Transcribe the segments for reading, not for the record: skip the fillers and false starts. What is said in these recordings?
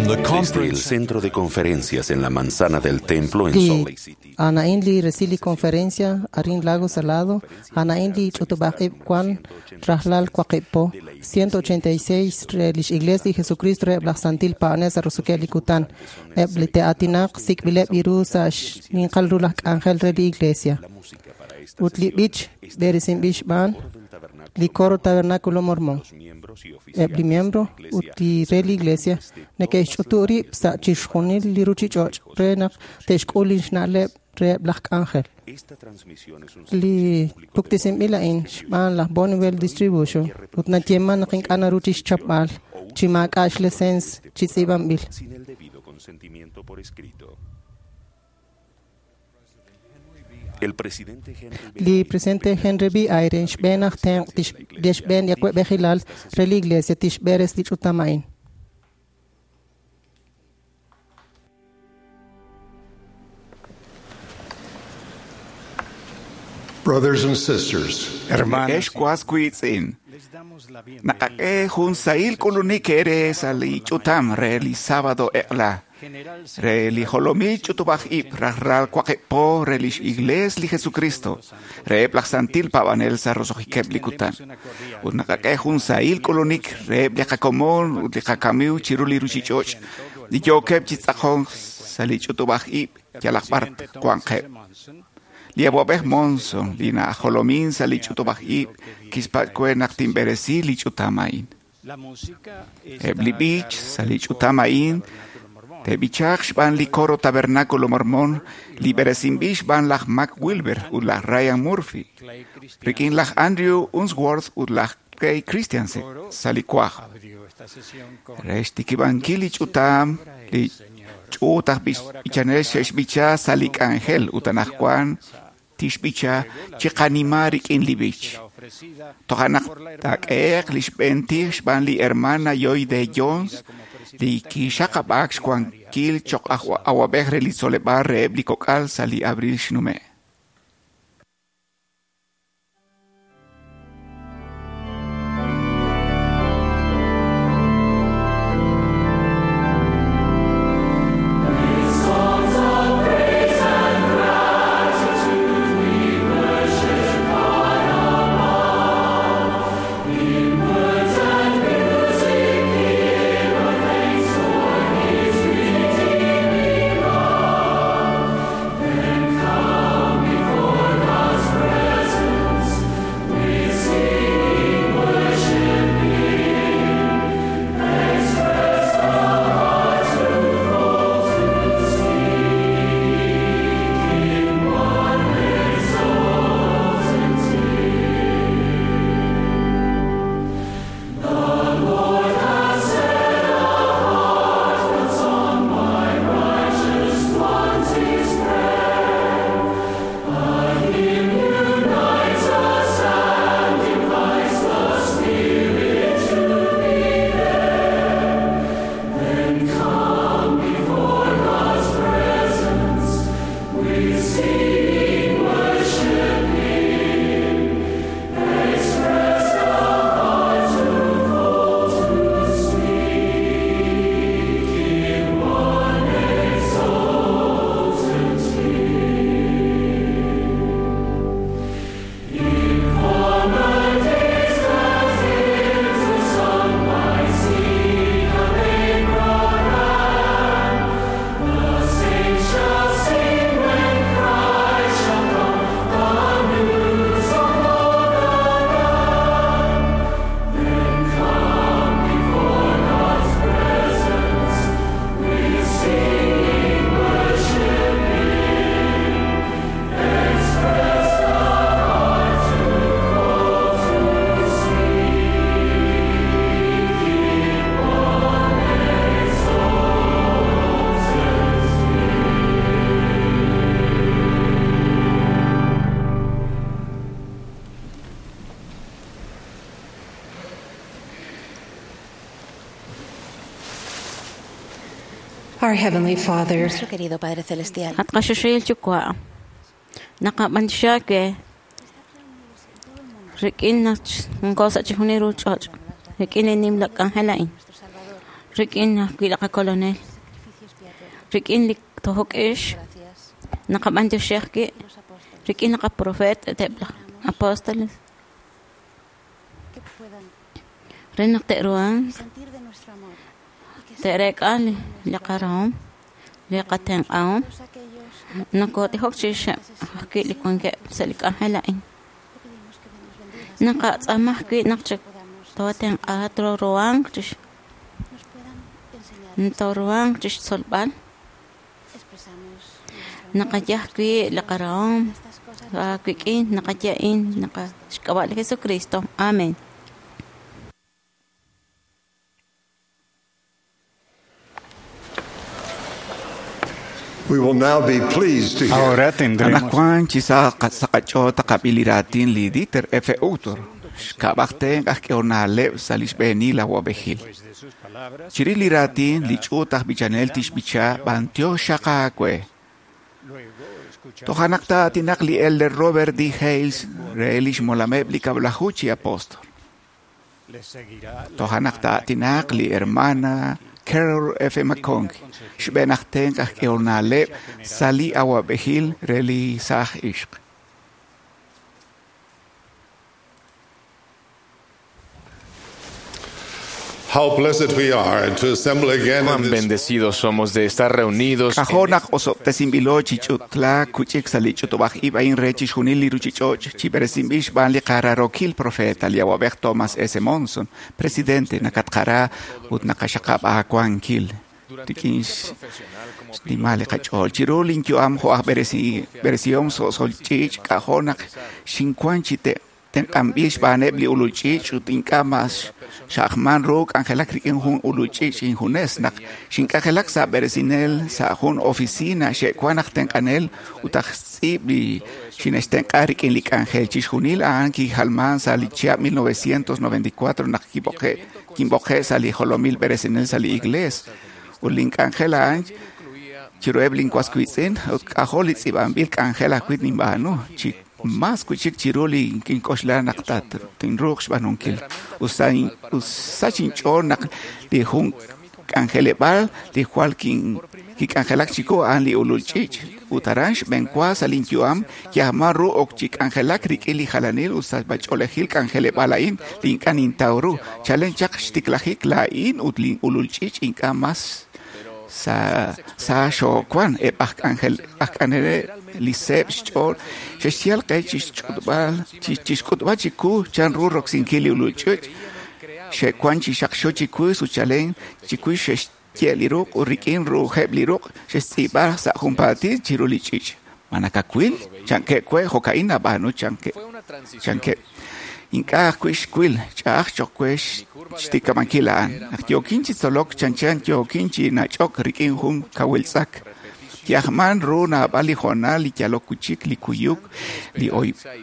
the Desde el conference Centro de Conferencias en la Manzana del Templo en Li Salt Lake City. a'an li resil li conferencia arin Lago Salado, a'an li ch'utub'aj ib' wan rajlal waqib' po 186 re lix Iglesia li Jesucristo reheb' laj Santil Paab'anel sa' roso'jikeb' li kutan. Eb' li te'aatinaq sik'b'ileb' iru sa' xninqal ru laj k'anjel re li Iglesia. Ut li b'ich b'eresinb'il xb'aan li Coro Tabernáculo Mormón. Eb' li miembro ut li re li Iglesia neke'xch'utu' rib' sa' chixjunil li ruchich'och' re naq te'xk'ul lix na'leb' reheb' laj k'anjel. Li puktesinb'il a'in xb'aan laj Bonneville Distribution ut nayeeman naq ink'a' naru chixchapb'al chi maak'a' xlecens chi tz'iib'anb'il. Sin el debido consentimiento por escrito. El presidente Henry B. Li presidente Henry B. Eyring xb'een aj tenq' tixb'een li awa'b'ejilal re li Iglesia tixb'eres li ch'utam a'in. Brothers and sisters, Hermanos, Ex kuaskuitzin. Naqaq'e jun sahil k'ulunik ere sa li ch'utam re li sábado eq'la. Re li jolomil ch'utub'aj ib' rajlal waqib' po re lix Iglees li Jesucristo. Reheb' laj Santil Paab'anel sa' roso'jikeb' li kutan. Ut naqaq'e jun sahil k'ulunik reheb' li qakomon ut li qakamiw chiru li ruchich'och' li yookeb' chi tz'aqon sa' li ch'utub'aj ib' yalaq b'ar wanqeb'. Li awab'ej Monson, li najolomin sa' li ch'utub'aj ib', kixpatz' naq tinb'eresi li ch'utam a'in. Eb' li b'ich sa' li ch'utam a'in te'b'ichaq xb'aan li Coro Tabernáculo Mormón li b'eresinb'il xb'aan laj Mac Wilber ut laj Ryan Murphy, rik'in laj Andrew Unsworth ut laj Clay Christiansen sa' li kuaj. Re xtikib'ankil li ch'utam, li ch'uut aj b'ichanel xe'xb'icha sa' li k'anjel ut anaqwan tixb'icha chiqanima rik'in li b'ich. Toja' naq taak'ehe'q li xb'een tij xb'aan li hermana Lloyd Jones li kixaqab'aak xwankil cho'q aj awab'ej re li tzoleb'aal reheb' li kok'al sa' li abril xnume'. Our Heavenly Father, Nuestro querido Padre Celestial, At kasusuyil chukwa. Nakaban siya ke rikin na ngko sa chihuni ruchoch. Rikin inim lak ang helain. Rik'in ajwi' li qakolonel. Rik'in li tojok ix. Naqab'antioxi ajwi' rik'in li qaprofeet ut eb' laj apóstoles. Re naq te'ruhanq te'reek'a li qarahom, li qatenq'ahom. Nokotijok chirixeb' ajwi' li wankeb' sa' li k'anjel a'in. Naqatz'aama ajwi' naq tootenq'a tooruhanq chixtzolb'al. Naqaye ajwi' li qarahom aawik'in, naqaye a'in xk'ab'a' li Jesucristo. Amén. We will now be pleased to hear Ahora tendremos Anaqwan chi sa qach'ool taqab'il li raatin li Dieter F. Uchtdorf, xk'ab'ajten aj k'ehonaleb' sa' li xb'eenil awab'ejil. después de sus palabras. Chirix li raatin li ch'uut aj b'ichanel tixb'icha b'antiox xaqaawe. Luego escucharemos Toja' naq taatinaq li Elder Robert D. Hales re li xmolameb' li kab'laju chi apóstol. Les seguirá la Toja' naq hermana taatinaq li hermana Carol F. McConkie, xb'een aj tenq aj k'ehonaleb' sa' li awab'ejil re li saaj ixq. How blessed we are to assemble again in Cuán this bendecidos somos de estar reunidos en K'ajo' naq osob'tesinb'ilo chi ch'utlaak kuch'ik sa' li ch'utub'aj ib' a'in re chixjunil li ruchich'och' chi b'eresinb'il xb'aan li qararokil profeta li awab'ej Thomas S. Monson, presidente nakatqara ut naqaxaqab' aawankil. Rik'in xnimal li qach'ool chiru linyu'am jo' aj b'eresihom so'sol ch'iich' k'ajo' naq xinwan chi tenq'anb'il xb'aaneb' li ulul ch'iich' ut ink'a' mas xa'ajman ru k'anjelak rik'in jun ulul ch'iich' injunes naq xink'anjelak sa' b'eresinel sa' jun oficina xe'wan aj tenq'anel ut aj tz'iib' li xine'xtenq'a rik'in li k'anjel chixjunil a'an kijalman sa' li chihab' 1994 naq kinb'oqe' sa' li jolomil b'eresinel sa' li iglees ut link'anjel a'an chiruheb' linwaswiitz'in ut k'ajo' li tz'iib'anb'il k'anjel ajwi' ninb'aanu chi mas wi'chik chiru li kink'oxla naq tinruuq xb'aanunkil. Usach inch'ool naq li jun k'anjeleb'aal li jwal kik'anjelak chiwu a'an li ulul ch'iich' ut aran xb'enwa sa' linyu'am kiajman ru ok chi k'anjelak rik'in li jalanil ut sa' ch'oolejil k'anjeleb'aal a'in li ink'a' nintaw ru. Chalen chaq xtiklajik laa'in ut li ulul ch'iich' ink'a' mas sa xoowan eb' aj k'anjeleb' li seeb' xch'ool xe'xyal qe chixk'utb'al chiwu chan ru roksinkil li ulul ch'iich' xe'wan chi xaqxo chiwu ut chalen chiwu xe'xye' li ruq' ut rik'in ruheb' li ruq' xe'xtz'iib'a sa' junpaatil chiru li ch'iich'. Ma nakawil? Chankeb' we jo'ka'in nab'aanu chankeb'. Ink'a' ajwi' xwil ch'a'aj cho'q we xtikab'ankil a'an. Naq yookin chi tzolok chanchan yookin chi nach'ok rik'in jun kawil tz'ak. Kiajman ru naab'al li hoonal li yalok wi'chik li kuyuk, li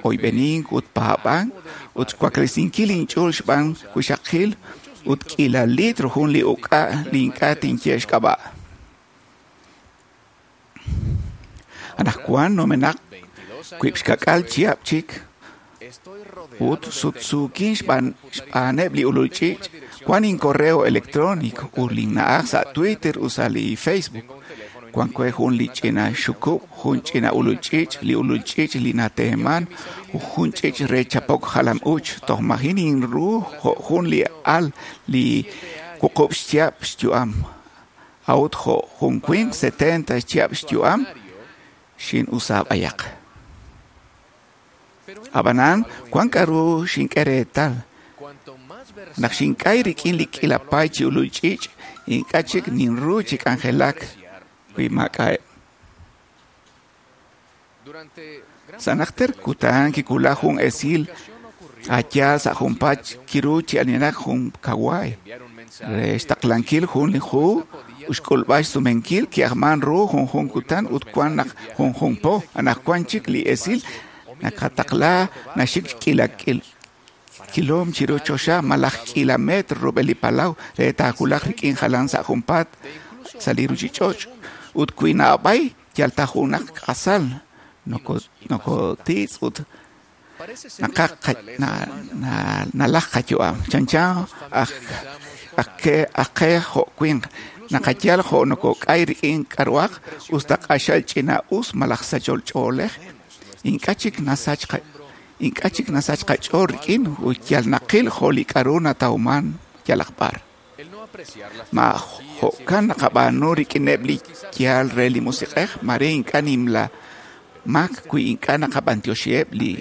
oyb'enink ut paab'ank ut xwaklesinkil inch'ool xb'aan wixaqil ut k'iila litro jun li uk'a' li ink'a' tinye xk'ab'a'. Anaqwan numenaq wiib' xka'k'aal chihab' chik ut sutsuukin xb'aaneb' li ulul ch'iich' wan incorreo electrónico ut linna'aj sa' Twitter ut sa' li Facebook. Wan we jun li ch'ina xukub', jun ch'ina ulul ch'iich', li ulul ch'iich' li nateeman, jun ch'iich' re chapok jalam uuch. Toj majin inru jo' jun li al li wuqub' xchihab' xyu'am. A'ut jo' jun winq 70 xchihab' xyu'am xin'usaab'ayaq. Ab'anan wan k'aru xink'e reetal. Naq xink'ay rik'in li k'iila paay chi ulul ch'iich' ink'a' chik ninru chi k'anjelak wi maak'a'eb'. Sa' najter kutan kiwulak jun esil a'yaal sa' junpaat kiru chi aninaq jun kawaay. Re xtaqlankil jun li hu ut xk'ulb'al xsumenkil ki'ajman ru junjun kutan ut wan naq junjun po. Anaqwan chik li esil nakataqla naxik k'iila kilom chiru choxa malaj k'iila metro rub'el li palaw re taawulaq rik'in jalan sa' junpaat sa' li ruchich'och' ut wi nab'ay yal ta junaq k'asal nokotitz' ut nalaj qayu'am. Chanchan aj Aj qe jo' winq naqayal jo' nokok'ay rik'in k'a'ruhaq us ta q'axal ch'ina'us malaj sachol ch'oolej, ink'a' chik nasach qach'ool rik'in ut yal naqil jo' li k'a'ru natawman yalaq b'ar. Ma jo'kan naqab'aanu rik'ineb' li yaal re li musiq'ej, mare ink'a' nimla mak wi ink'a' naqab'antioxiheb' li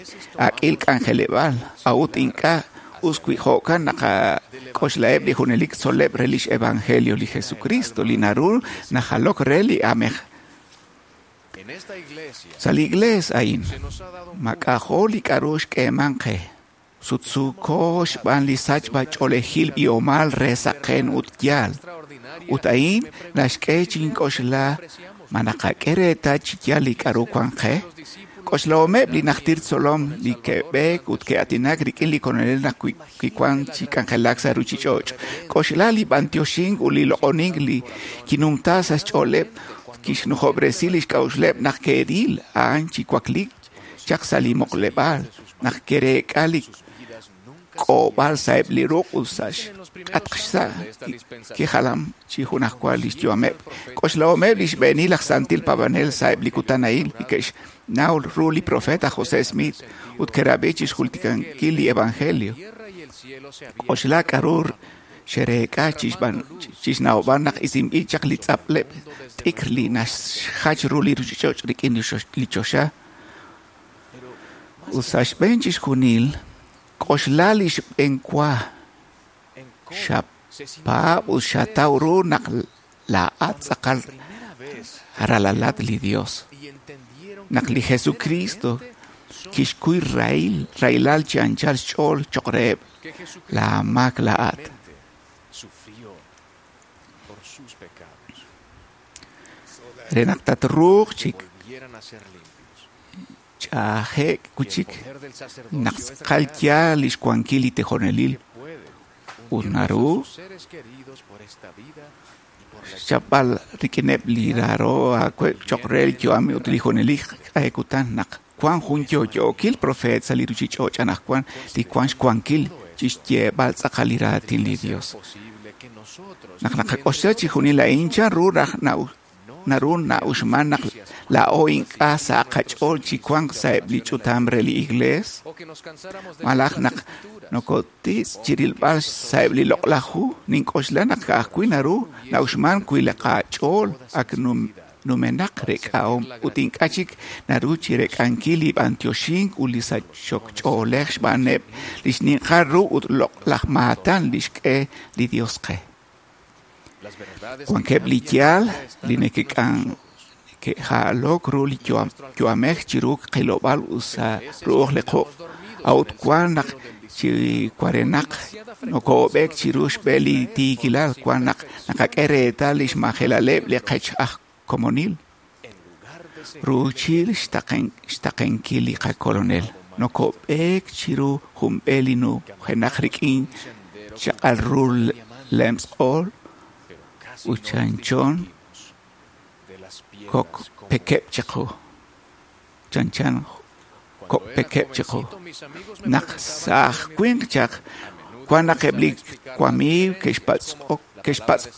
ak'il k'anjeleb'aal, a'ut ink'a' us wi jo'kan naqak'oxlaheb' li junelik tzol'leb' re lix evangelio li Jesucristo li naru najalok re li aamej. Sa' li iglees a'in, mak'ajo' li k'a'ru xk'eeman qe, sutsuuko xb'aan li sachb'a-ch'oolejil b'ihomal re saqen ut yaal. Ut a'in naxk'e chink'oxla ma naqak'e reetal chi yaal li k'a'ru wan qe. K'oxlahomeb' li najtil tzolom li ke'b'eek ut ke'aatinak rik'in li Kolonel naq kiwan chi k'anjelak sa' ruchich'och'. K'oxla li b'antioxink ut li loq'onink li kinumta sa' xch'ooleb' kixnujob'resi lix k'a'uxleb' naq ke'ril a'an chi wakliik chaq sa' li muqleb'aal, naq ke'reek'a li k'oob'al sa'eb' li ruq' ut sa' xk'atq xsa' kijalam chi junajwa lix yu'ameb'. K'oxlahomeb' li xb'eenil aj santil paab'anel sa'eb' li kutan a'in li ke'xnaw ru li profeta José Smith ut ke'rab'i chixjultikankil li evangelio. K'oxla k'a'ru xe'reek'a chixnawb'al naq isinb'il chaq li tz'apleb' t'ikr li naxjach ru li ruchich'och' rik'in li choxa. Ut sa' xb'een chixjunil, k'oxla li xb'eenwa xapaab' ut xataw ru naq laa'at tz'aqal ralalat li Dios. Naq li Jesucristo kixkuy rahilal chi anchal xch'ool choq' reheb' laa maak laa'at. Re naq tatruuq chi ch'aje'k wi'chik naq tz'aqal yaal lix wankil li tijonelil ut naru xchapb'al rik'ineb' li raaro aaweb' choq' re li yu'am ut li junelik q'e kutan naq wan jun yo'yookil profeet sa' li ruchich'och' anaqwan li wan xwankil chixyeeb'al tz'aqal li raatin li Dios. Naq naqak'oxla chixjunil a'in, chan ru raj naru na'uxman naq laa'o ink'a' sa' qach'ool chi wanq sa'eb' li ch'utam re li iglees? Malaj naq nokotitz' chirilb'al sa'eb' li loq'laj hu, nink'oxla naq ka'ajwi' naru na'uxman wi li qach'ool ak numenaq rek'ahom ut ink'a' chik naru chirek'ankil li b'antioxink ut li sachok ch'oolej xb'aaneb' li xninqal ru ut loq'laj maatan li xk'e li Dios qe. Wankeb' li yaal li neke'jalok ru li yu'amej chiru qilob'aal ut sa' ru'uj li quq', a'ut wan naq chi warenaq nokob'eek chiru xb'e li tiikilal, wan naq naqak'e reetal lix majelaleb' li qech aj komonil. Ruuchil xtaqenkil li qakolonel, nokob'eek chiru jun b'e li nujenaq rik'in chaq'al ru lemtz'q'ool ut chanchon kok'pekeb' chiqu. Chanchan kok'pekeb' chiqu. Naq sa'aj winq chaq, wan naq eb' li wamiiw ke'xpatz'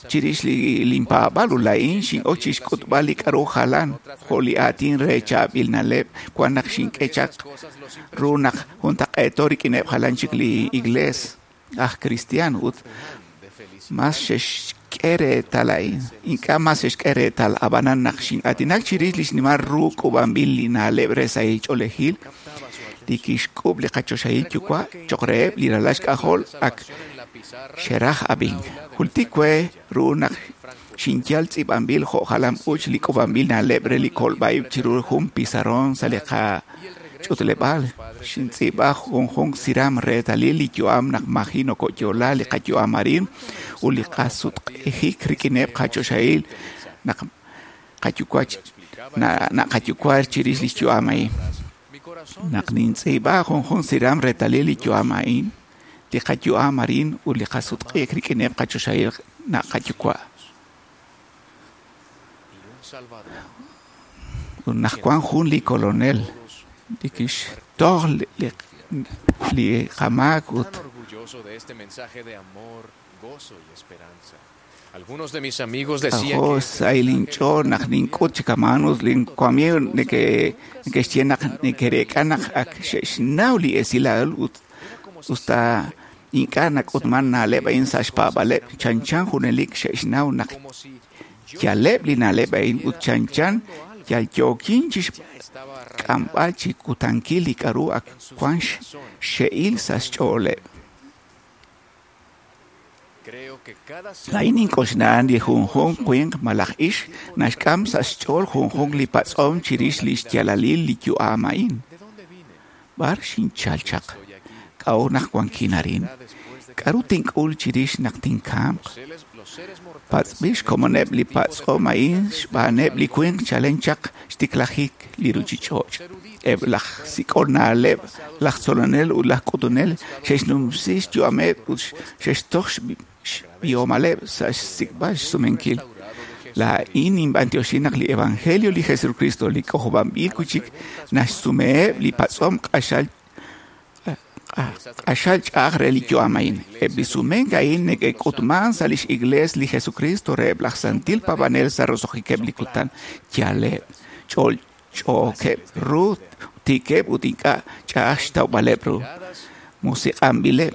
chirix linpaab'aal ut laa'in xin'ok chixk'utb'al li k'a'ru jalan jo' li aatin re chaab'il na'leb' wan naq xink'e chaq ru naq juntaq'eeto rik'ineb' jalan chik li iglees aj cristiano ut mas xe'xk'e reetal a'in. Ink'a' mas xe'xk'e reetal, ab'anan naq xin'aatinak chirix li xnimal ru k'uub'anb'il li na'leb' re sahil ch'oolejil li kixk'uub' li qachoxahil yuwa' choq' reheb' li ralal xk'ajol ak xeraj ab'ink. Jultik we ru naq xinyal tz'iib'anb'il jo' jalam-uuch li k'uub'anb'il na'leb' re li kolb'a-ib' chiru jun pizarron sa' li qach'utleb'aal. Xintz'iib'a junjunq siram reetalil li yu'am naq maji nokoyo'la li qayu'am arin ut li qasutq'ijik rik'ineb' qachoxahil naq qayuwa' chirix li yu'am a'in. Naq nintz'iib'a junjunq siram reetalil li yu'am a'in, li qayu'am arin ut li qasutq'ijik rik'ineb' qachoxahil naq qayuwa'. Ut naq wan jun li kolonel li kixtoj li qamaak ut K'ajo' xsahil inch'ool naq nink'ut chi kama'an ut linwamiiw neke'xye naq neke'reek'a naq ak xe'xnaw li esilal ut usta ink'a' nak'utman na'leb' a'in sa' xpaab'aaleb', chanchan junelik xe'xnaw naq yaleb' li na'leb' a'in ut chanchan yal yookin chi xk'amb'al chi kutankil li k'aru ak wan xxe'il sa' xch'ooleb'. Laa'in nink'oxla li junjunq winq malaj ixq naxk'am sa' xch'ool junjunq li patz'om chirix li xyaalalil li yu'am a'in. B'ar xinchal chaq? K'a'ut naq wankin arin? K'aru tink'ul chirix naq tinkamq? Patz'b'il xkomoneb' li patz'om a'in xb'aaneb' li winq chalen chaq xtiklajik li ruuchich'och'. Eb' laj sik'ol na'leb', laj tzolonel ut laj k'utunel xe'xnumsi xyu'ameb' ut xe'xtoj xb'ihomaleb' sa' xsik'b'al xsumenkil. Laa'in ninb'antioxi naq li evangelio li Jesucristo li k'ojob'anb'il wi' chik naxsumeheb' li patz'om q'axal ch'a'aj re li yu'am a'in. Eb' li sumenk a'in neke'k'utman sa' lix Iglees li Jesucristo reheb' laj santil paab'anel sa' roso'jikeb' li kutan. Yaleb', ch'olch'ookeb' ru, tiikeb' ut ink'a' ch'a'aj xtawb'aleb' ru. Musiq'anb'ileb'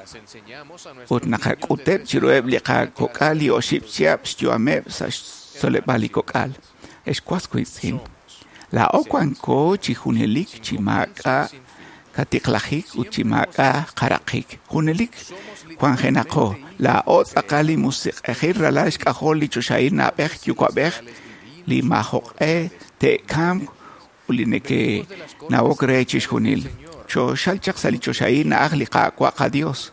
ut naqak'uteb' chiruheb' li qakok'al li oxib' chihab' xyu'ameb' sa' xtzoleb'aal li kok'al. Ex was wiitz'in, laa'o wanko chi junelik chi maak'a' katiqlajik ut chi maak'a' qaraqik. Junelik wanjenaqo, laa'o tz'aqal li musiq'ejil ralal xk'ajol li choxahil na'b'ej yuwa'b'ej li maajoq'e te'kamq ut li neke'nawok re chixjunil. Choxal chaq sa' li choxahil na'aj li Qaawa' qaDios.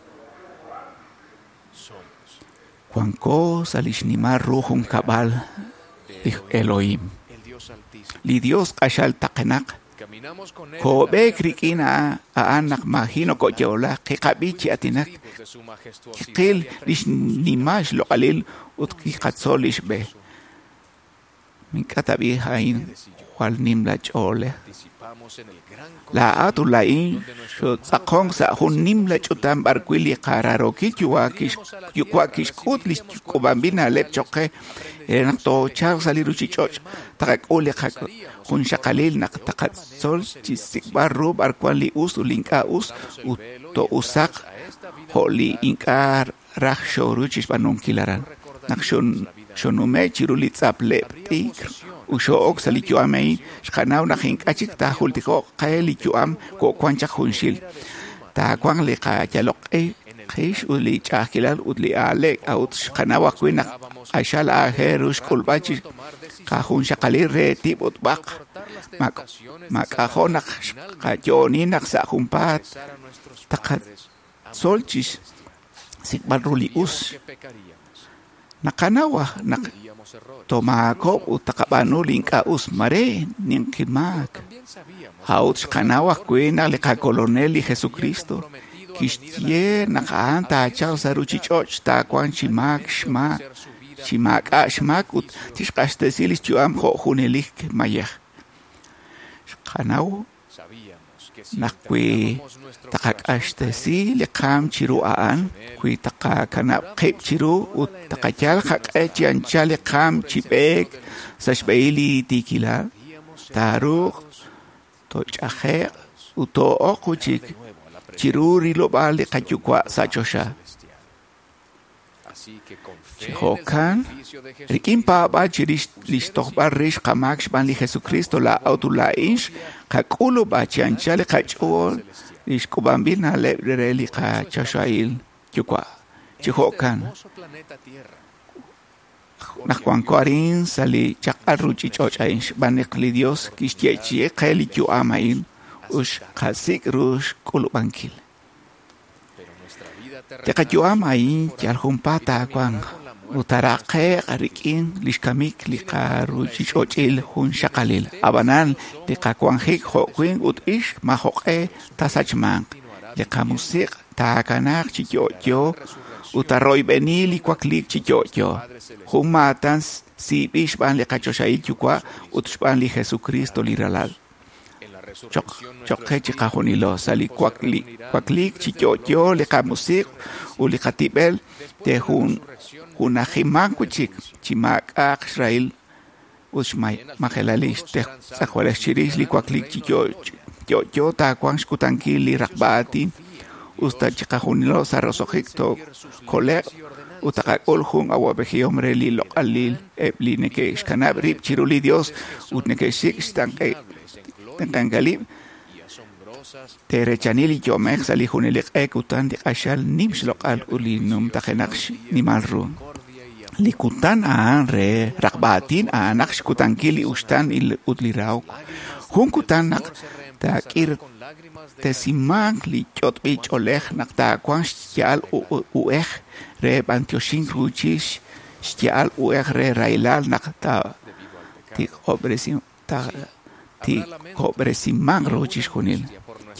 Wanko sa' li xnimal ru junkab'al li Elohim. Li Dios q'axal taqenaq. Koob'eek rik'in a'an naq maaji' nokoyo'la, kiqab'i chi aatinak, kiqil li xnimal xloq'alil ut kiqatzol li xb'e. Mink'a tab'i a'in jwal nim la ch'oolej. Laa'at ut laa'in xootz'aqonk sa' jun nimla ch'utam b'arwi' li qaraarookil yuwa' kixk'ut li k'uub'anb'il na'leb' cho'q qe re naq toochalq sa' li ruuchich'och' taqak'ul li qajunxaqalil naq taqatzol chi xsik'b'al ru b'arwan li us ut li ink'a' us ut to'usaq jo' li ink'a' raj xooru chi xb'aanunkil aran. Naq xonume' chiru li tz'apleb' t'ikr ut xoo'ok sa' li yu'am a'in, xqanaw naq ink'a' chik taajultiko'q qe li yu'am ko'wan chaq junxil. Taawanq li qayaloq qix ut li ch'a'ajkilal ut li aaleek, a'ut xqanaw ajwi' naq q'axal aajel ru xk'ulb'al chi qajunxaqalil re tib' ut b'aq. Mak'ajo' naq xqayo'oni naq sa' junpaat taqatzol chi xsik'b'al ru li us. Naqanaw naq tomaakok' ut taqab'aanu li ink'a' us, mare ninqi maak. A'ut xqanaw ajwi' naq li qakolonel li Jesucristo kixye naq a'an taachalq sa' ruuchich'och' taawanq chi maak xmaak, chi maak'a' xmaak ut tixq'axtesi li xyu'am jo' junelik mayej. Xqanaw naq wi taqaq'axtesi li qaam chiru a'an, wi taqakanab' qib' chiru ut taqayal qaq'e chi anchal li qaam chi b'eek sa' xb'ehil li tiikilal, taaruuq toch'aje'q ut too'oq wi' chiru rilob'aal li qayuwa' sa' choxa. Chi jo'kan, rik'in paab'aal chirix li xtojb'al rix qamaak xb'aan li Jesucristo, laa'at ut laa'in xqak'ulub'a chi anchal li qach'ool li xk'uub'anb'il na'leb' re li qachoxahil yuwa'. Chi jo'kan, naq wanko arin sa' li chaq'al ruuchich'och' a'in xb'aan naq li Dios kixyeechi'i qe li yu'am a'in ut xqasik' ru xk'ulub'ankil. Li qayu'am a'in yal junpaat taawanq ut taaraqe'q rik'in li xkamik li qaruuchich'och'il junxaqalil. Ab'anan li qawanjik jo' winq ut ixq maajoq'e taasachmanq. Li qamusiq' taakanaaq chi yo'yo ut taaroyb'eni li wakliik chi yo'yo. Jun maatan siib'il xb'aan li qachoxahil yuwa' ut xb'aan li Jesucristo li Ralal. Choq qe chiqajunilo sa' li wakliik chi yo'yo li qamusiq' ut li qatib'el te'junajimanq wi'chik chi maak'a'aq xrahil ut xmajelal li tz'ejwalej chirix li wakliik chi yo'yo taawanq xkutankil li raqb'a aatin us ta chiqajunilo sa' roso'jik tookole'q ut taqak'ul jun awa'b'ejihom re li loq'alil eb' li neke'xkanab' rib' chiru li Dios ut neke'xsik' xtenq'ankalib' te'rechani li yo'mej sa' li junelik q'e kutan li q'axal nim xloq'al ut li numtajenaq xnimal ru. Li kutan a'an re raqb'a aatin a'anaq xkutankil li uxtaan ut li rahok. Jun kutan naq taak'irtesimanq li yot'b'il ch'oolej naq taawanq xya'al uhej re b'antioxink ruuchil xya'al uhej re rahilal naq taatiqob'resimanq ru chixjunil.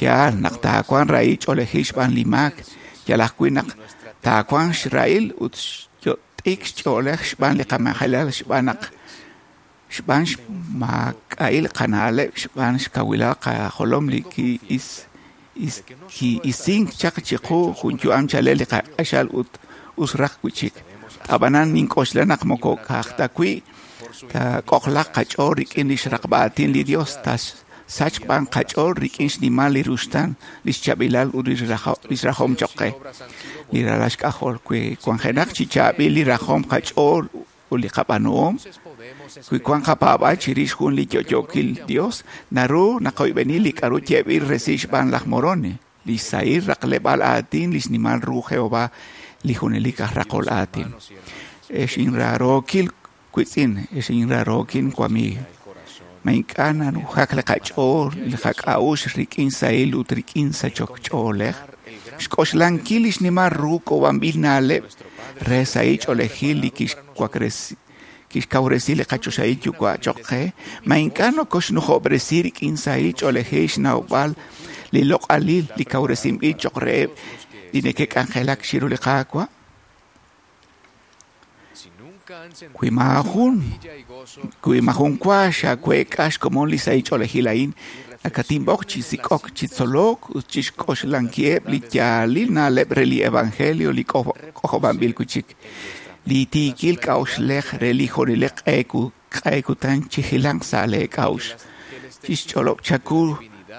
Yaal naq taawanq rahil ch'oolejil xb'aan li maak, yal ajwi' naq taawanq xrahil ut xyot'ik xch'oolej xb'aan li qamajelal xb'aan naq xb'aan xmaak'a'il qana'leb' xb'aan xkawilal qajolom li ki'isink chaq chiqu jun yu'am chalel li qaq'axal ut us raj wi'chik. Ab'anan nink'oxla naq moko ka'aj ta wi' taak'ojlaq qach'ool rik'in li xraqb'a aatin li Dios, tasachq b'an qach'ool rik'in xnimal li ruxtaan, li xchaab'ilal ut li xrajom choq' qe. Li ralal xk'ajol wi wanjenaq chi chaab'il li rajom qach'ool ut li qab'aanuhom, wi wank qapaab'aal chirix jun li yo'yookil Dios, naru naqoyb'eni li k'a'ru yeeb'il resil xb'aan laj Moroni, li xsahil raqleb'aal aatin li xnimal ru Jehova, li junelik aj raqol aatin. Ex inraarookil wiitz'in, ex inraarookil wamiig, ma ink'a' nanujak li qach'ool li qak'a'uxl rik'in sahil ut rik'in sachok ch'oolej? Xk'oxlankil li xnimal ru k'uub'anb'il na'leb' re sahil ch'oolejil li kixkawresi li qachoxahil yuwa' choq' qe, ma ink'a' nokoxnujob'resi rik'in sahil ch'oolejil xnawb'al li loq'alil li kawresinb'il choq' reheb' li neke'k'anjelak chiru li Qaawa'? Wi maajun wa xaweek'a xkomon li sahil ch'oolejil a'in, nakatinb'oq chi sik'ok, chi tzolok ut chi xk'oxlankiheb' li yaalil na'leb' re li evangelio li k'ojob'anb'il wi'chik. Li tiikil k'a'uxlej re li junelik q'e kutan chijilanq sa' lee k'a'uxl. Chixch'olob' chaku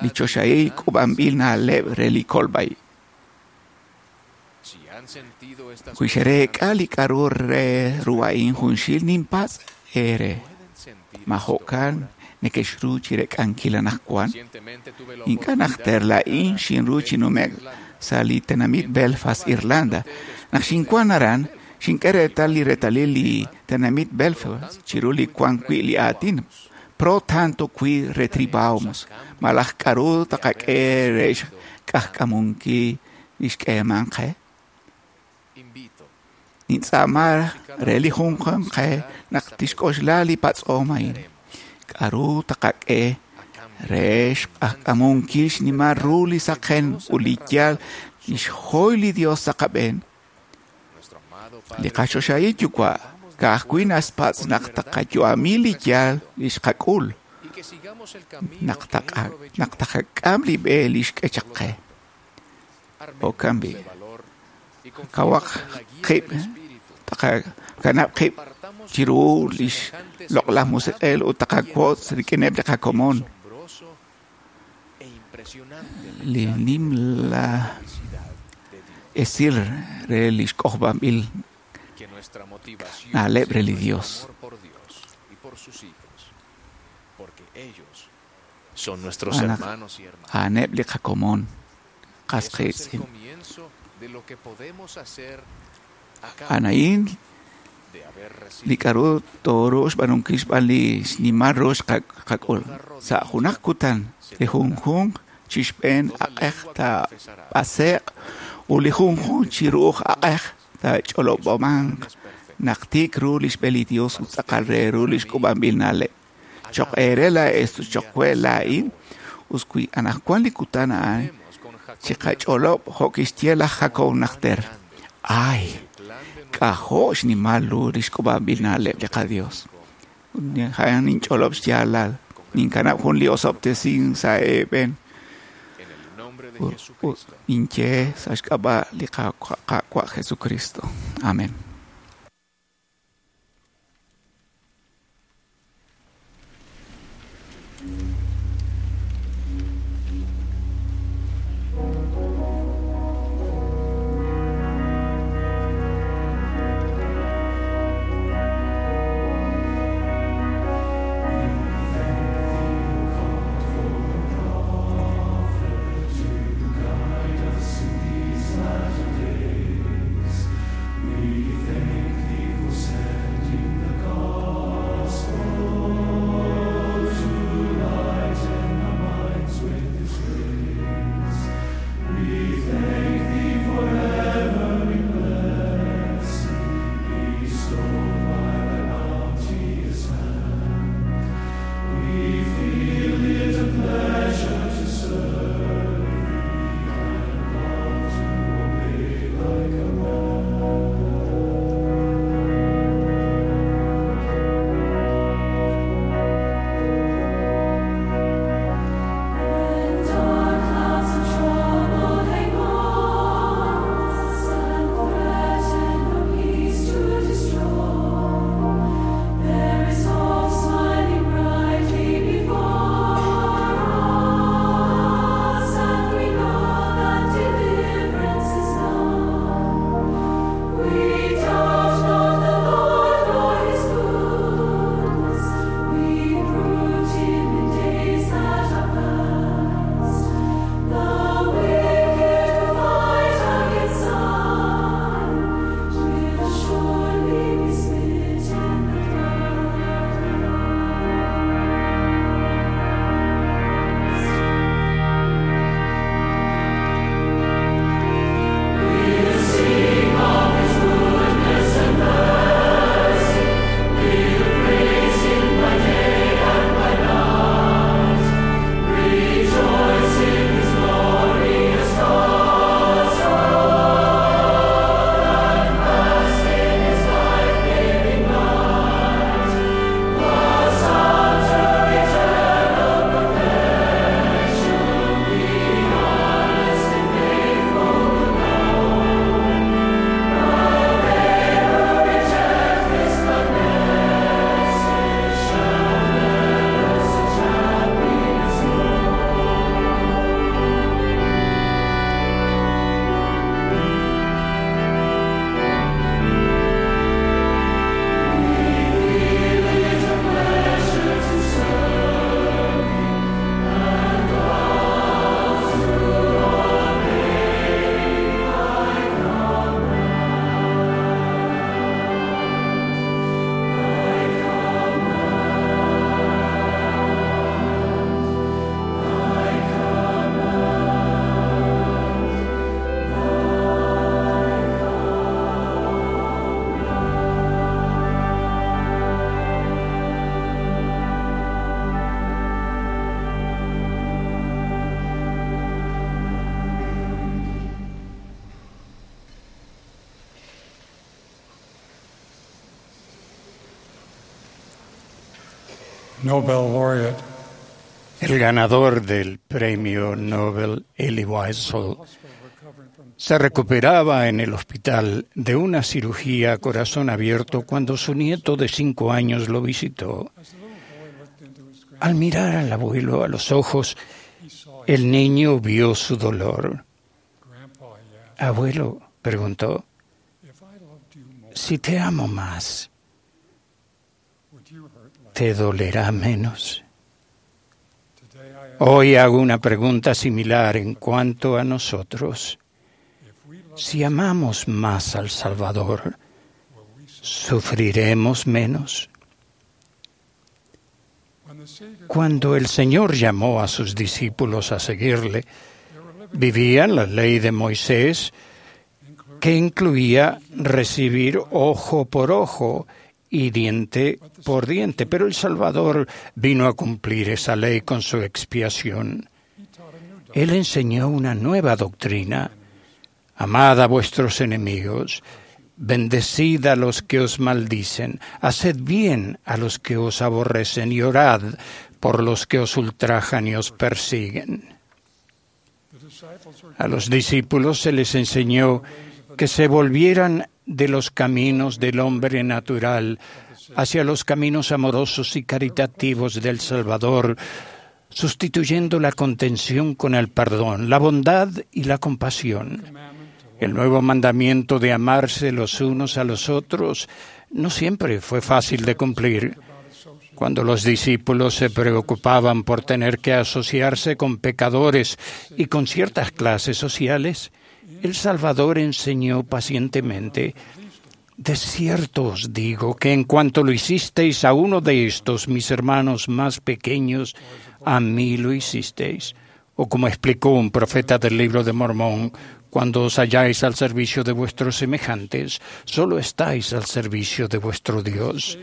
li choxahil k'uub'anb'il na'leb' re li kolb'ai. Wi xereek'a li k'a'ru re ru a'in junxil ninpatz' eere. Ma jo'kan neke'xru chirek'ankil anaqwan? Ink'a' najter laa'in xinru chi nume'k sa' li tenamit Belfast, Irlanda. Naq xinwan aran, xink'e reetal li reetalil li tenamit Belfast chiru li wan wi' li aatin pro tanto qui retribamus, malaj k'a'ru taqak'e re xk'ajk'amunkil li xk'eeman qe. Nintz'aama re li junjunq qe naq tixk'oxla li patz'om a'in. K'a'ru taqak'e re xk'ajk'amunkil xnimal ru li saqen ut li yaal li xjoy li Dios sa' qab'een? Li qachoxahil yuwa' ka'ajwi' naxpatz' naq taqayu'ami li yaal li xqak'ul, naq taqak'am li b'e li xk'e chaq qe. Jo'kan b'i', kawaq qib', taqakanab' qib' chiru li xloq'laj musiq'ej ut taqawotz rik'ineb' li qakomon. Li nimla esil re li xk'ojob'anb'il na'leb' re li Dios. A'aneb' li qakomon, qas qiitz'in. A'an a'in li k'a'ru tooruuq xb'aanunkil xb'aan li xnimal ru xqak'ul. Sa' junaq kutan, li junjunq chi xb'een aq'ej taab'ase'q ut li junjunq chi ru'uj aq'ej taach'olob'amanq naq tiik ru li xb'e li Dios ut tz'aqal re ru li xk'uub'anb'il na'leb'. Choq' eere laa'ex ut choq' we laa'in, us wi anaqwan li kutan a'an chiqach'olob' jo' kixye laj Jacob najter. Ay, k'ajo' xnimal ru li xk'uub'anb'il na'leb' li qaDios. A'an ninch'olob' xyaalal. Ninkanab' jun li osob'tesink sa' eeb'en. Ninye sa' xk'ab'a' li Qaawa' Jesucristo. Amen. We thank thee for sending the gospel to lighten our minds with its grace. We thank thee for every blessing bestowed by thy bounteous hand. We feel it a pleasure to serve thee and love to obey thy command. And dark clouds of trouble hang on us and threaten our peace to destroy. There is hope smiling brightly before us, and we know that deliverance is nigh. We doubt not the Lord nor His goodness. We proved Him in days that are past. The wicked who fight against Zion will surely be smitten the dust. We'll sing of His goodness and mercy. We'll praise Him by day and by night. Rejoice in His glorious gospel and bask in His life-giving light. Thus unto eternal perfection, be honest and faithful will go. But they who reject this good message shall never such happiness know. We feel it a pleasure to serve Thee and love to obey Thy command. Thy command. Thy command. Thy Nobel laureate El ganador del premio Nobel, Elie Wiesel, se recuperaba en el hospital de una cirugía a corazón abierto cuando su nieto de 5 años lo visitó. Al mirar al abuelo a los ojos, el niño vio su dolor. Abuelo, preguntó, si te amo más, ¿te dolerá menos? Hoy hago una pregunta similar en cuanto a nosotros. Si amamos más al Salvador, ¿sufriremos menos? Cuando el Señor llamó a sus discípulos a seguirle, vivían la ley de Moisés, que incluía recibir ojo por ojo y diente por diente. Pero el Salvador vino a cumplir esa ley con su expiación. Él enseñó una nueva doctrina. Amad a vuestros enemigos, bendecid a los que os maldicen, haced bien a los que os aborrecen y orad por los que os ultrajan y os persiguen. A los discípulos se les enseñó que se volvieran de los caminos del hombre natural hacia los caminos amorosos y caritativos del Salvador, sustituyendo la contención con el perdón, la bondad y la compasión. El nuevo mandamiento de amarse los unos a los otros no siempre fue fácil de cumplir. Cuando los discípulos se preocupaban por tener que asociarse con pecadores y con ciertas clases sociales, el Salvador enseñó pacientemente: De cierto os digo que en cuanto lo hicisteis a uno de estos mis hermanos más pequeños, a mí lo hicisteis. O como explicó un profeta del libro de Mormón, cuando os halláis al servicio de vuestros semejantes, solo estáis al servicio de vuestro Dios.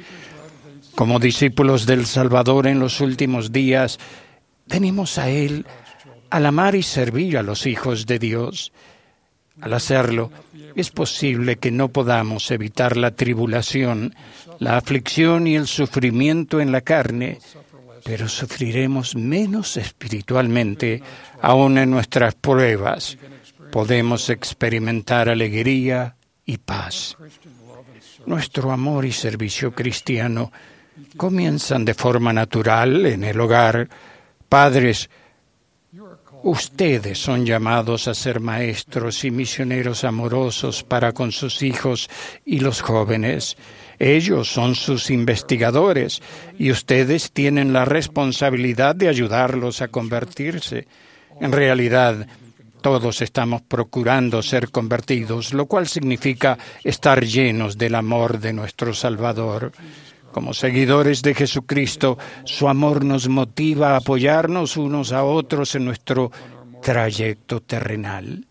Como discípulos del Salvador en los últimos días, venimos a Él al amar y servir a los hijos de Dios. Al hacerlo, es posible que no podamos evitar la tribulación, la aflicción y el sufrimiento en la carne, pero sufriremos menos espiritualmente aún en nuestras pruebas. Podemos experimentar alegría y paz. Nuestro amor y servicio cristiano comienzan de forma natural en el hogar. Padres, ustedes son llamados a ser maestros y misioneros amorosos para con sus hijos y los jóvenes. Ellos son sus investigadores y ustedes tienen la responsabilidad de ayudarlos a convertirse. En realidad, todos estamos procurando ser convertidos, lo cual significa estar llenos del amor de nuestro Salvador. Como seguidores de Jesucristo, su amor nos motiva a apoyarnos unos a otros en nuestro trayecto terrenal.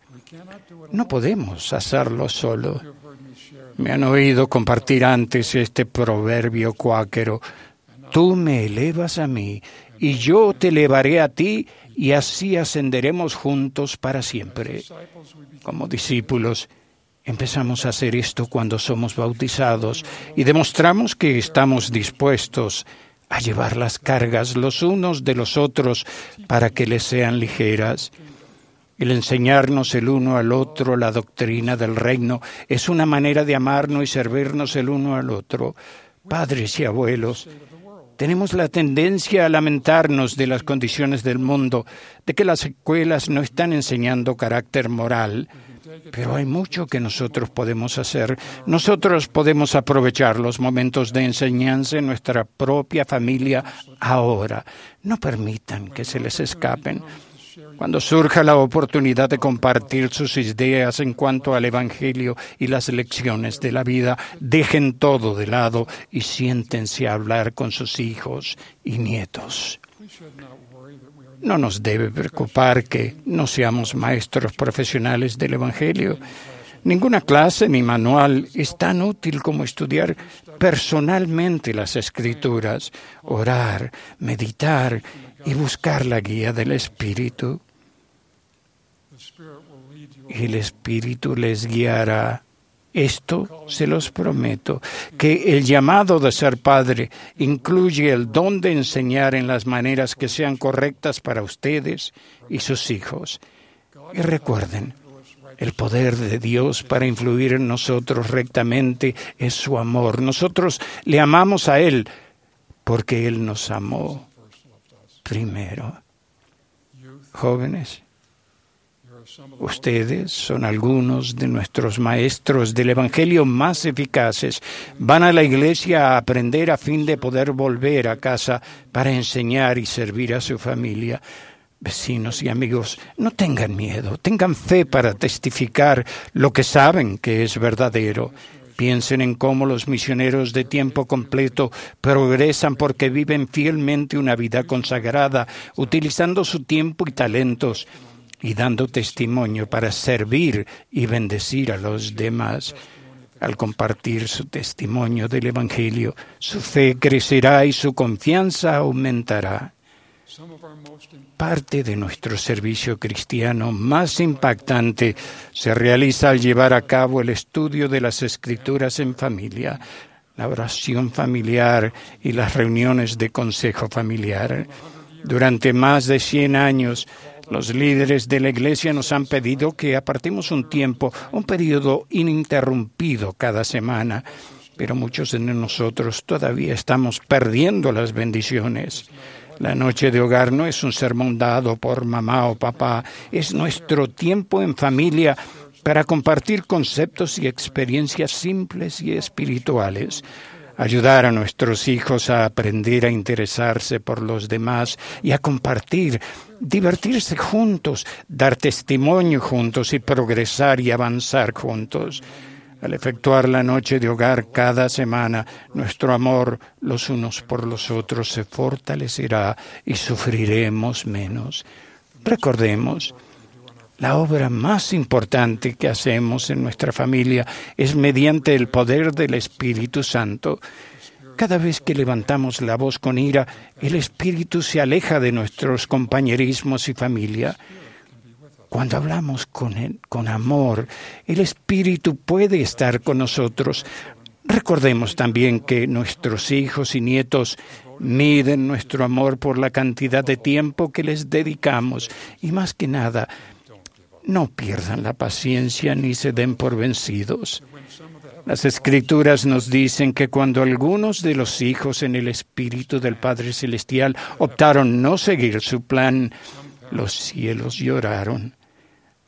No podemos hacerlo solo. Me han oído compartir antes este proverbio cuáquero: Tú me elevas a mí y yo te elevaré a ti, y así ascenderemos juntos para siempre. Como discípulos, empezamos a hacer esto cuando somos bautizados y demostramos que estamos dispuestos a llevar las cargas los unos de los otros para que les sean ligeras. El enseñarnos el uno al otro la doctrina del reino es una manera de amarnos y servirnos el uno al otro. Padres y abuelos, tenemos la tendencia a lamentarnos de las condiciones del mundo, de que las escuelas no están enseñando carácter moral. Pero hay mucho que nosotros podemos hacer. Nosotros podemos aprovechar los momentos de enseñanza en nuestra propia familia ahora. No permitan que se les escapen. Cuando surja la oportunidad de compartir sus ideas en cuanto al Evangelio y las lecciones de la vida, dejen todo de lado y siéntense a hablar con sus hijos y nietos. No nos debe preocupar que no seamos maestros profesionales del Evangelio. Ninguna clase ni manual es tan útil como estudiar personalmente las Escrituras, orar, meditar y buscar la guía del Espíritu. El Espíritu les guiará. Esto se los prometo, que el llamado de ser padre incluye el don de enseñar en las maneras que sean correctas para ustedes y sus hijos. Y recuerden, el poder de Dios para influir en nosotros rectamente es su amor. Nosotros le amamos a Él porque Él nos amó primero. Jóvenes, ustedes son algunos de nuestros maestros del Evangelio más eficaces. Van a la iglesia a aprender a fin de poder volver a casa para enseñar y servir a su familia. Vecinos y amigos, no tengan miedo, tengan fe para testificar lo que saben que es verdadero. Piensen en cómo los misioneros de tiempo completo progresan porque viven fielmente una vida consagrada, utilizando su tiempo y talentos y dando testimonio para servir y bendecir a los demás. Al compartir su testimonio del Evangelio, su fe crecerá y su confianza aumentará. Parte de nuestro servicio cristiano más impactante se realiza al llevar a cabo el estudio de las Escrituras en familia. la oración familiar y las reuniones de consejo familiar. Durante más de 100 años, los líderes de la Iglesia nos han pedido que apartemos un tiempo, un periodo ininterrumpido cada semana, pero muchos de nosotros todavía estamos perdiendo las bendiciones. La noche de hogar no es un sermón dado por mamá o papá, es nuestro tiempo en familia para compartir conceptos y experiencias simples y espirituales, ayudar a nuestros hijos a aprender a interesarse por los demás y a compartir, divertirse juntos, dar testimonio juntos y progresar y avanzar juntos. Al efectuar la noche de hogar cada semana, nuestro amor los unos por los otros se fortalecerá y sufriremos menos. Recordemos, la obra más importante que hacemos en nuestra familia es mediante el poder del Espíritu Santo. Cada vez que levantamos la voz con ira, el Espíritu se aleja de nuestros compañerismos y familia. Cuando hablamos con amor, el Espíritu puede estar con nosotros. Recordemos también que nuestros hijos y nietos miden nuestro amor por la cantidad de tiempo que les dedicamos y, más que nada, no pierdan la paciencia ni se den por vencidos. Las Escrituras nos dicen que cuando algunos de los hijos en el Espíritu del Padre Celestial optaron no seguir su plan, los cielos lloraron.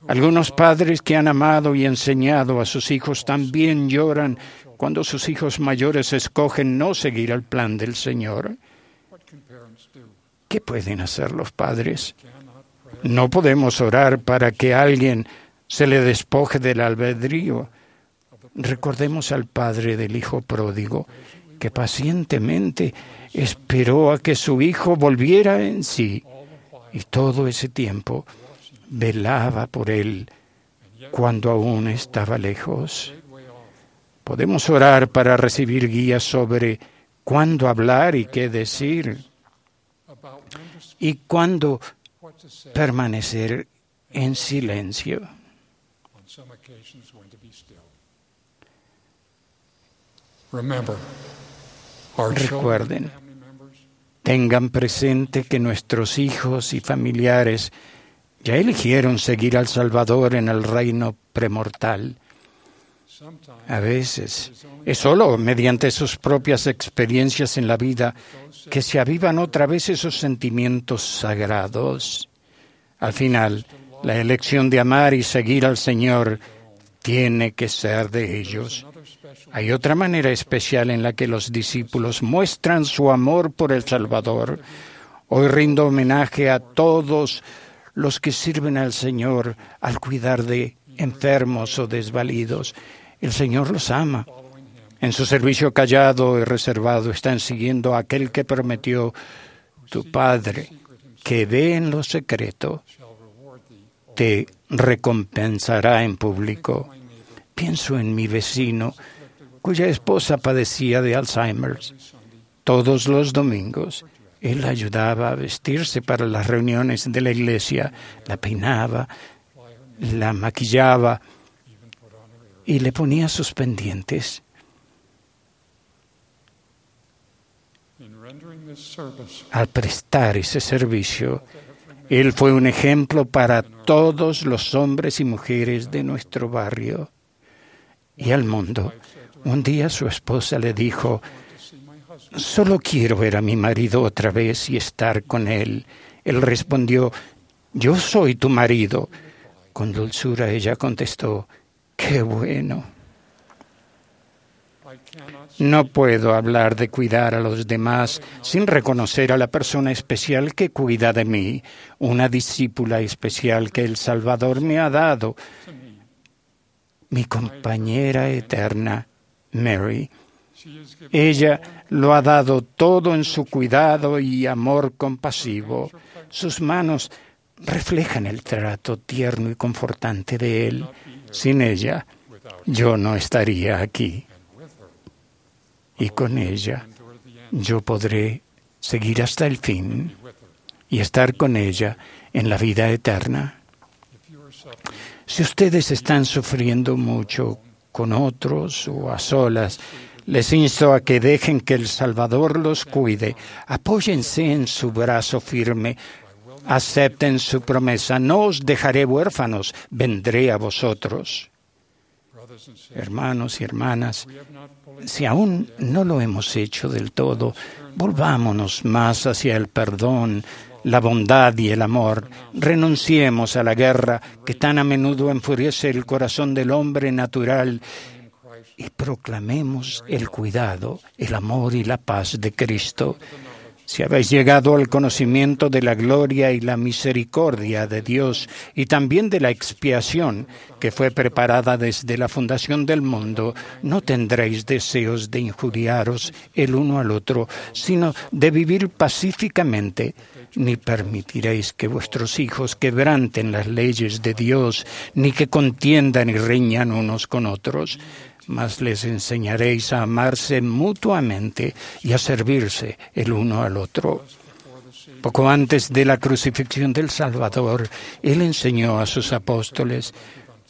Algunos padres que han amado y enseñado a sus hijos también lloran cuando sus hijos mayores escogen no seguir el plan del Señor. ¿Qué pueden hacer los padres? No podemos orar para que alguien se le despoje del albedrío. Recordemos al padre del hijo pródigo, que pacientemente esperó a que su hijo volviera en sí, y todo ese tiempo velaba por él cuando aún estaba lejos. Podemos orar para recibir guías sobre cuándo hablar y qué decir, y cuándo permanecer en silencio. Recuerden, tengan presente que nuestros hijos y familiares ya eligieron seguir al Salvador en el reino premortal. A veces es solo mediante sus propias experiencias en la vida que se avivan otra vez esos sentimientos sagrados. Al final, la elección de amar y seguir al Señor tiene que ser de ellos. Hay otra manera especial en la que los discípulos muestran su amor por el Salvador. Hoy rindo homenaje a todos los que sirven al Señor al cuidar de enfermos o desvalidos. El Señor los ama. En su servicio callado y reservado están siguiendo a aquel que prometió: tu Padre, que ve en lo secreto, te recompensará en público. Pienso en mi vecino, cuya esposa padecía de Alzheimer's. Todos los domingos, él la ayudaba a vestirse para las reuniones de la iglesia, la peinaba, la maquillaba y le ponía sus pendientes. Al prestar ese servicio, él fue un ejemplo para todos los hombres y mujeres de nuestro barrio y al mundo. Un día su esposa le dijo: «Solo quiero ver a mi marido otra vez y estar con él». Él respondió: «Yo soy tu marido». Con dulzura ella contestó: «Qué bueno». No puedo hablar de cuidar a los demás sin reconocer a la persona especial que cuida de mí, una discípula especial que el Salvador me ha dado, mi compañera eterna, Mary. Ella lo ha dado todo en su cuidado y amor compasivo. Sus manos reflejan el trato tierno y confortante de él. Sin ella, yo no estaría aquí. Y con ella, yo podré seguir hasta el fin y estar con ella en la vida eterna. Si ustedes están sufriendo mucho con otros o a solas, Les insto a que dejen que el Salvador los cuide. Apóyense en su brazo firme. Acepten su promesa. No os dejaré huérfanos. Vendré a vosotros. Hermanos y hermanas, si aún no lo hemos hecho del todo, volvámonos más hacia el perdón, la bondad y el amor. Renunciemos a la guerra que tan a menudo enfurece el corazón del hombre natural y proclamemos el cuidado, el amor y la paz de Cristo. Si habéis llegado al conocimiento de la gloria y la misericordia de Dios y también de la expiación que fue preparada desde la fundación del mundo, no tendréis deseos de injuriaros el uno al otro, sino de vivir pacíficamente, ni permitiréis que vuestros hijos quebranten las leyes de Dios, ni que contiendan y riñan unos con otros. Mas les enseñaréis a amarse mutuamente y a servirse el uno al otro. Poco antes de la crucifixión del Salvador, Él enseñó a sus apóstoles: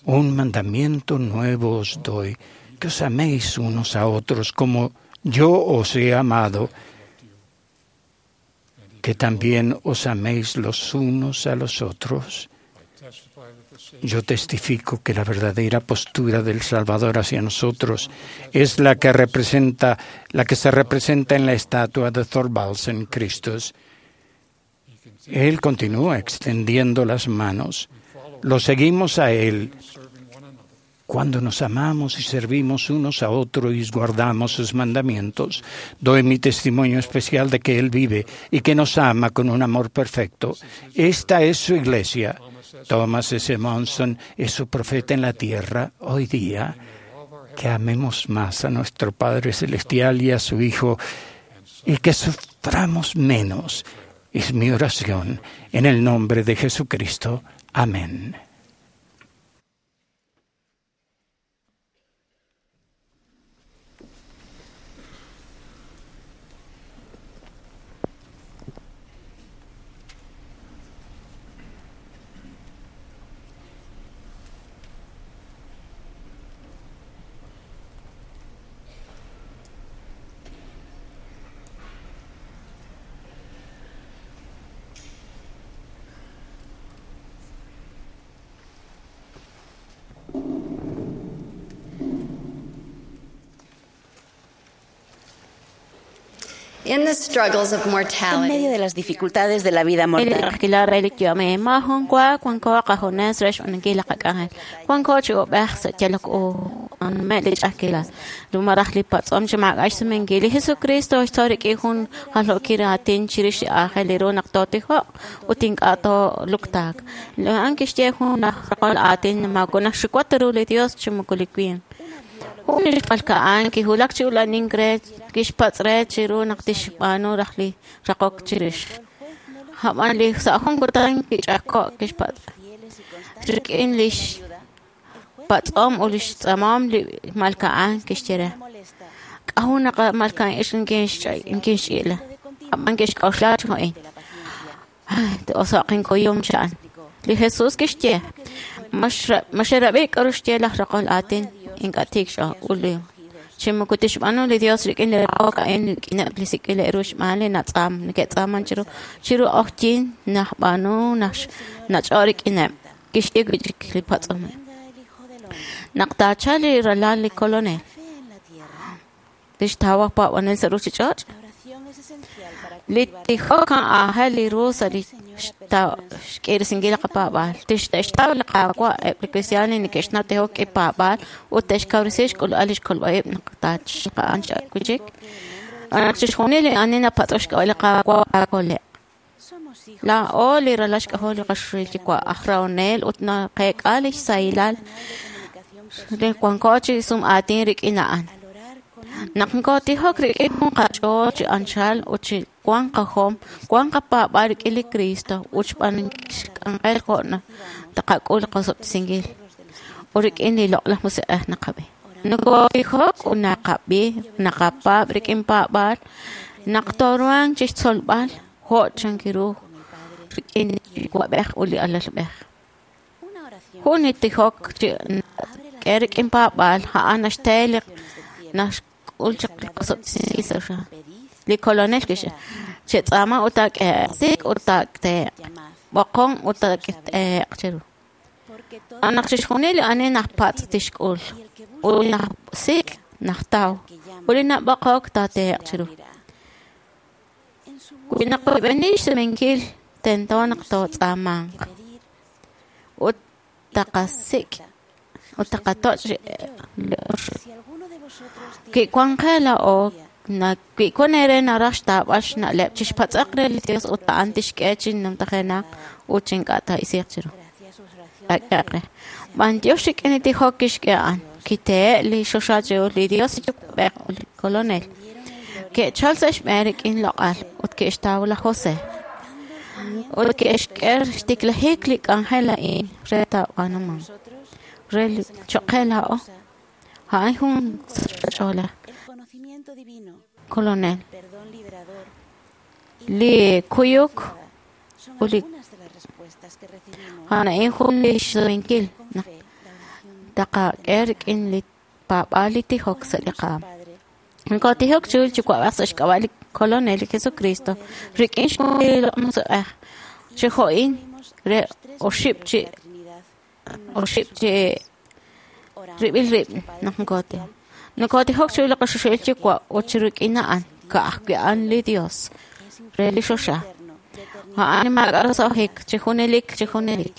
un mandamiento nuevo os doy, que os améis unos a otros como yo os he amado, que también os améis los unos a los otros. Yo testifico que la verdadera postura del Salvador hacia nosotros es la que se representa en la estatua de Thorvaldsen Christus. Él continúa extendiendo las manos. Lo seguimos a Él cuando nos amamos y servimos unos a otros y guardamos sus mandamientos. Doy mi testimonio especial de que Él vive y que nos ama con un amor perfecto. Esta es su iglesia. Thomas S. Monson es su profeta en la tierra hoy día. Que amemos más a nuestro Padre Celestial y a su Hijo y que suframos menos. Es mi oración en el nombre de Jesucristo. Amén. En medio de las dificultades de la vida mortal, Jun kihulak chi ulanin re kixpatz' re chiru naq tixb'aanu raj li raqok chirix. Ab'an li sa' jun kutan kich'ajko' kixpatz' rik'in lix patz'om ut lix tz'amom li malka'an kixye re. K'aju naq malka'an ix inkinxch'i'la. Ab'an kixk'oxla chi jo'in. T'oso'q inkuyum cha'an. Li Jesús kixye maxerab'i k'aru xye laj raqol aatin. Ink'a' tiik x'uli chi moko tixb'aanu li Dios rik'in li raqok a'in rik'ineb' li sik'ileb' ru xb'aan li natz'aam neke'tz'aaman chiru q'oqyink najb'aanu nach'o rik'ineb' kixye wi'chik li patz'om. Naq taachal li ralal li Kolonel tixtaw aj paab'anel sa' ruchich'och'. Li tijok aajel li ru sa' li xk'irisinkil li qapaab'aal. Te'xtaw li Qaawa' eb' li kristiaan li neke'xnaw tijok k'i paab'aal ut te'xkawresi xk'ulb'al lix kolb'a'ib' naq taachaq'an wi'chik. Naq chixjunil li ani napatz'ok xk'ab'a' li Qaawa' taakole'q. Laa'o li ralal xk'ajol li qaxril Yuwa' aj rahonel ut naqeek'a lix sahilal li wanko chi sum aatin rik'in a'an. Naq nkotijok rik'in jun qach'ool chi anchal ut chi wan qajom, wan qapaab'aal rik'in li Cristo ut xb'aanunkil xk'anjel jo' naq taqak'ul qosob'tesinkil ut rik'in li loq'laj musiq'ej naqab'i. Nokotijok ut naqab'i, naqapaab' rik'in paab'aal, naq tooruhanq chixtzolb'al jo' chankiru rik'in li Yuwa'b'ej ut li Alalb'ej. Jun li tijok chi k'e rik'in paab'aal a'an naxte li ke'xk'ul chaq li osob'tesinkil sa' choxa. Li Kolonel kixye, chetz'aama ut taak'ehe'q, sik' ut taak'ehe'q, b'oqon ut taak'ehe'q cheru. Naq chixjunil li ani najpatz' tixk'ul, ut li najsik' najtaw, ut li nab'oqok taatehe'q chiru. Wi naqoyb'eni xsumenkil, tento naq tootz'aamanq ut taqasik' ut taqatoch' li oxib'. Wi wan qe laa'o, wi wan eere naraj xtaab'al xna'leb', chixpatz'aq re li Dios ut a'an tixk'e chi numtajenaq ut chi ink'a' taa'isiiq chiru. Taak'ehe'q re. B'antiox rik'in li tijok kixk'e a'an, kitehe' li choxa chiru li Dios Yuwa'b'ej ut li Kolonel. Ke'chal sa' xb'een rik'in loq'al ut ke'xtaw laj Jose. Ut ke'xk'e xtiklajik li k'anjel a'in re taab'aanumanq. Re li choq' qe laa'o, a'an jun sachb'a-ch'oolej. Kolonel. Li kuyuk ut li a'an a'in jun li xsumenkil naq taqak'e rik'in li paab'aal li tijok sa' li qaam. Nokotijok chiru li Yuwa'b'ej sa' xk'ab'a' li Kolonel li Jesucristo rik'in xwankil li Loq'laj Musiq'ej chi jo'in re oxib' chi rib'il rib' naq nokotijok. Nokotijok chiru li qaChoxahil Yuwa' ut chi rik'in a'an ka'ajwi' a'an li Dios re li choxa. A'an li maak'a' roso'jik chi junelik chi junelik.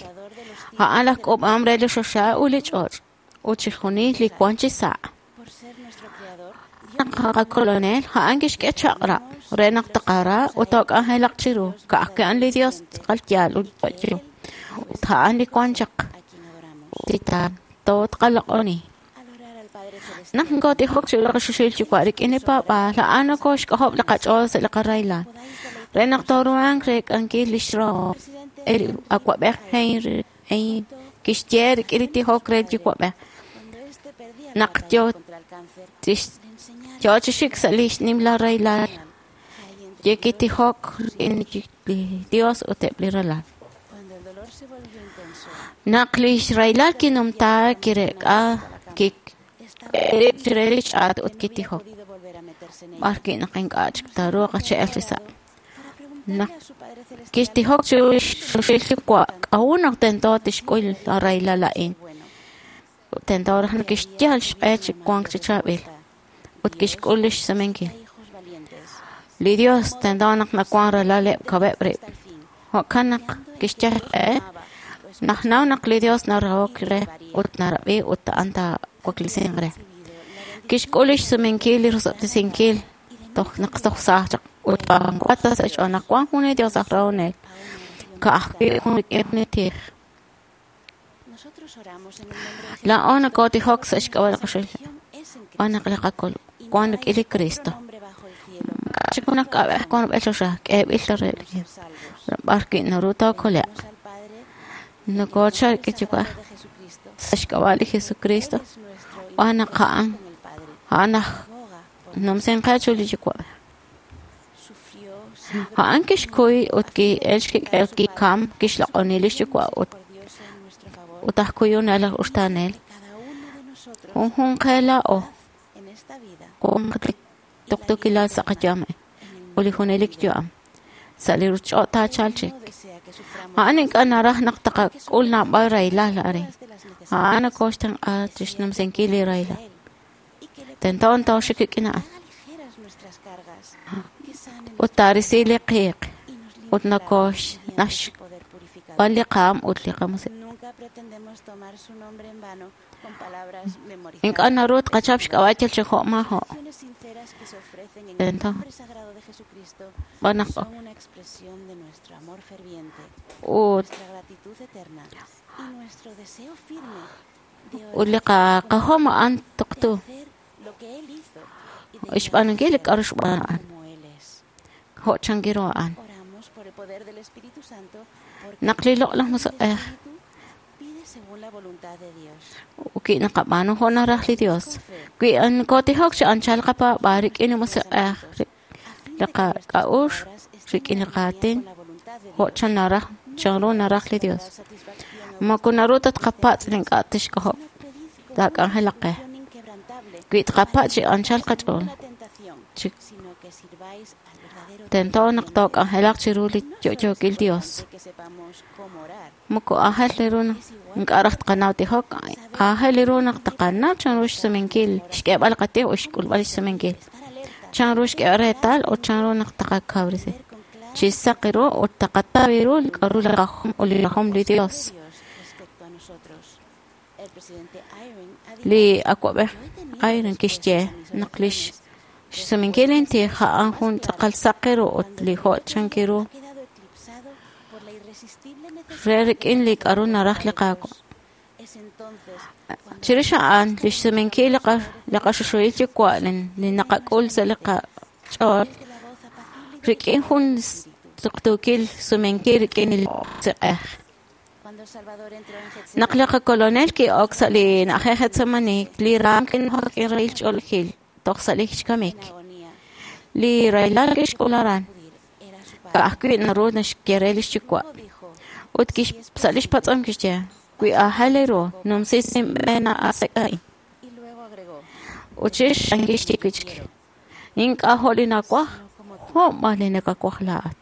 A'an laj k'uub'ahom re li choxa ut li ch'och' ut chixjunil li wan chi sa'. Naq qaKolonel, a'an kixk'e chaq'rab' re naq taqara ut took'anjelaq chiru, ka'ajwi' a'an li Dios tz'aqal yaal ut yo'yo, ut a'an li wan chaq tootqaloq'oni. Naq nokotijok chiru li qaChoxahil Yuwa' rik'in li paab'aal, a'an nokoxk'ojob' li qach'ool sa' li qarahilal, re naq tooruhanq reek'ankil lix rahom. Li Awa'b'ej Henry kixye rik'in li tijok re li Yuwa'b'ej naq yoo chi xik sa' li nimla rahilal, kitijok rik'in li Dios ut eb' li ralal. Naq lix rahilal kinumta, kireek'a rib' chire li ch'aat ut kitijok, b'ar wi' naq ink'a' chik taaruuq chi elk chi sa'. Naq kixtijok chiru lix Choxahil Yuwa', k'a'ut naq tento tixk'ul li rahilal a'in? Tento raj naq kixyal xq'e chi wank chi chaab'il ut kixk'ul lix sumenkil. Li Dios tento naq nawan ralaleb' kaweb' rib'. Jo'kan naq kixyal xq'e, najnaw naq li Dios narahok re ut narab'i ut a'an taawaklisinq re. Kixk'ul lix sumenkil li rosob'tesinkil toj naq toj saaj chaq ut b'anwa ta sa' xch'ool naq wan jun li Dios aj rahonel, ka'ajwi' jun rik'in li tij. Laa'o nokotijok sa' xk'ab'a' li qaChoxahil wan naq li qakol wan rik'in li Cristo. Maak'a' chik junaq k'ab'ej wan rub'el choxa k'eeb'il ta re li Dios, b'ar wi' naru tookole'q. Nokochal rik'in Yuwa'b'ej sa' xk'ab'a' li Jesucristo, wan naq a'an a'an aj numsinqe chiru li Yuwa'b'ej. A'an kixkuy ut ki'el xkik'el ut kikam kixloq'oni lix Yuwa' ut aj kuyunel aj uxtaanel. Junjunq qe laa'o wan li tuqtuukilal sa' qayu'am ut li junelik yu'am sa' li ruchich'och' taachalq chik. A'an ink'a' naraj naq taqak'ul naab'al rahilal arin. A'an nokoxtenq'a chixnumsinkil li rahilal. Tento tooxik rik'in a'an. Ut taarisi li qiiq ut nakoxnaxb'an li qaam ut li qamusiq'. Ink'a' naru tqachap xk'ab'a' yal chi jo' maajo'. Tento b'an naq ut li qajom a'an tuqtu. Xb'aanunkil li k'a'ru xb'aan a'an. Jo' chankiru a'an. Naq li Loq'laj Musiq'ej wi naqab'aanu jo' naraj li Dios, wi nokotijok chi anchal qapaab'aal rik'in li Musiq'ej, li qak'a'uxl, rik'in li qaatin, jo' chan naraj, chanru naraj li Dios. Moko naru ta tqapatz' li ink'a' tixk'ojob' taak'anjelaq qe. Wi tqapatz' chi anchal qach'ool, chi tento naq took'anjelaq chiru li yo'yookil Dios. Moko aajel ru naq ink'a' raj tqanaw tijok, aajel ru naq tqanaw chanru xsumenkil, xk'eeb'al qatij ut xk'ulb'al xsumenkil. Chanru xk'eeb'al reetal ut chanru naq tqakawresi. Chi saq ru ut taqataw ru li k'a'ru li rajom ut li rajom li Dios. Li awa'b'ej Eyring kixye naq lix xsumenkil intij a'an jun tz'aqal saq ru ut li jo' chanki ru re rik'in li k'a'ru naraj li Qaawa'. Chirix a'an, lix sumenkil li qaxuxuhil yuwa' li naqak'ul sa' li qach'ool rik'in jun tuqtuukil sumenkil rik'in li Musiq'ej. Naq li qakolonel ki'ok sa' li na'ajej Getsemani, li raam kinujak rik'in rahil ch'oolejil toj sa' li xkamik. Li rahilal kixk'ul aran, ka'ajwi' naru naxye re lix yuwa'. Ut sa' lix patz'om kixye, wi aajel ru, numsi sinb'een a'asek' a'in. Ut chirix a'an kixye wi' chik, ink'a' jo' li nawaj, jo' b'an li nakawaj laa'at.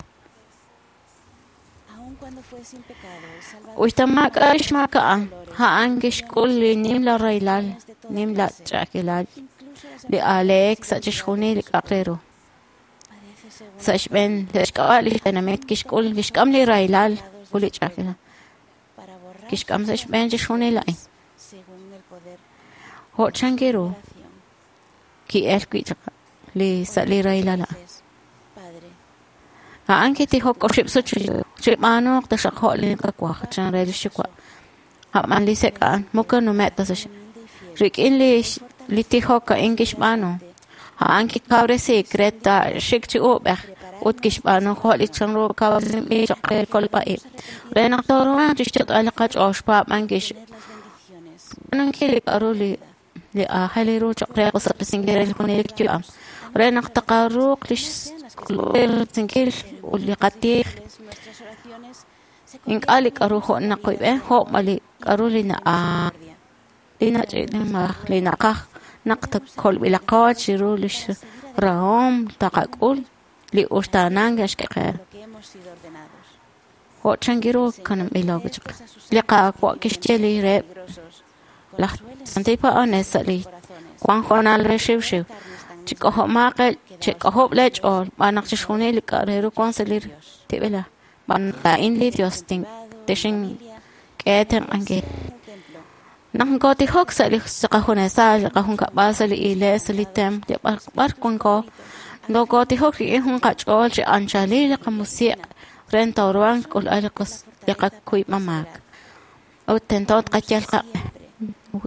Uxta maak'a' xmaak a'an, a'an kixk'ul li nimla rahilal, nimla ch'a'ajkilal, li aaleek sa' chixjunil li k'a'aq re ru. Sa' xb'een sa' xk'ab'a' li tenamit kixk'ul kixk'am li rahilal ut li ch'a'ajkilal. Kixk'am sa' xb'een chixjunil a'in. Jo' chanki ru ki'el wi' chaq li sa' li rahilal a'an. A'an kitijok oxib' sut chib'aanuuq taxaq jo' li nakawaj chan re lix yuwa'. A'b'an li sek' a'an moko nume' ta sa' rik'in li tijok a'in kixb'aanu. A'an kikawresiik re taaxik chi uub'ej ut kixb'aanu jo' li chanru kawresinb'il choq' re kolb'a-ib'. Re naq tooruhanq chixyot'b'al li qach'ool xpaab'ankil xb'aanunkil li k'a'ru li aajel ru choq' re qosob'tesinkil re li junelik yu'am. Re naq taqaruuq lix k'ulub'resinkil ut li qatij ink'a' li k'a'ru jo' naqoyb'e, jo' b'an li k'a'ru li nach'i'limalaj li naqaj naq kolb'ilaqo chiru lix rahom taqak'ul li uxtaanank naxk'e qe. Jo' chanki ru kanamb'ilo chaq. Li Qaawa' kixye li reheb' laj santil paab'anel sa' li wan hoonal re xiwxiw. Chik'ojob' lee ch'ool b'an naq chixjunil li k'a' re ru wan sa' li tib'elaj. B'an laa'in li Dios texink'e tenq'ankil. Naq nkotijok sa' li qajunesal, li qajunkab'al sa' li iglees, sa' li templo, b'ar wanko, nokotijok rik'in jun qach'ool chi anchalil li qamusiq' re tooruhanq xk'ulb'al li qakuyb'a maak. Ut tento tqayal qaq'e.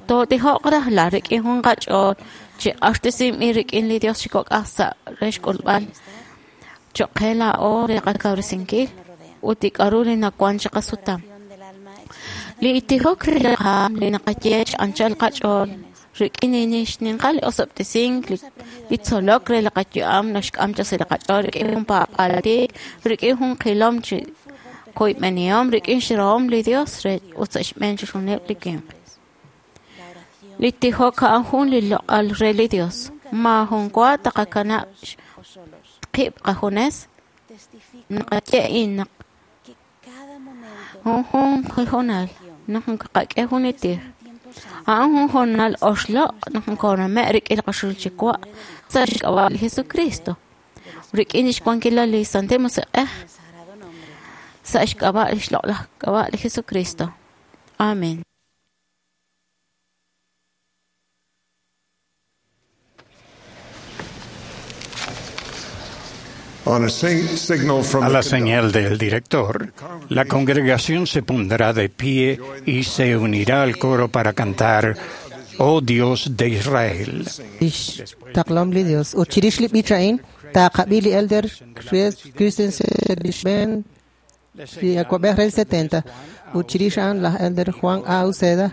Tootijoq rajlal rik'in jun qach'ool chi q'axtesinb'il rik'in li Dios chi kok'aj sa' re xk'ulb'al choq' qe laa'o re qakawresinkil ut li k'a'ru li nawan chi qasutam. Li tijok re li qaam li naqaye chi anchal qach'ool rik'in li xninqal li osob'tesink li tzolok re li qayu'am naxk'am chaq sa' li qach'ool rik'in jun paab'aal tiik, rik'in jun qilom chi koyb'enihom, rik'in xrahom li Dios re ut sa' xb'een chixjunileb' li winq. Li tijok a'an jun li loq'al re li Dios. Maajun wa taqakanab' qib' qajunes naqaye a'in naq junjun hoonal naq nqak'e jun li tij. A'an jun hoonal oxloq' naq nkooname' rik'in li qaxul chi wa' sa' xk'ab'a' li Jesucristo. Rik'in lix wankilal li Santil Musiq'ej sa' xk'ab'a' lix loq'laj k'ab'a' li Jesucristo. Amen. A la señal del director, la congregación se pondrá de pie y se unirá al coro para cantar Oh Dios de Israel. Taqlom li Dios. Ut chirix li b'ich a'in, taqab'i li elder Christensen li xb'een li awa'b'ej re 70. Ut chirix a'an laj elder Juan A. Uceda,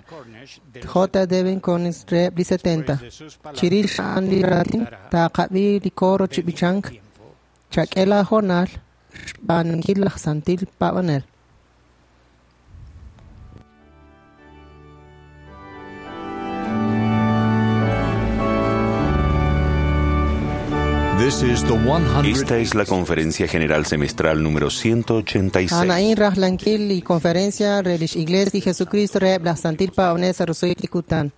J. Devin Collins reheb' li 70. Chirix a'an li raatin, taqab'i li coro chi b'ichank. Chak'e laahoonal xb'aanunkil laj santil paab'anel. Esta es la Conferencia General Semestral número 186. A'an rajlankil li conferencia re lix Iglesia li Jesucristo reheb' laj Santil Paab'anel sa' roso'jik li kutan.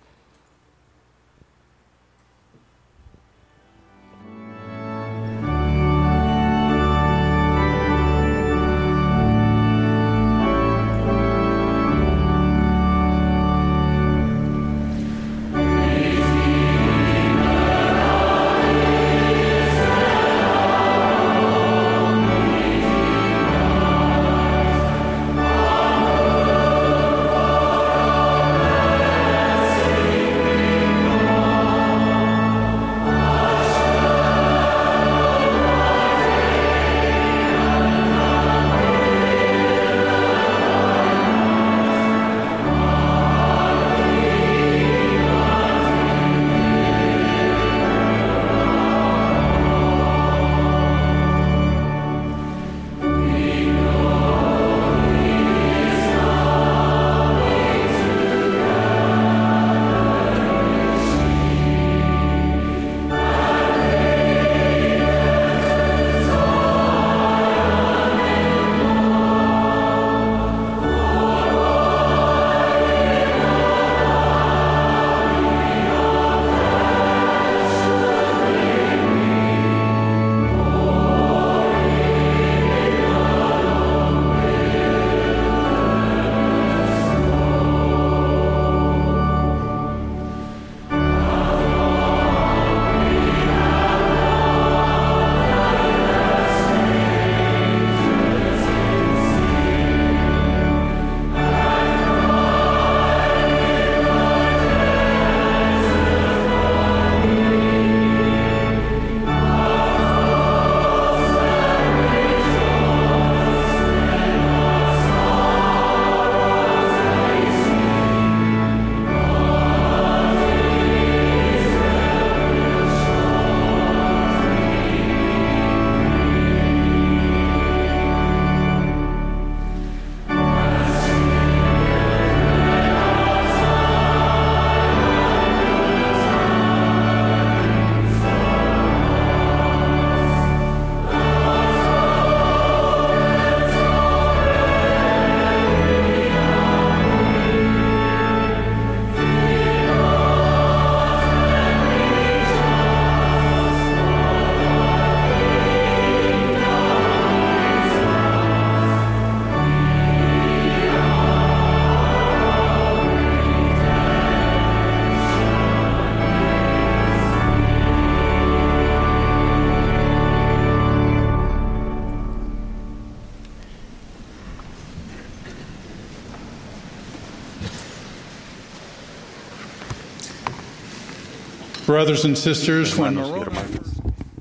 Brothers and sisters, when Hermanos y hermanas,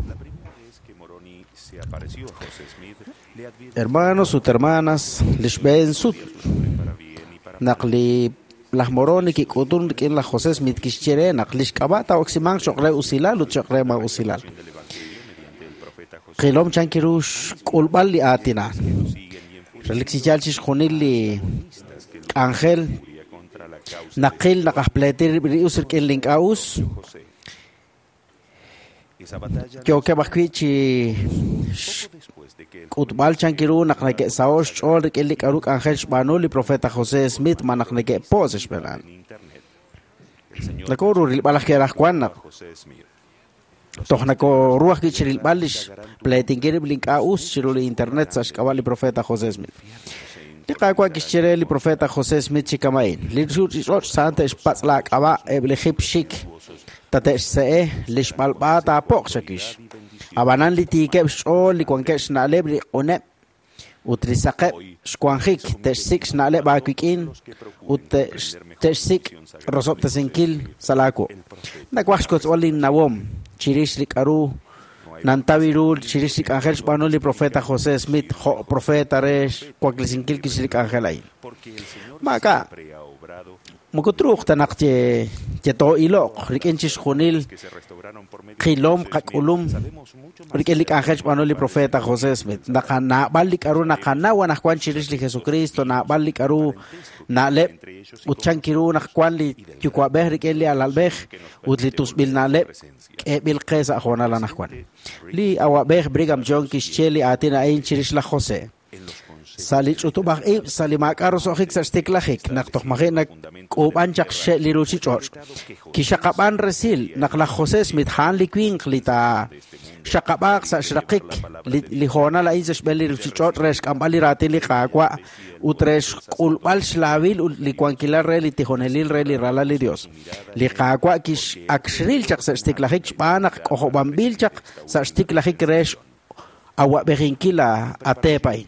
la primera vez que Moroni se apareció a José Smith, le advirtió Hermanos ut hermanas, lix b'een sut naq li laj Moroni kik'utun rik'in laj José Smith kixye re naq lix k'ab'a' taa'oksimanq cho'q re usilal ut cho'q re maa'usilal. Qilom chan kiru xk'ulb'al li aatinaan. Relik chi yaal chixjunil li k'anjel naqil naq aj pleetir rib' li us rik'in li ink'a' us yookeb' ajwi' chi k'utb'al chan kiru naq neke'saho' xch'ool rik'in li k'a'ru k'anjel xb'aanu li profeta José Smith ma naq neke'po' sa' xb'een. Nakoru rilb'al aj ke'raj wan naq toj nakoru ajwi' chi rilb'al lix pleetinkil rib' li ink'a' us chiru li internet sa' xk'ab'a' li profeta José Smith. Li Qaawa' kixye re li profeta José Smith chi kama'in. Li ruuchich'och' sa'an te'xpatz' laak'ab'a' eb' li jip xik tate'xse'e li xb'alb'a taapo'q chakix. Ab'anan li tiikeb' xch'ool li wankeb' xna'leb' li q'uneb' ut li saqeb' xwanjik te'xsik' xna'leb' aawik'in ut te'xsik' rosob'tesinkil sa' laawu. Nawaj xkotzb'al linnawom chirix li k'a'ru nantaw ru chirix li k'anjel xb'aanu li profeta José Smith jo' profeta re xwaklesinkil kix li k'anjel a'in. Maak'a' Moko truuq ta naq yetoo'iloq rik'in chixjunil qilom qak'ulum rik'in li k'anjel xb'aanu li profeta José Smith. Naab'al li k'a'ru naqanaw anaqwan chirix li Jesucristo, naab'al li k'a'ru na'leb' ut chan kiru naq wan li yuwa'b'ej rik'in li alalb'ej ut li tusb'il na'leb' k'eeb'il qe sa' hoonal anaqwan. Li awa'b'ej Brigham Young kixye li aatin a'in chirix laj José. Sa' li ch'utub'aj ib' sa' li maak'a' roso'jik sa' xtiklajik naq toj maji' nak'uub'an chaq xe' li ruuchich'och'. Kixaqab'an resil naq laj José Smith a'an li winq li taaxaqab'aaq sa' xraqik li hoonal a'in sa' xb'een li ruuchich'och' re xk'amb'al li raatin li Qaawa' ut re xk'ulb'al xlaawil ut li wankilal re li tijonelil re li ralal li Dios. Li Qaawa' ak xril chaq sa' xtiklajik xb'aan naq k'ojob'anb'il chaq sa' xtiklajik re awa'b'ejinkil a teep a'in.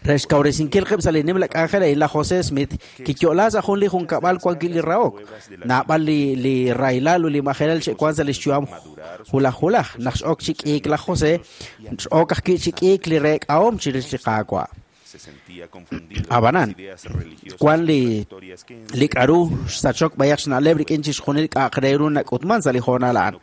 Re xkawresinkil qib' sa' li nimla k'anjel a'in, laj José Smith kiyo'la sa' jun li junkab'al wan wi' li rahok. Naab'al li rahilal ut li majelal xe'wan sa' li xyu'am hulaj hulaj. Naq x'ok chi k'iik laj José, x'ok ajwi' chi k'iik li reek'ahom chirix li Qaawa'. Ab'anan, wan li k'a'ru xsachok b'ayaq xna'leb' rik'in chixjunil k'a'aq re ru nak'utman sa' li hoonal a'an.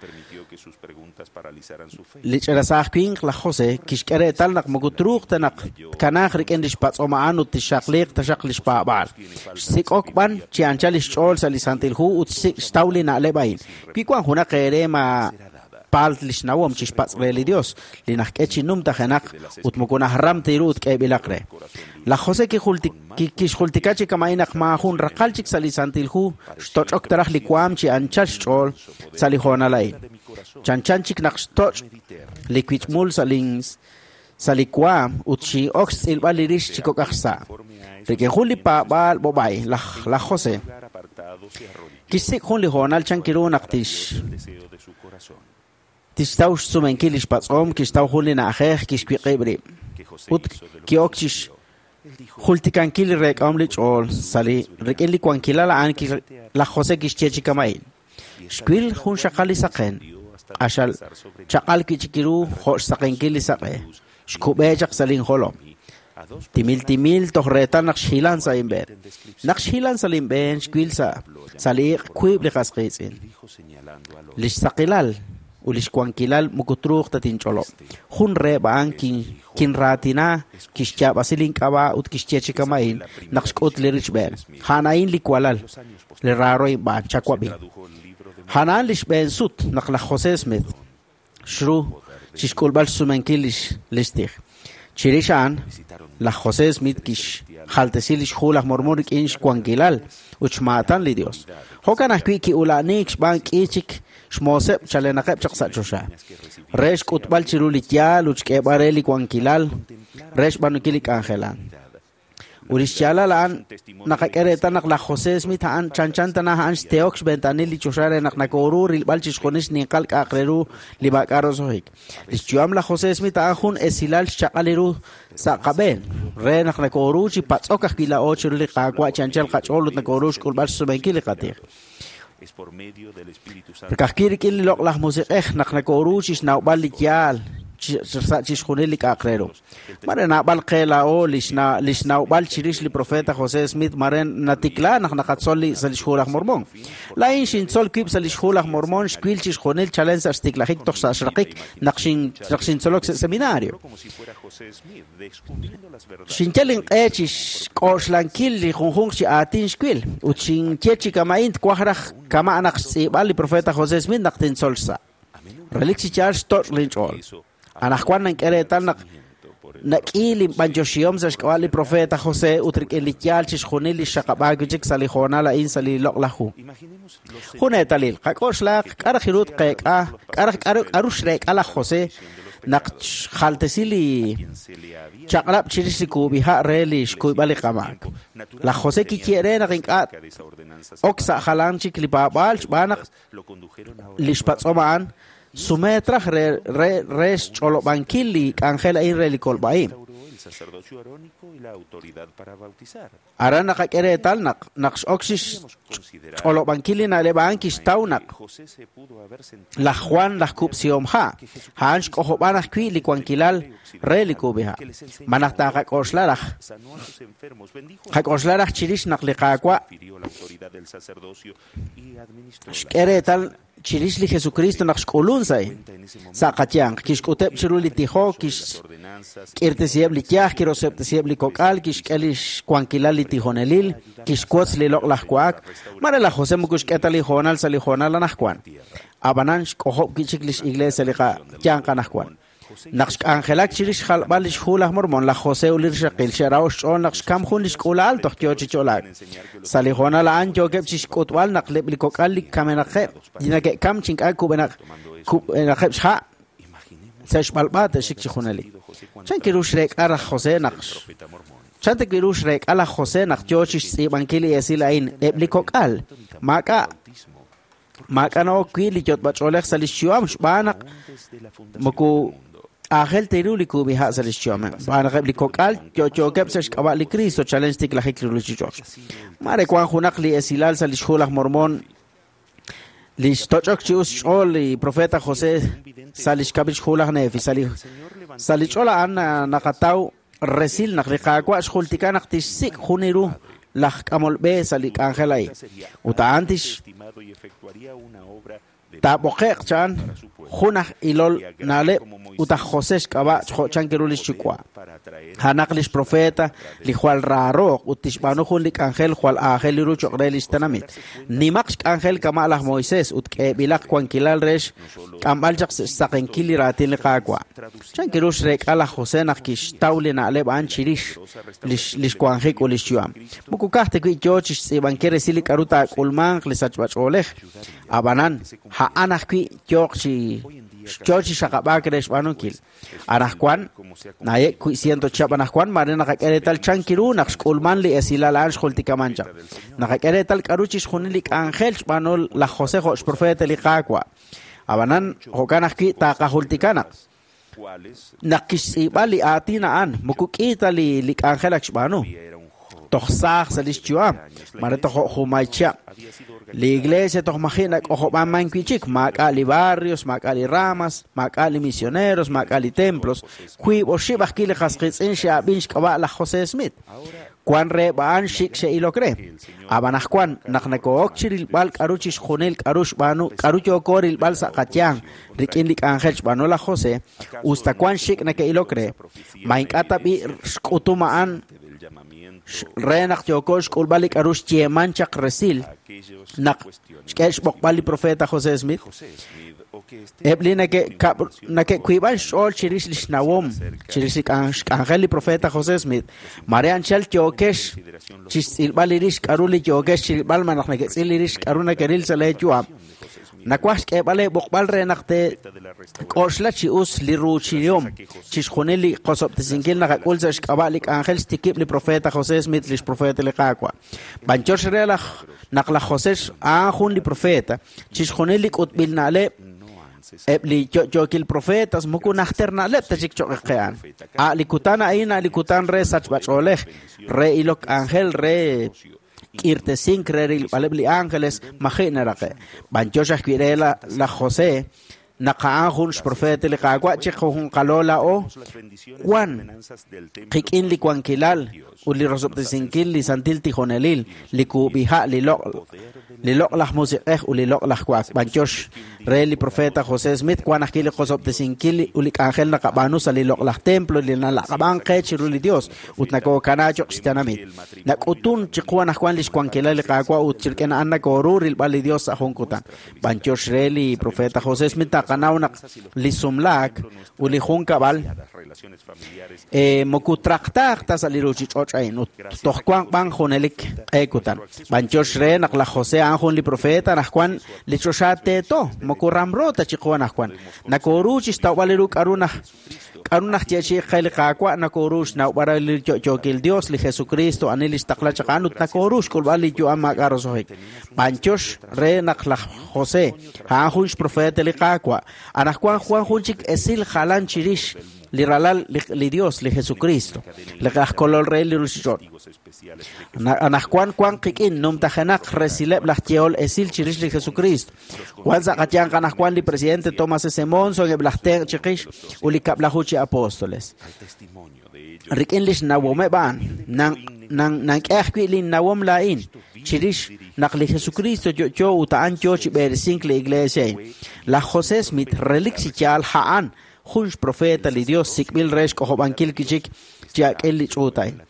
Li ch'ina saaj winq laj José kixk'e reetal naq moko truuq ta naq tkanaaq rik'in lix patz'om a'an ut tixxaqliiq taxaq lix paab'aal. Xsik'ok b'an chi anchal lix ch'ool sa' li Santil Hu ut xtaw li na'leb' a'in. Wi wan junaq eere ma paalt lix nawom chixpatz' re li Dios, li najk'e chi numtajenaq ut moko najram ta ru ut k'eeb'ilaq re. Laj José kixjultika chi kama'in naq maajun raqal chik sa' li Santil Hu xtoch'ok taraj li waam chi anchal xch'ool sa' li hoonal a'in. Chanchan chik naq xtoch' li wich'mul sa' li waam ut xin'ok xtz'ilb'al li rix chi kok'aj xsa'. Rik'in jun li paab'aal b'ob'ay laj José kixsik' jun li hoonal chan kiru naq tixtaw xsumenkil lix patz'om, kixtaw jun li na'ajej, kixwiq'ib' rib'. Ut ki'ok chixjultikankil li reek'ahom li ch'ool sa' li rik'in li wankilal a'an laj José kixye chi kama'in. Xwil jun xaqal li saqen, q'axal chaq'al wi' chik ru jo' xsaqenkil li saq'e, xkub'e chaq sa' linjolom. Timil timil toj reetal naq xhilan sa' inb'een. Naq xhilan sa' linb'een xwil sa' li iq' wiib' li qas qiitz'in. Lix saqilal ut lix wankilal moko truuq ta tinch'olob'. Jun reheb' a'an kinraatina, kixyaab'asi link'ab'a' ut kixye chi kama'in naq xk'ut li richb'een. A'an a'in li walal, li raaro inb'aan, chawab'i. A'an a'an li xb'een sut naq laj José Smith xru chixk'ulb'al xsumenkil lix tij. Chirix a'an, laj José Smith kixjaltesi lix hu laj Mormon rik'in xwankilal ut xmaatan li Dios. Jo'kan ajwi' ki'ula'aniik xb'aan k'i chik xmooseb' chalenaqeb' chaq sa' choxa. Re xk'utb'al chiru li yaal ut xk'eeb'al re li wankilal re xb'aanunkil li k'anjel a'an. Ut lix yaalal a'an naqak'e reetal naq laj José Smith a'an chanchan tana a'an xteok xventanil li choxa re naq nakooru rilb'al chixjunil xninqal k'a'aq re ru li maak'a' roso'jik. Lix yu'am laj José Smith a'an jun esilal xchaq'al li ru sa' qab'een re naq nakooru chi patz'ok ajwi' laa'o chiru li Qaawa' chi anchal qach'ool ut nakooru xk'ulb'al xsumenkil li qatij. Ka'ajwi' rik'in li loq'laj musiq'ej naq nakooru chi xnawb'al li yaal sa' chixjunil li k'a'aq re ru. Mare naab'al qe laa'o lix nawb'al chirix li profeta José Smith mare natikla naq naqatzol sa' lix hu laj Mormon. Laa'in xintzol wib' sa' lix hu laj Mormon xwil chixjunil chalen sa' xtiklajik toj sa' xraqik naq xintzolok sa' seminario. Xinyal inq'e chi xk'oxlankil li junjunq chi aatin xwil ut xinye chi kama'in twaj raj kama' naq xtz'iib'al li profeta José Smith naq tintzol xsa'. Relik chi yaal xtoch' linch'ool. Anaqwan nank'e reetal naq nak'i linb'anyoxihom sa' xk'ab'a' li profeta José ut rik'in li yaal chixjunil li xxaqab'aak wi' chik sa' li hoonal a'in sa' li loq'laj hu. Jun eetalil, qak'oxlaaq k'a' raj ru tqeek'a, k'a'ru xreek'a laj José naq xjaltesi li chaq'rab' chirix li kuub'iha' re li xkuyb'al li qamaak. Laj José kiye re naq ink'a' ok sa' jalan chik li paab'aal xb'aan naq lix patz'om a'an sumetraj re xch'olob'ankil li k'anjel a'in re li kolb'a'in. Aran naqak'e reetal naq naq x'ok chixch'olob'ankil li na'leb' a'an kixtaw naq laj Juan laj kub'sihom ha' a'an xk'ojob'an ajwi' li wankilal re li kub'iha'. Malaj taaqak'oxla raj qak'oxla raj chirix naq li Qaawa' xk'e reetal chirix li Jesucristo naq xk'ulun sa' sa' qayanq kixk'uteb' chiru li tijok kixk'irtesiheb' li yaj kiroseb'tesiheb' li kok'al kixk'e li xwankilal li tijonelil kixwotz li loq'laj wa'ak mare laj José moko xk'e ta li hoonal sa' li hoonal anaqwan ab'anan xk'ojob' wi'chik lix iglesia li qayanq anaqwan. Naq xk'anjelak chirix xjalb'al lix hu laj Mormon, laj José ut li rixaqil xe'raho xch'ool naq xkam jun lix k'uula'al toj yoo chi ch'olaak. Sa' li hoonal a'an yookeb' chixk'utb'al naq eb' li kok'al li kamenaqeb' li neke'kam chi ink'a' kub'enaqeb' xha' sa' xb'alb'a te'xik chi junelik. Chan kiru xreek'a laj José naq Chan ta kiru xreek'a laj José naq yoo chixtz'iib'ankil li esil a'in eb' li kok'al maak'a' maak'a' na'ok wi' li yot'b'ach'oolej sa' lix yu'am xb'aan naq moko aajel ta ru li kub'iha' sa' lix yu'ameb'. Xb'aan naq eb' li kok'al yo'yookeb' sa' xk'ab'a' li Cristo chalen xtiklajik li ruchich'och'. Mare wan junaq li esilal sa' lix hu laj Mormon li xtoch'ok chi us xch'ool li profeta José sa' lix kab'il xhu laj Nefi. Sa' li ch'ol a'an naqataw resil naq li Qaawa' xjultika naq tixsik' jun ru laj k'amol b'e sa' li k'anjel a'in. Ut a'an tix taab'oqe'q chan jun aj ilol na'leb' ut aj José xk'ab'a' jo' chan kiru lix yuwa'. A'anaq lix profeta li jwal raarooq ut tixb'aanu jun li k'anjel jwal aajel ru cho'q re lix tenamit. Nimaq xk'anjel kama' laj Moisés ut k'eeb'ilaq wankilal re xk'amb'al chaq xsaqenkil li raatin li Qaawa'. Chan kiru xreek'a laj José naq kixtaw li na'leb' a'an chirix lix wanjik ut lix yu'am. Moko ka'aj ta wi' yoo chixtz'iib'ankil resil li k'a'ru taak'ulmanq li sachb'ach'oolej. Ab'anan, a'an ajwi' yooq chi yoo chi xaqab'aak re xb'aanunkil. Anaqwan, nayek wi' ciento chihab' anaqwan, mare naqak'e reetal chan kiru naq xk'ulman li esilal a'an xjultikaman chaq. Naqak'e reetal k'a'ru chixjunil li k'anjel xb'aanu laj José jo' xprofeta li Qaawa'. Ab'anan, jo'kan ajwi' taaqajultika naq naq kixtz'iib'a li aatin a'an, moko k'i ta li k'anjel ak xb'aanu. Toj saaj sa' lix yu'am, mare toj jumay chihab'. Li iglesia toj maji' nak'ojob'aman wi'chik, maak'a' li barrios, maak'a' li ramas, maak'a' li misioneros, maak'a' li templos. Wiib' oxib' ajwi' li qas qiitz'in xe'ab'in xk'ab'a' laj José Smith. Wan reheb' a'an xik xe'ilok re. Ab'an ajwan naq nako'ok chirilb'al k'a'ru chixjunil k'a'ru xb'aanu k'a'ru yooko rilb'al sa' qayanq rik'in li k'anjel xb'aanu laj José, usta wan xik nake'ilok re. Ma ink'a' ta b'i xk'utum a'an re naq yooko xk'ulb'al li k'a'ru xyeeman chaq resil naq xk'e xb'oqb'al li profeta José Smith. Eb' li nake'wiib'an xch'ool chirix li xnawom chirix li xk'anjel li profeta José Smith, mare anchal yookex chixtz'ilb'al li rix k'a'ru li yookex chirilb'al malaj neke'tz'il li rix k'a'ru nakeril sa' lee yu'am. Nawaj xk'eeb'al eeb'oqb'al re naq teek'oxla chi us li ruuchilihom chixjunil li qosob'tesinkil naqak'ul sa' xk'ab'a' li k'anjel xtikib' li profeta José Smith lix profeta li Qaawa'. B'anyox re naq laj José a'an jun li profeta, chixjunil li k'utb'il na'leb' eb' li yo'yookil profetas moko najter na'leb' ta chik cho'q qe'an. A' li kutan a'in a' li kutan re sachb'ach'oolej, re ilok k'anjel, re k'irtesink re rilb'aleb' li ángeles maji' naraqe'. B'anyox ajwi' re laj José naq a'an jun xprofeta li Qaawa' chi junqalo laa'o wan qik'in li wankilal ut li rosob'tesinkil li santil tijonelil, li kub'iha' li loq'laj musiq'ej ut li loq'laj wa'ak. B'anyox re li profeta José Smith wan ajwi' li qosob'tesinkil ut li k'anjel naqab'aanu sa' li loq'laj templo li nalaq'ab'an qe chiru li Dios ut nakookanaa cho'q xtenamit. Nak'utun chiqu anaqwan lix wankilal li Qaawa' ut chirik'in a'an nakooru rilb'al li Dios sa' jun kutan. B'anyox re li profeta José Smith taqanaw naq li sumlaak ut li junkab'al moko traqtaaq ta sa' li ruchich'och' a'in ut toj wanq b'an junelik q'e kutan. B'anyox re naq laj José a'an jun li profeta anaqwan li choxa teeto moko ramro ta chiqu anaqwan. Nakooru chixtawb'al ru k'a'ru naj yeechi'i qe li Qaawa' nakooru xnawb'al li yo'yookil Dios li Jesucristo ani li xtaqla chaq a'an ut nakooru xk'ulb'al li yu'am maak'a' roso'jik. B'anyox re naq laj José a'an jun xprofeta li Qaawa'. Anaqwan wan jun chik esil jalan chirix li ralal li Dios, li Jesucristo, li aj kolol re li ruchich'och'. Anaqwan wan qik'in numtajenaq resileb' laj yehol esil chirix li Jesucristo. Wan sa' qayanq anaqwan li presidente Thomas S. Monson eb' laj tenq' chiqix ut li kab'laju chi apóstoles. Rik'in lix nawomeb' a'an, nank'e ajwi' linnawom laa'in chirix naq li Jesucristo yo'yo ut a'an yo chi b'eresink li iglesia a'in. Laj José Smith relik chi yaal a'an jun xprofeta li Dios sik'b'il re xk'ojob'ankil kichik chi ak'il li ch'uut a'in.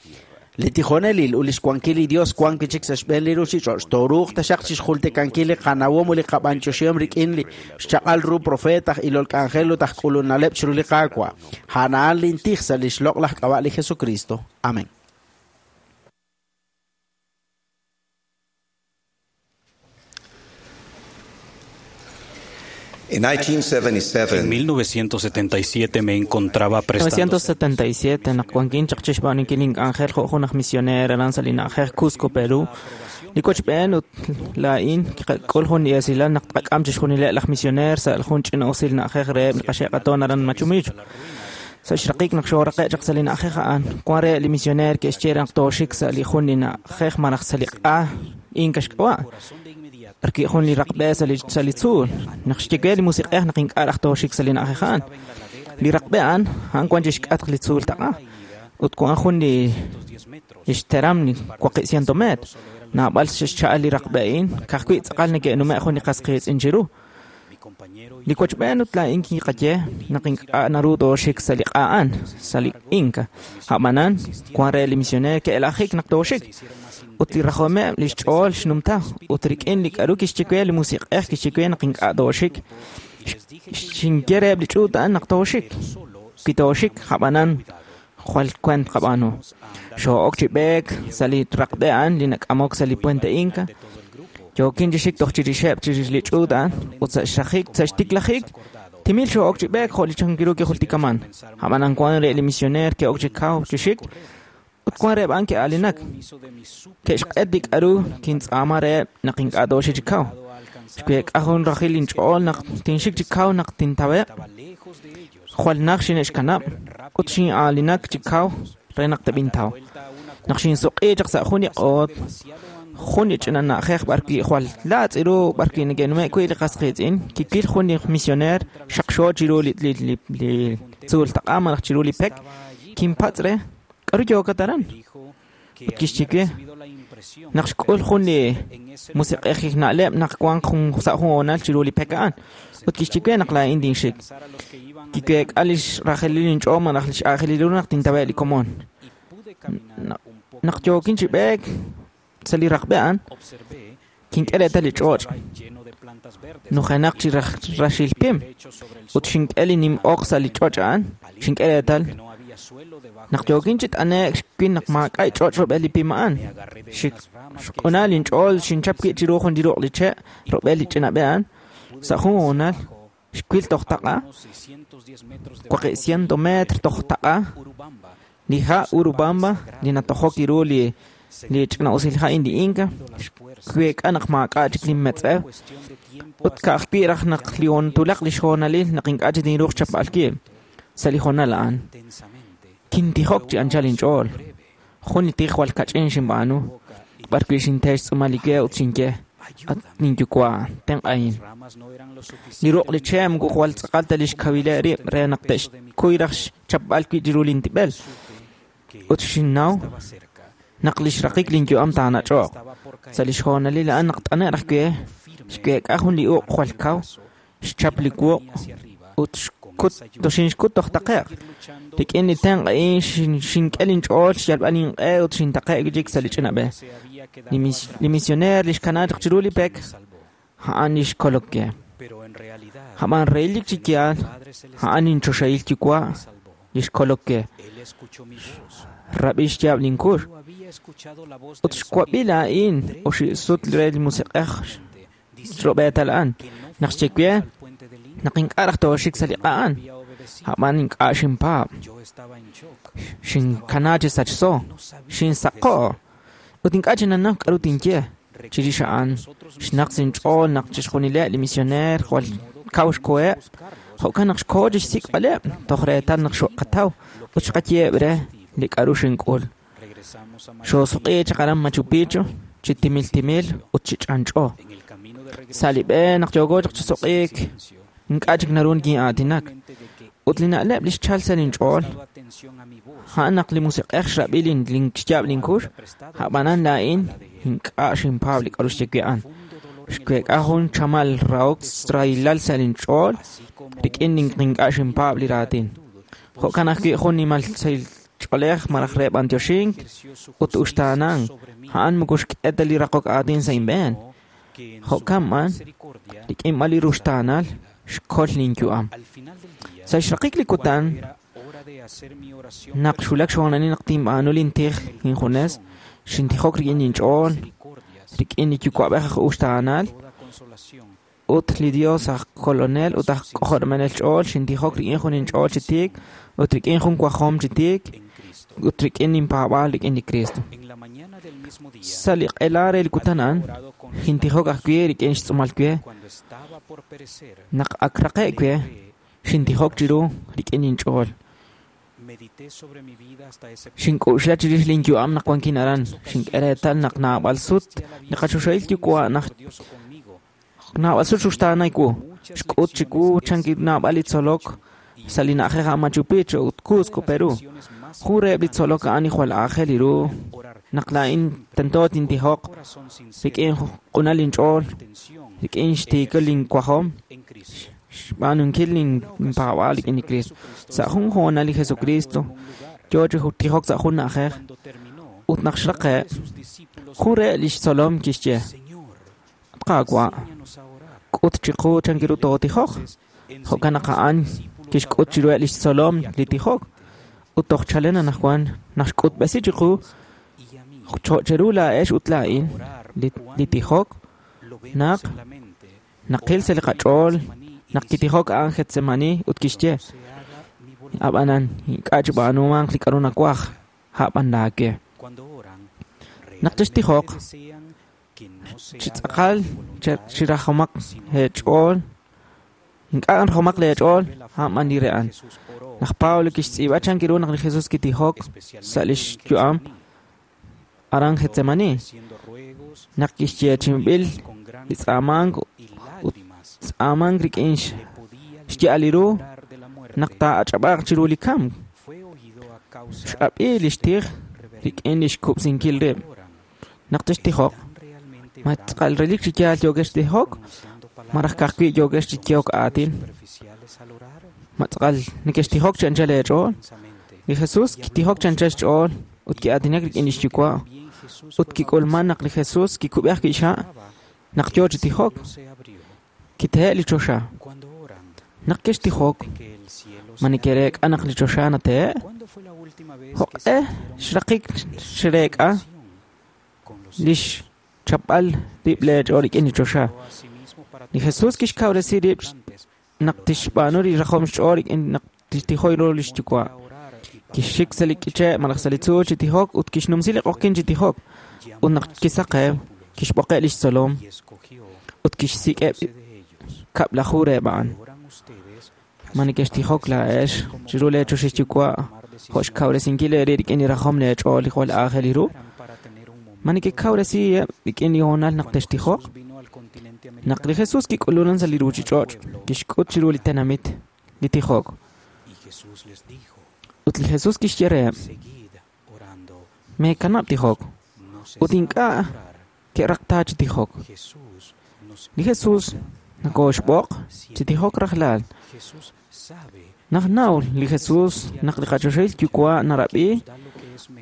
Li tijonelil ut lix wankil li Dios wan kichik sa' xb'een li ruchich'och' tooruuq taxaq chixjultikankil li qanawom ut li qab'anyoxihom rik'in li xchaq'al ru profeet aj ilol k'anjel ut aj k'ulunaleb' chiru li Qaawa'. A'an a'an lintij sa' lix loq'laj k'ab'a' li Jesucristo. Amén. En 1977 me encontraba prestando 1977 naq wankin chaq chixb'aanunkil ink'anjel jo' jun aj misioneer aran sa' li na'ajej Cusco, Perú. Li wochb'een ut laa'in kiqak'ul jun li esilal naq tqak'am chixjunileb' laj misioneer sa' jun ch'ina'usil na'ajej reheb' li qaxe'qatoon aran Machu Picchu. Sa' xraqik naq xooraqe' chaq sa' li na'ajej a'an, wan reheb' li misioneer ke'xye naq tooxik sa' li jun li na'ajej malaj sa' li q'a inka xk'ab'a'. Rik'in jun li raqb'e sa' li tzuul. Naq xye li musiq'ej naq ink'a' raj tooxik sa' li na'ajej a'an. Li raqb'e a'an, a'an wan chixk'atq li tzuul taq'a. Ut wan jun li xteram li 400 metro. Naab'al xcha'al li raqb'e a'in, ka'ajwi' tz'aqal neke'nume' jun li qas qiitz'in chiru. Li wochb'een ut laa'in kiqaye naq ink'a' naru tooxik sa' li q'a a'an, sa' li inka. A'b'anan, wan re li misioneer ke'elajik naq tooxik. Ut li rajomeb' li xch'ool xnumta ut rik'in li k'aru kixye we li musiq'ej kixye we naq ink'a' tooxik. Xinye reheb' li ch'uut a'an naq tooxik. Wi tooxik, a'b'anan jwal kwent qab'aanu. Xoo'ok chi b'eek sa' li raqb'e a'an li nak'amok sa' li Puente Inca. Yookin chi xik toj chirixeb' chirix li ch'uut a'an ut sa' xraqik sa' xtiklajik timil xoo'ok chi b'eek jo' li chankiru kijultikaman. A'b'anan wan re li misioneer ke'ok chi kaw chi xik ut wan reheb' a'an ke'aalinak. Ke'xq'et li k'aru kintz'aama reheb' naq ink'a' tooxik chi kaw. Xweek'a jun rajil inch'ool naq tinxik chi kaw naq tintaweb'. Jwal naj xine'xkanab' ut xin'aalinak chi kaw re naq teb'intaw. Naq xinsuq'i chaq sa' jun li q'oot, jun li ch'ina na'ajej b'arwi' jwal laatz' ru b'arwi' neke'nume' wi' li qas qiitz'in, kikil jun li misioneer xaqxo chiru li tzuul taq'a malaj chiru li pek, kinpatz' re k'aru yookat aran? Ut kixye we naq xk'ul jun li musiq'ejil na'leb' naq wanq jun sa' jun hoonal chiru li pek a'an. Ut kixye we naq laa'in tinxik. Kiweek'a lix rajelil inch'ool malaj lix aajelil ru naq tintaweb' li komon. Naq yookin chi b'eek sa' li raqb'e a'an, kink'e reetal li ch'och'. Nujenaq chi raxil pim. Ut xink'e li nim'oq sa' li ch'och' a'an, xink'e reetal naq yookin chi t'ane'k xwil naq maak'a' ch'och' rub'el li pim a'an. Xq'una linch'ool xinchap wi' chiru jun li ruq' li che' rub'el li ch'ina b'e a'an. Sa' jun hoonal xwil toj taq'a, 400 metro toj taq'a, li ha' Urubamba li natojok ru li ch'ina'usil ha' li inka, xweek'a naq maak'a' chik linmetz'ew. Ut ka'ajwi' raj naq li tulaq li xhoonalil naq ink'a' chik tinruuq xchapb'al wib' sa' li hoonal a'an. Kintijok chi anchal inch'ool. Jun li tij jwal kach'in xinb'aanu, b'arwi' xinte xtz'uumal li we ut xinye, at ninyuwa', tenq'ahin. Li ruq' li che' moko jwal tz'aqal ta li xkawileb' rib' re naq te'xkuy raj xchapb'al wi' chiru lintib'el. Ut xinnaw naq li xraqik linyu'am taanach'oq. Sa' li xhoonalil a'an naq t'ane' raj we, xweek'a jun li uq' jwal kaw, xchap li wuq' ut toxinxkut toj taqe'q. Rik'in li tenq' a'in xink'e linch'ool xyalb'al inq'e ut xintaqe'k wi' chik sa' li ch'ina b'e. Li misioneer li xkana chaq chiru li pek, a'an li xkolok we. A'b'an relik chi yaal, a'an inchoxahil yuwa' li xkolok we. Rab'i xyaab' linkux. Ut xwab'i laa'in oxi' sut re li musiq'ej xrub'eetal a'an. Naq xye we naq ink'a' raj tooxik sa' li q'a a'an. A'b'an ink'a' xinpaab'. Xinkana chi sachso, xinsaqo'. Ut ink'a' chinanaw k'aru tinye. Chirix a'an, xnaq sinch'ool naq chixjunileb' li misioneer jwal kaw xkoheb' Jo'kan naq xkoho chi xsik'b'aleb' toj reetal naq xo'qataw ut xqayeheb' re li k'aru xink'ul. Xoosuk'i chaq aran Machu Picchu chi timil timil ut chi ch'anch'o. Sa' li b'e naq yooko chaq chi suq'iik, ink'a' chik naru nikin'aatinak. Ut li na'leb' li xchal sa' linch'ool, a'an naq li Musiq'ej xrab'i xyaab' linkux, a'b'anan laa'in ink'a' xinpaab' li k'aru xye wi' a'an. Xweek'a jun chamal rahok rahilal sa' linch'ool rik'in ink'a' xinpaab' li raatin. Jo'kan ajwi' jun nimal sahil ch'oolej malaj re b'antioxink ut uxtaanank, a'an moko xk'e ta li raqok aatin sa' inb'een. Jo'kan b'an, rik'in b'an li ruxtaanal, xkol linyu'am. Sa' xraqik li kutan, naq xwulak xhoonalil naq tinb'aanu lintij injunes, xintijok rik'in inch'ool, rik'in li Yuwa'b'ej aj uxtaanal, ut li Dios aj kolonel ut aj k'ojob'anel ch'ool, xintijok rik'in jun inch'ool chi tiik ut rik'in jun wajom chi tiik ut rik'in inpaab'aal rik'in li Kristo. Sa' li q'ela re li kutan a'an, xintijok ajwi' rik'in xtz'uumal we. Naq ak raqe' we, xintijok chiru rik'in inch'ool. Xink'uxla chirix linyu'am naq wankin aran, xink'e reetal naq naab'al sut li qachoxahil Yuwa' naq naab'al sut xuxtaanay wu. Xk'ut chiwu chan naab'al li tzolok sa' li na'ajej a'an Machu Picchu ut Cusco, Perú. Jun reheb' li tzolok a'an li jwal aajel ru naq laa'in tento tintijoq rik'in q'unal inch'ool, rik'in xtiikil linwajom, xb'aanunkil linpaab'aal rik'in li Kristo. Sa' jun hoonal li Jesucristo yo chi tijok sa' jun na'ajej ut naq xraqe', jun reheb' li xtzolom kixye: At Qaawa', k'ut chiqu chan ru tootijoq. Jo'kan naq a'an kixk'ut chiruheb' li xtzolom li tijok ut toj chalen anaqwan naq xk'utb'esi chiqu cheru laa'ex ut laa'in li tijok naq naqil sa' li qach'ool naq kitijok a'an Getsemani ut kixye: Ab'anan ink'a' chib'aanumanq li k'aru nawaj, a'b'an laawe. Naq textijoq, chi tz'aqal chirajomaq eech'ool, ink'a' rajomaq leech'ool, a'b'an li re a'an. Laj Pablo kixtz'iib'a chan ru naq li Jesus kitijok sa' lix yu'am aran Getsemani, naq kixyeechi'inb'il li tz'aamank ut tz'aamank rik'in xya'al li ru naq taa'ach'ab'aaq chiru li kamk. X'ab'i lix tij rik'in lix kub'sinkil rib'. Naq textijoq, ma tz'aqal relik chi yaal yookex tijok, malaj ka'ajwi' yookex chi yehok aatin. Ma tz'aqal nekextijok chi anchal eech'ool. Li Jesus kitijok chi anchal xch'ool ut ki'aatinak rik'in lix Yuwa' ut kik'ulman naq li Jesus kikub'e ajwi' xha' naq yo chi tijok. Kitehe' li choxa. Naq kextijok, ma nekereek'a naq li choxa natehe'? Jo'q'e xraqik xreek'a lix chapb'al rib' leech'ool rik'in li choxa. Li Jesus kixkawresi rib' naq tixb'aanu li rajom xch'ool rik'in naq tixtijoy ru lix Yuwa'. Kixxik sa' li k'iche' malaj sa' li tzuul chi tijok ut kixnumsi li q'oqyink chi tijok. Ut naq kisaqew, kixb'oqeb' lix tzolom ut kixsik'eb' kab'laju reheb' a'an. Ma nekextijok laa'ex chiru leechoxahil Yuwa' jo' xkawresinkil eerib' rik'in li rajom leech'ool li jwal aajel ru? Ma nekekawresiheb' rik'in li hoonal naq textijoq? Naq li Jesus kik'ulunan sa' li ruuchich'och', kixk'ut chiru li tenamit li tijok. Ut li Jesus kixye reheb': Meekanab' tijok. Ut ink'a' ke'raqta chi tijok. Li Jesus nakooxb'oq chi tijok rajlal. Naq naw li Jesus naq li qachoxahil Yuwa' narab'i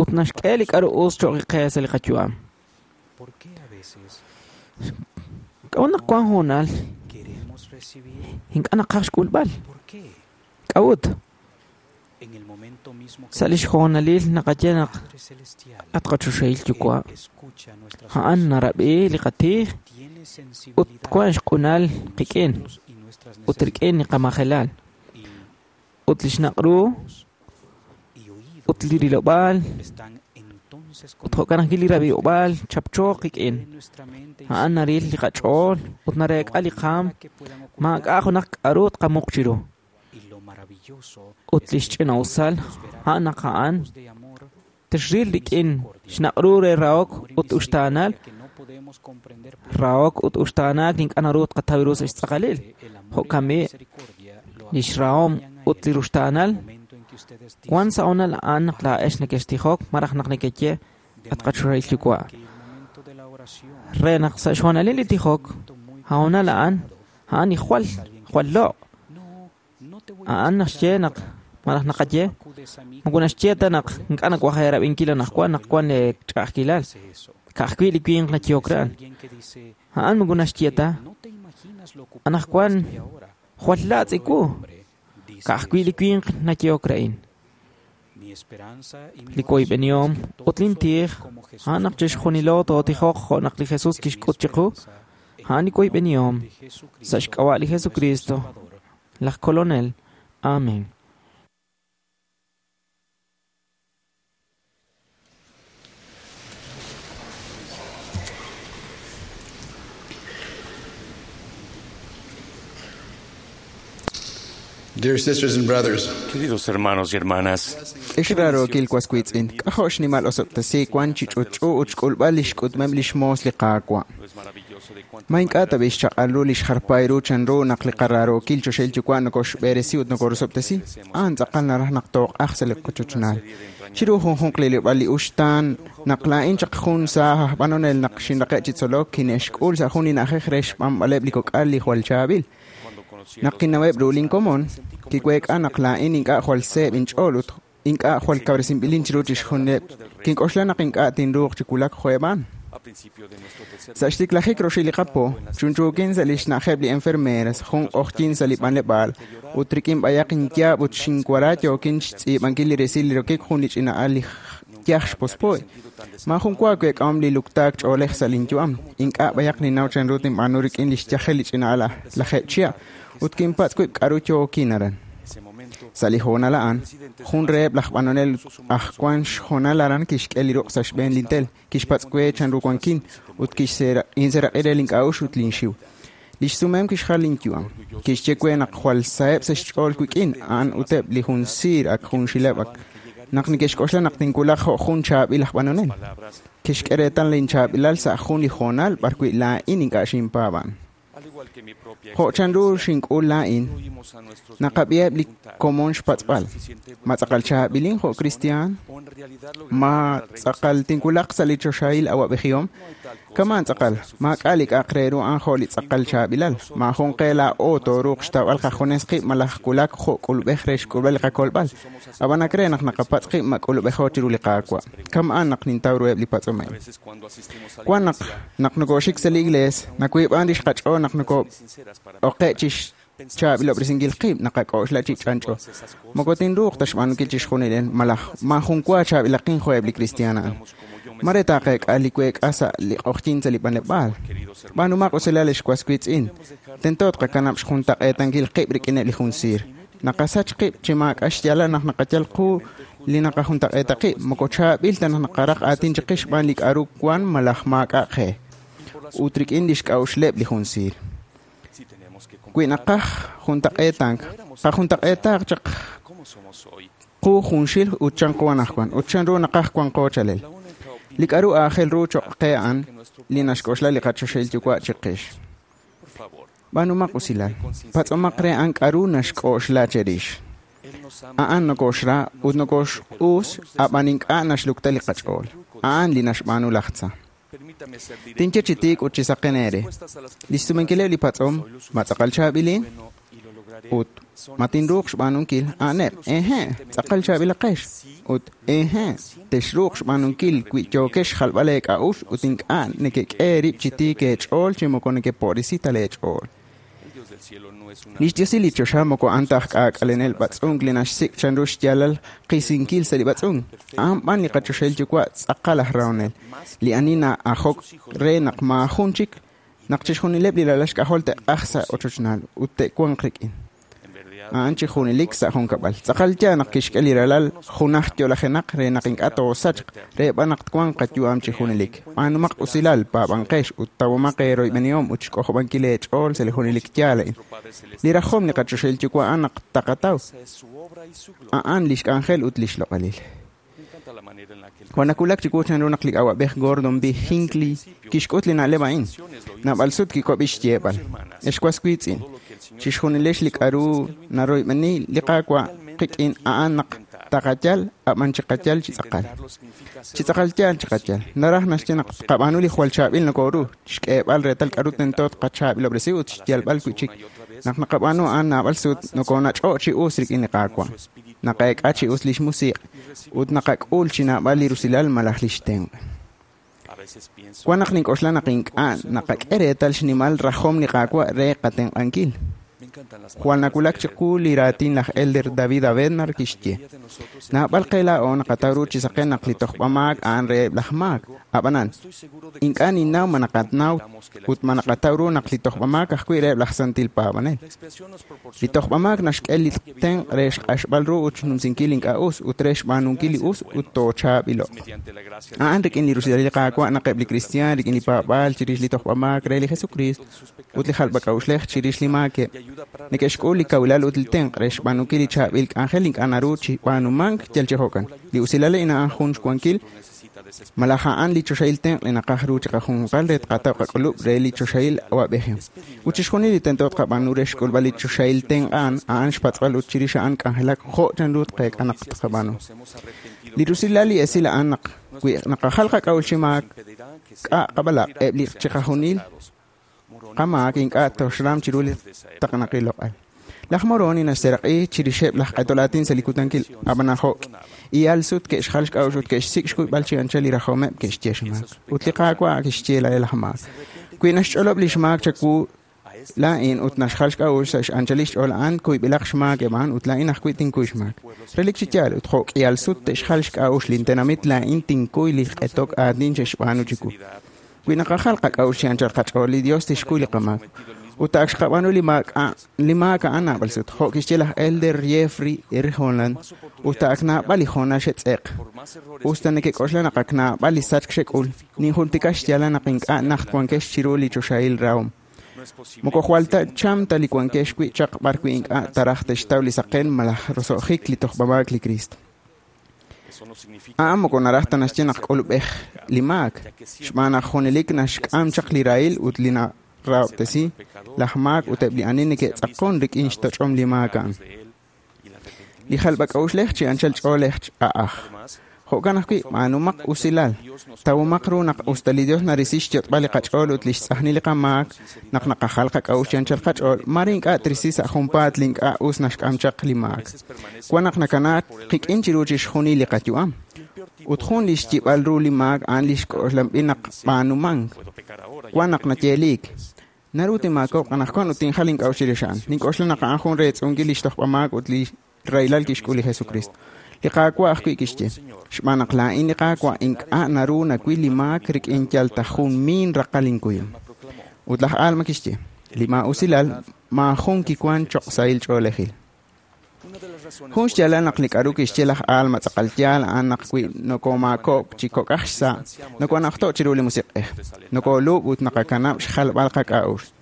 ut naxk'e li k'aru us cho'q qe sa' li qayu'am. K'a'ut naq wank hoonal ink'a' naqaj xk'ulb'al? K'a'ut? Sa' lix hoonalil naqaye naq at qachoxahil Yuwa', a'an narab'i li qatij ut wank xq'unal qik'in ut rik'in li qamajelal ut li xnaq' ru ut li rilob'aal ut jo'kan ajwi' li rab'iob'aal chapchooq qik'in. A'an naril li qach'ool ut nareek'a li qaam, maak'a' junaq k'aru tqamuq chiru. Ut li xch'ina'usal a'an naq a'an tixril rik'in xnaq'ru re rahok ut uxtaanal, rahok ut uxtaanaak ink'a' naru tqataw ru sa' xtz'aqalil. Jo'kan b'i' li xrahom ut li ruxtaanal wan sa' honal a'an naq laa'ex nekextijok malaj naq nekeye at qachoxahil Yuwa'. Re naq sa' xhoonalil li tijok, honal a'an, a'an li jwal, jwal loq'. A'an naxye naq malaj naqaye, moko naxye ta naq ink'a' nawaj eerab'inkil anaqwan naq wan lee ch'a'ajkilal. Ka'ajwi' li winq nayehok re a'an. A'an moko naxye ta, anaqwan jwal laatz' iwu. Ka'ajwi' li winq nayehok re a'in. Li woyb'enihom ut lin tij, a'an naq chixjunilo tootijoq jo' naq li Jesus kixk'ut chiqu, a'an li woyb'enihom sa' xk'ab'a' li Jesucristo, laj Kolonel. Amén. Dear sisters and brothers, Queridos hermanos y hermanas, Ex raarookil was wiitz'in, k'ajo' xnimal osob'tesiik wan chi ch'utch'u ut xk'ulb'al li xk'utmeb' li xmoos li Qaawa'. Ma ink'a' ta b'i xchaq'al ru li xjarpay ru chanru naq li qaraarookil choxahil yuwa' nokoxb'eresi ut nokorosob'tesi, a'an tz'aqal naraj naq tooq'aj sa' li qochochnaal. Chiru junjunq li lib'al li uxtaan, naq laa'in chaq jun saaj aj b'anonel naq xinraqe' chi tzolok, kine'xk'ul sa' jun li na'ajej re xb'anb'aleb' li kok'al li jwal chaab'il. Naq kinnaweb' ru linkomon, kiweek'a naq laa'in ink'a' jwal seeb' inch'ool ut ink'a' jwal kawresinb'ilin chiru chixjunileb'. Kink'oxla naq ink'a' tinruuq chi wulak jo'eb' a'an. Sa' xtiklajik roxil li qapo, chunchuukin sa' li xna'ajeb' li enfermeras, jun q'ojyin sa' li b'anleb'aal, ut rik'in b'ayaq inyaab' ut xinwara yookin xtz'iib'ankil li resil li rokik jun li ch'ina'al li yaj xpospo'y. Maajun wa week'ahom li luktaak ch'oolej sa' linyu'am. Ink'a' b'ayaq ninnaw chanru tinb'aanu rik'in li xyajel li ch'ina'al lajeeb' chihab', ut kinpatz' wib' k'aru yookin aran. Sa' li hoonal a'an, jun reheb' laj b'anonel aj wan xhoonal aran kixk'e li ruq' sa' xb'een lintel, kixpatz' we chanru wankin ut kinseeraq'i re link'a'uxl ut linxiw. Li xsumem kixjal linyu'am. Kixye we naq jwal saheb' sa' xch'ool wik'in, a'an uteb' li jun siir ak junxileb' ak naq neke'xk'oxla naq tinwulaq jo' jun chaab'il aj b'anonel. Kixk'e reetal linchaab'ilal sa' jun li hoonal b'arwi' laa'in ink'a' xinpaab'an. Jo' chanru xink'ul laa'in, naqab'iheb' li komon xpatz'b'al. Ma tz'aqal chaab'ilin jo' kristiaan? Ma tz'aqal tinwulaq sa' li choxahil awab'ejihom? Kamaan tz'aqal, maak'a' li k'a'aq re ru a'an jo' li tz'aqal chaab'ilal. Maajun qe laa'o tooruuq xtawb'al qajunes qib' malaj wulak jo' k'ulub'ej re xk'ulb'al li qakolb'al. Ab'an ak re naq naqapatz' qib' ma k'ulub'ejo chiru li Qaawa'. Kama'an naq nintaw ruheb' li patz'om a'in. Wan naq naq nokoxik sa' li iglees, nawiib'an rix qach'ool naq nokoo'oqe' chi xchaab'ilob'resinkil qib' naqak'oxla chi ch'anch'o. Moko tinruuq ta xb'aanunkil chixjunil malaj maajun wa chaab'ilaqin jo'eb' li kristiaan a'an. Mare taaqeek'a li week'a sa' li q'ojyin sa' li b'anleb'aal. B'aanumaq usilal ex was wiitz'in. Tento tqakanab' xjuntaq'eetankil qib' rik'ineb' li jun siir. Naqasach qib' chi maak'a' xyaalal naq naqayal qu li naqajuntaq'eeta qib', moko chaab'il ta naq naqaraq aatin chiqix xb'aan li k'a'ru wan malaj maak'a' qe. Ut rik'in li xk'a'uxleb' li jun siir. Wi naqaj juntaq'eetank, qajuntaq'eetaaq chaq qu junxil ut chan qu anaqwan, ut chanru naqaj wanqo chalel. Li k'a'ru aajel ru choq' qe a'an li naxk'oxla li qachoxahil yuwa' chiqix. B'aanumaq usilal, patz'omaq re a'an k'a'ru naxk'oxla cherix. A'an nokoxra ut nokoxq'us, ab'an ink'a' naxlukta li qach'ool. A'an li naxb'aanu laj tza. Tinye chi tiik ut chi saqen eere. Li xsumenkileb' li patz'om, ma tz'aqal chaab'ilin? Ut ma tinruuq xb'aanunkil? A'aneb', ehe', tz'aqal chaab'ilaqex. Ut ehe', texruuq xb'aanunkil wi yookex xjalb'al eek'a'uxl ut ink'a' nekek'e eerib' chi tiik eech'ool chi moko nekepo'risi ta leech'ool. Li xdiosil li choxa moko a'an ta aj k'aak'alenel b'atz'unk li naxsik' chanru xyaalal qisinkil sa' li b'atz'unk. A'an b'an li qachoxahil yuwa' tz'aqal aj rahonel, li ani na'ajok re naq maajun chik naq chixjunileb' li ralal xk'ajol te'q'ajq sa' ochochnaal ut te'wanq rik'in. A'an chi junelik sa' junkab'al. Tz'aqal yaal naq kixk'e li ralal junaj yo'lajenaq re naq ink'a' toosachq, re b'an naq twanq qayu'am chi junelik. B'aanumaq usilal, paab'anqex ut tawomaq eeroyb'enihom ut xk'ojob'ankil eech'ool sa' li junelik yaal a'in. Li rajom li qaChoxahil Yuwa' a'an naq taqataw. A'an lix k'anjel ut lix loq'alil. Jwal nawulak chiwu chanru naq li awa'b'ej Gordon B. Hinckley kixk'ut li na'leb' a'in. Naab'al sut kiwab'i xyeeb'al. Ex was wiitz'in, chixjunilex li k'a'ru naroyb'eni li Qaawa' qik'in a'an naq taqayal, ab'an chiqayal chi tz'aqal. Chi tz'aqal yaal chiqayal. Naraj naxye naq tqab'aanu li jwal chaab'il nokoru, xk'eeb'al reetal k'a'ru tento tqachaab'ilob'resi ut xyalb'al wi'chik. Naq naqab'aanu a'an naab'al sut, nokonach'o' chi us rik'in li Qaawa'. Naqeek'a chi us lix musiq' ut naqak'ul chi naab'al li rusilal malaj lix tenq'. Wan naq nink'oxla naq ink'a' naqak'e reetal xnimal rajom li Qaawa' re qatenq'ankil. Jwal nawulak chiqu li raatin laj Elder David A. Bednar kixye: Naab'al qe laa'o naqataw ru chi saqen naq li tojb'amaak a'an reheb' laj maak. Ab'anan, ink'a' ninnaw ma naqanaw ut ma naqataw ru naq li tojb'amaak ajwi' reheb' laj santil paab'anel. Li tojb'amaak naxk'e li tenq' re xq'axb'al ru ut xnumsinkil ink'a' us ut re xb'aanunkil li us ut toochaab'ilo'q. A'an rik'in li rusilal li Qaawa' naq eb' li kristiaan rik'in li paab'aal chirix li tojb'amaak re li Jesukriist ut li jalb'ak'a'uxlej chirix li maakeb' neke'xk'ul li kawilal ut li tenq' re xb'aanunkil li chaab'il k'anjel ink'a' naru chi b'aanumank yal chi jo'kan. Li usilal a'in a'an jun xwankil malaj a'an li choxahil tenq' li naqaj ru chiqajunjunqal re tqataw qak'ulub' re li choxahil awa'b'ejihom. Ut chixjunil li tento tqab'aanu re xk'ulb'al li choxahil tenq' a'an, a'an xpatz'b'al ut chirix a'an k'anjelak jo' chanru tqeek'a naq tqab'aanu. Li rusilal li esil a'an naq wi naqajal qak'a'uxl chi maak k'a' qab'alaq' eb' li chiqajunil qamaak ink'a' toxram chiru li taqenaqil loq'al. Laj Moroni naxseraq'i chirixeb' laj q'etol aatin sa' li kutankil, ab'an jo' k'ihal sut ke'xjal xk'a'uxl ut ke'xsik' xkuyb'al chi anchal li rajomeb' ke'xye xmaak. Ut li Qaawa' kixye re laj maak: Wi naxch'olob' li xmaak chawu laa'in ut naxjal xk'a'uxl sa' x'anchalil xch'ool a'an, kuyb'ilaq xmaak eb' a'an ut laa'in ajwi' tinkuy xmaak. Relik chi yaal, ut jo' k'ihal sut te'xjal xk'a'uxl lintenamit laa'in tinkuy li q'etok aatin xe'xb'aanu chiwu. Wi naqajal qak'a'uxl chi anchal qach'ool, li Dios tixkuy li qamaak. Ut ak xqab'aanu li maak a'an naab'al sut, jo' kixye laj Elder Jeffrey R. Holland, ut ak naab'al li hoonal xe'tz'eq. Us ta nekek'oxla naq ak naab'al li sachk xek'ul, ninjultika xyaalal naq ink'a' najt wankex chiru li choxahil rahom. Moko jwal ta cham ta li wankex wi' chaq b'ar wi' ink'a' taraj te'xtaw li saqen malaj roso'jik li tojb'amaak li Kristo. A'an moko naraj ta naxye naq k'ulub'ej li maak, xb'aan naq junelik naxk'am chaq li rahil ut li narahob'tesi laj maak ut eb' li ani neke'tz'aqon rik'in xtoch'om li maak a'an. Li jalb'ak'a'uxlej chi anchal ch'oolej a'aj. Jo'kan ajwi', b'aanumaq usilal. Tawomaq ru naq us ta li Dios narisi xyot'b'al li qach'ool ut lix tz'ajnil li qamaak naq naqajal qak'a'uxl chi anchal qach'ool, mare ink'a' trisi sa' junpaat li ink'a' us naxk'am chaq li maak. Wan naq nakanaak qik'in chiru chixjunil li qayu'am. Ut jun li xyib'al ru li maak a'an li xk'oxlanb'il naq b'aanumank. Wan naq nayeeliik. Naru tinmaakob'q anaqwan ut tinjal ink'a'uxl chirix a'an. Nink'oxla naq a'an jun reetz'unkil li xtojb'amaak ut li rahilal kixk'ul li Jesukristo. Li Qaawa' ajwi' kixye: Xb'aan naq laa'in li Qaawa' ink'a' naru nawil li maak rik'in yal ta jun miin raqal inkuyum. Ut laj Alma kixye: Li maa'usilal maajun kiwan choq' sahil ch'oolejil. Jun xyaalal naq li k'a'ru kixye laj Alma tz'aqal yaal a'an naq wi nokomaakob'k chi kok'aj xsa', nokonajto' chiru li Musiq'ej, nokolub' ut naqakanab' xjalb'al qak'a'uxl.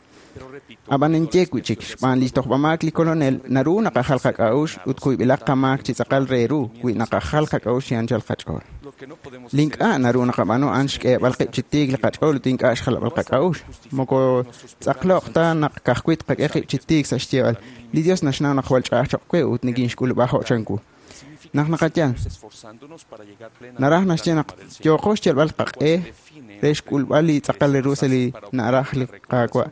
Ab'an ninye wi'chik, xb'aan li tojb'amaak li Kolonel, naru naqajal qak'a'uxl ut kuyb'ilaq qamaak chi tz'aqal re ru wi naqajal qak'a'uxl chi anchal qach'ool. Li ink'a' naru naqab'aanu a'an xk'eeb'al qib' chi tiik li qach'ool ut ink'a' xjalb'al qak'a'uxl. Moko tz'aqloq ta naq ka'ajwi' tqak'e qib' chi tiik sa' xyeeb'al, li Dios naxnaw naq jwal ch'a'aj choq' we ut nikinxk'ulub'a jo' chanwu. Naq naqayal, naraj naxye naq yooqo xyalb'al qaq'e re xk'ulb'al li tz'aqal re ru sa' li naraj li Qaawa',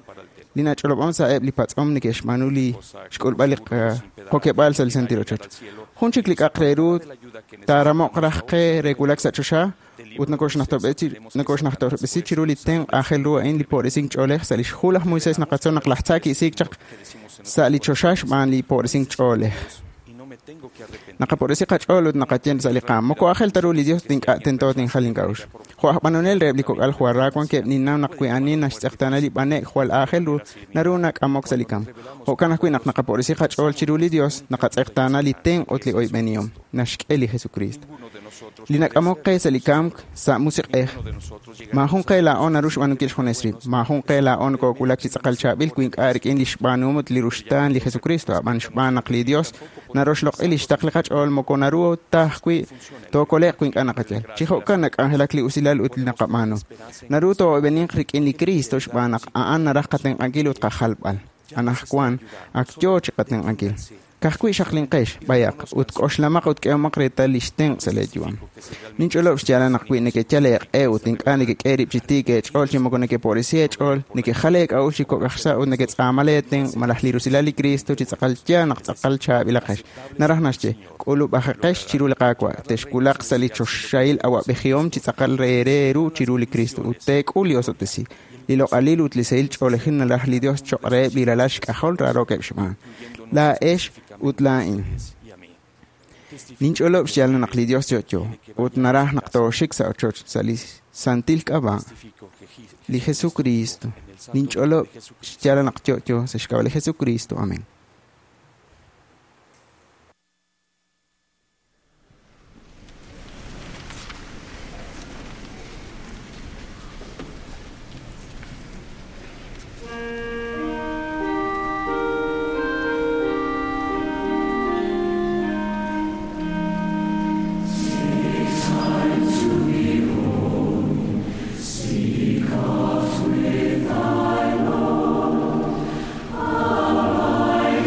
li nach'olob'an sa' eb' li patz'om neke'xb'aanu li xk'ulb'al li qokeb'aal sa' li santil ochoch. Jun chik li k'aq re ru taaramoq raj qe re wulak sa' choxa ut nokoxnajtob'resi chiru li tenq' aajel ru a'in li po'resink ch'oolej sa' lix hu laj Moisés naqatzol naq laj tza ki'isiik chaq sa' li choxa xb'aan li po'resink ch'oolej. Naqapo'resi qach'ool ut naqaye sa' li qaam, moko aajel ta ru li Dios ink'a' tento tinjal ink'a'uxl. Jo' aj b'anonel reheb' li kok'al jwal ra wankeb' ninnaw naq wi ani naxtz'eqtaana li b'ane'k jwal aajel ru naru nak'amok sa' li kamk. Jo'kan ajwi' naq naqapo'risi qach'ool chiru li Dios, naqatz'eqtaana li tenq' ut li oyb'enihom naxk'e li Jesukriist. Li nak'amok qe sa' li kamk sa' musiq'ej. Maajun qe laa'o naru xb'aanunkil xjunes rib'. Maajun qe laa'o nokoowulak chi tz'aqal chaab'il wi ink'a' rik'in li xb'aanuhom ut li ruxtaan li Jesukristo, ab'an xb'aan naq li Dios naroxloq'i li xtaql li qach'ool moko naru ta ajwi' tookole'q wi ink'a' naqayal. Chi jo'kan nak'anjelak li usilal ut li naqab'aanu. Naru too'oyb'eninq rik'in li Kristo xb'aan naq a'an naraj qatenq'ankil ut qajalb'al. Anaqwan ak yoo chi qatenq'ankil. Ka'ajwi' xaqlinqex b'ayaq ut k'oxlamaq ut k'ehomaq reetal li xtenq' sa' leeyu'am. Ninch'olob' xyaalal naq wi nekeyal eeq'e ut ink'a' nekek'e rib' chi tiik eech'ool chi moko nekepo'risi eech'ool, nekejal eek'a'uxl chi kok' aj xsa' ut neketz'aama leetenq' malaj li rusilal li Kristo chi tz'aqal yaal naq tz'aqal chaab'ilaqex. Naraj naxye, k'ulub'ajeqex chiru li Qaawa', texwulaq sa' li choxahil awa'b'ejihom chi tz'aqal reere eeru chiru li Kristo ut teek'ul li osob'tesiik. Li loq'alil ut li sahil ch'oolejil naraj li Dios cho'q reheb' li ralal xk'ajol raarookeb' xb'aan. Laa'ex ut laa'in. Ninch'olob' xyaalal naq li Dios yo'yo ut naraj naq tooxik sa' ochoch sa' li santil k'ab'a' li Jesukristo. Ninch'olob' xyaalal naq yo'yo sa' xk'ab'a' li Jesukristo. Amén. Take time to be holy. Speak oft with thy Lord. Abide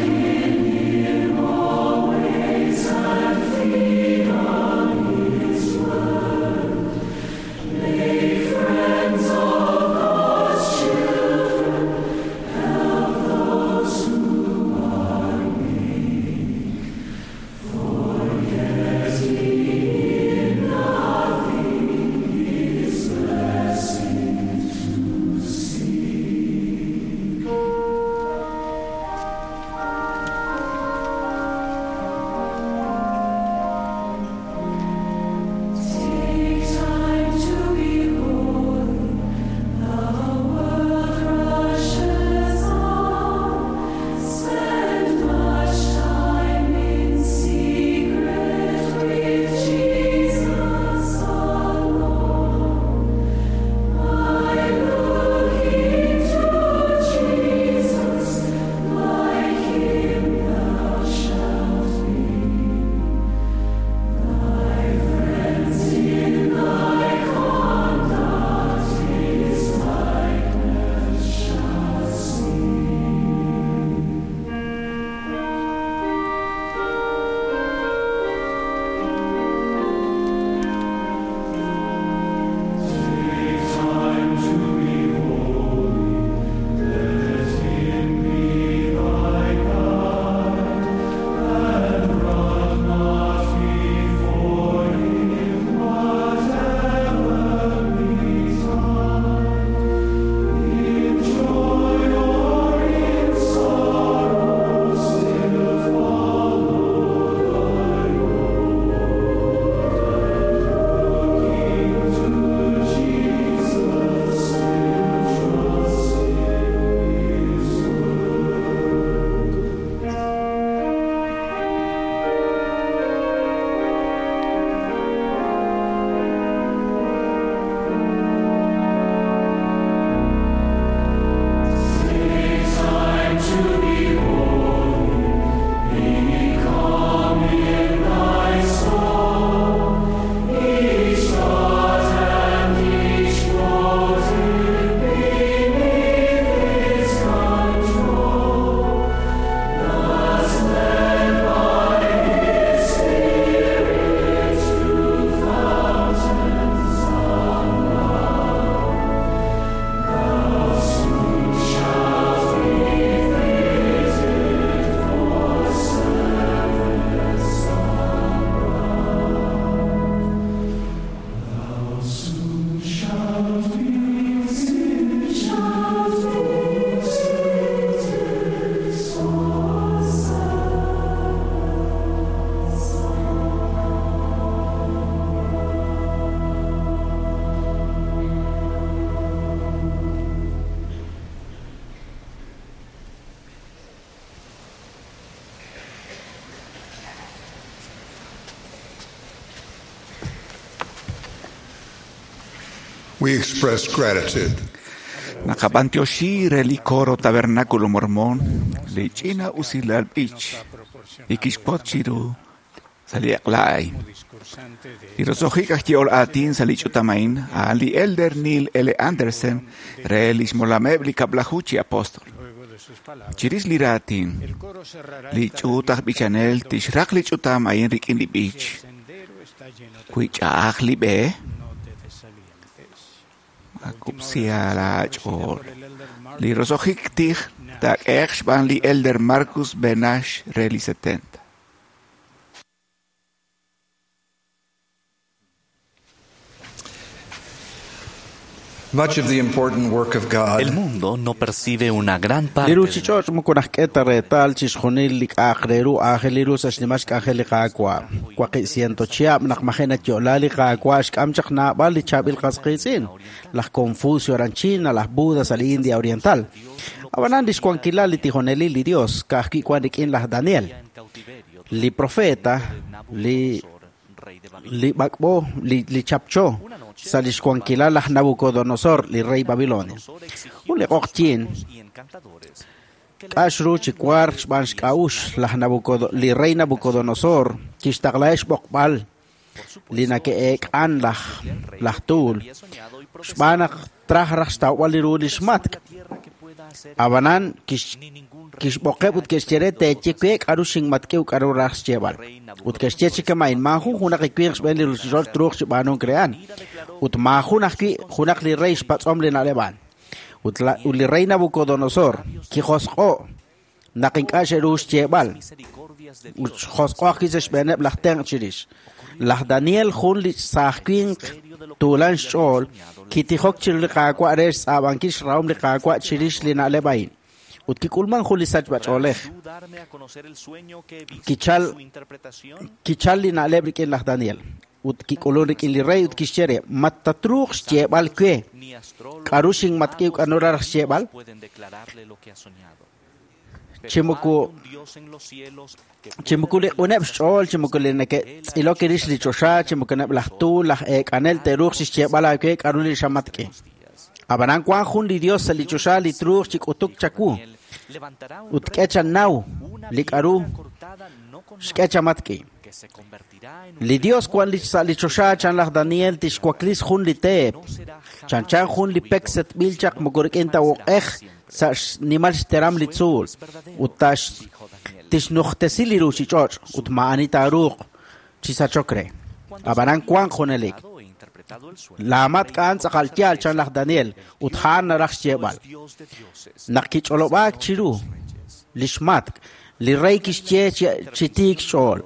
We express gratitude. Naqab'antioxi re li coro Tabernáculo Mormón li ch'ina usilal b'ich li kixpot chiru sa' li eq'la a'in. Li roso'jik aj ye'ol aatin sa' li ch'utam a'in a'an li Elder Neil L. Andersen re lix molameb' li kab'laju chi apóstol. Chirix li raatin, li ch'uut aj b'ichanel tixraq li ch'utam a'in rik'in li b'ich. Wi ch'a'aj li b'e, makub'siha laach'ool. Li roso'jik tij taak'ehe'q xb'aan li Elder Marcus B. Nash re li 70. Much of the important work of God El mundo no percibe una gran Li parte de ruuchich'och' moko najk'e ta reetal chixjunil li k'a'aq re ru aajel li ru sa' xnimal xk'anjel li Qaawa'. 800 chihab' naq maji' natyo'la li Qaawa' xk'am chaq naab'al li chaab'il qas qiitz'in, laj Confucio aran China, laj Buda sa' li India Oriental. Ab'anan lix wankilal li tijonelil li Dios ka'ajwi' wan rik'in laj Daniel, li profeta, li li b'ak'b'o, li chapcho sa' lix wankilal laj Nabucodonosor, li rey Babilonia. Jun li q'oqyin k'ax ru chi wark xb'aan xk'a'uxl laj li rey Nabucodonosor kixtaqlaheb' xb'oqb'al li nake'eek'an laj tuul xb'aan naq traj raj xtawb'al li ru lix matk'. Ab'anan kixb'oqeb' ut ke'xye re teeye we k'aru xinmatk'iw k'aru raj xyeeb'al. Ut ke'xye chi kama'in maajun junaq li winq xb'een li ruuchich'och' truuq chi b'aanunk re a'an. Ut maajun ajwi' junaq li rey xpatz'om li na'leb' a'an. Ut li rey Nabucodonosor kijosq'o' naq ink'a' xe'ru xyeeb'al. Ut xjosq'o ajwi' sa' xb'eeneb' laj tenq' chirix. Laj Daniel jun li saaj winq tuulan xch'ool kitijok chiru li Qaawa' re xtz'aab'ankil xrahom li Qaawa' chirix li na'leb' a'in. Ut kik'ulman jun li sachb'ach'oolej. Kichal li na'leb' rik'in laj Daniel. Ut kik'ulun rik'in li rey ut kixye re, ma tatruuq xyeeb'al we k'aru xinmatk'iw k'aru raj xyeeb'al? Chi moko li q'uneb' xch'ool, chi moko li neke'tz'ilok rix li choxa, chi moko neb' laj tuul, laj eek'anel te'ruuq chixyeeb'al aawe k'aru li xamatk'i. Ab'anan wan jun li Dios sa' li choxa li truuq chi k'utuk chawu. Ut k'e chanaw li k'aru xk'e chamatk'i. Li Dios wan sa' li choxa chan laj Daniel tixwaklis jun li teep. Chanchan jun li pek setb'il chaq moko rik'in ta uq'ej sa' xnimal xteram li tzuul. Ut tixnujtesi li ruuchich'och' ut ma'ani taaruuq chi sachok re. Ab'anan wanq junelik. Laamatk' a'an tz'aqal yaal chan laj Daniel ut a'an naraj xyeeb'al. Naq kich'olob'aak chiru lix matk', li rey kixye chi tiik xch'ool.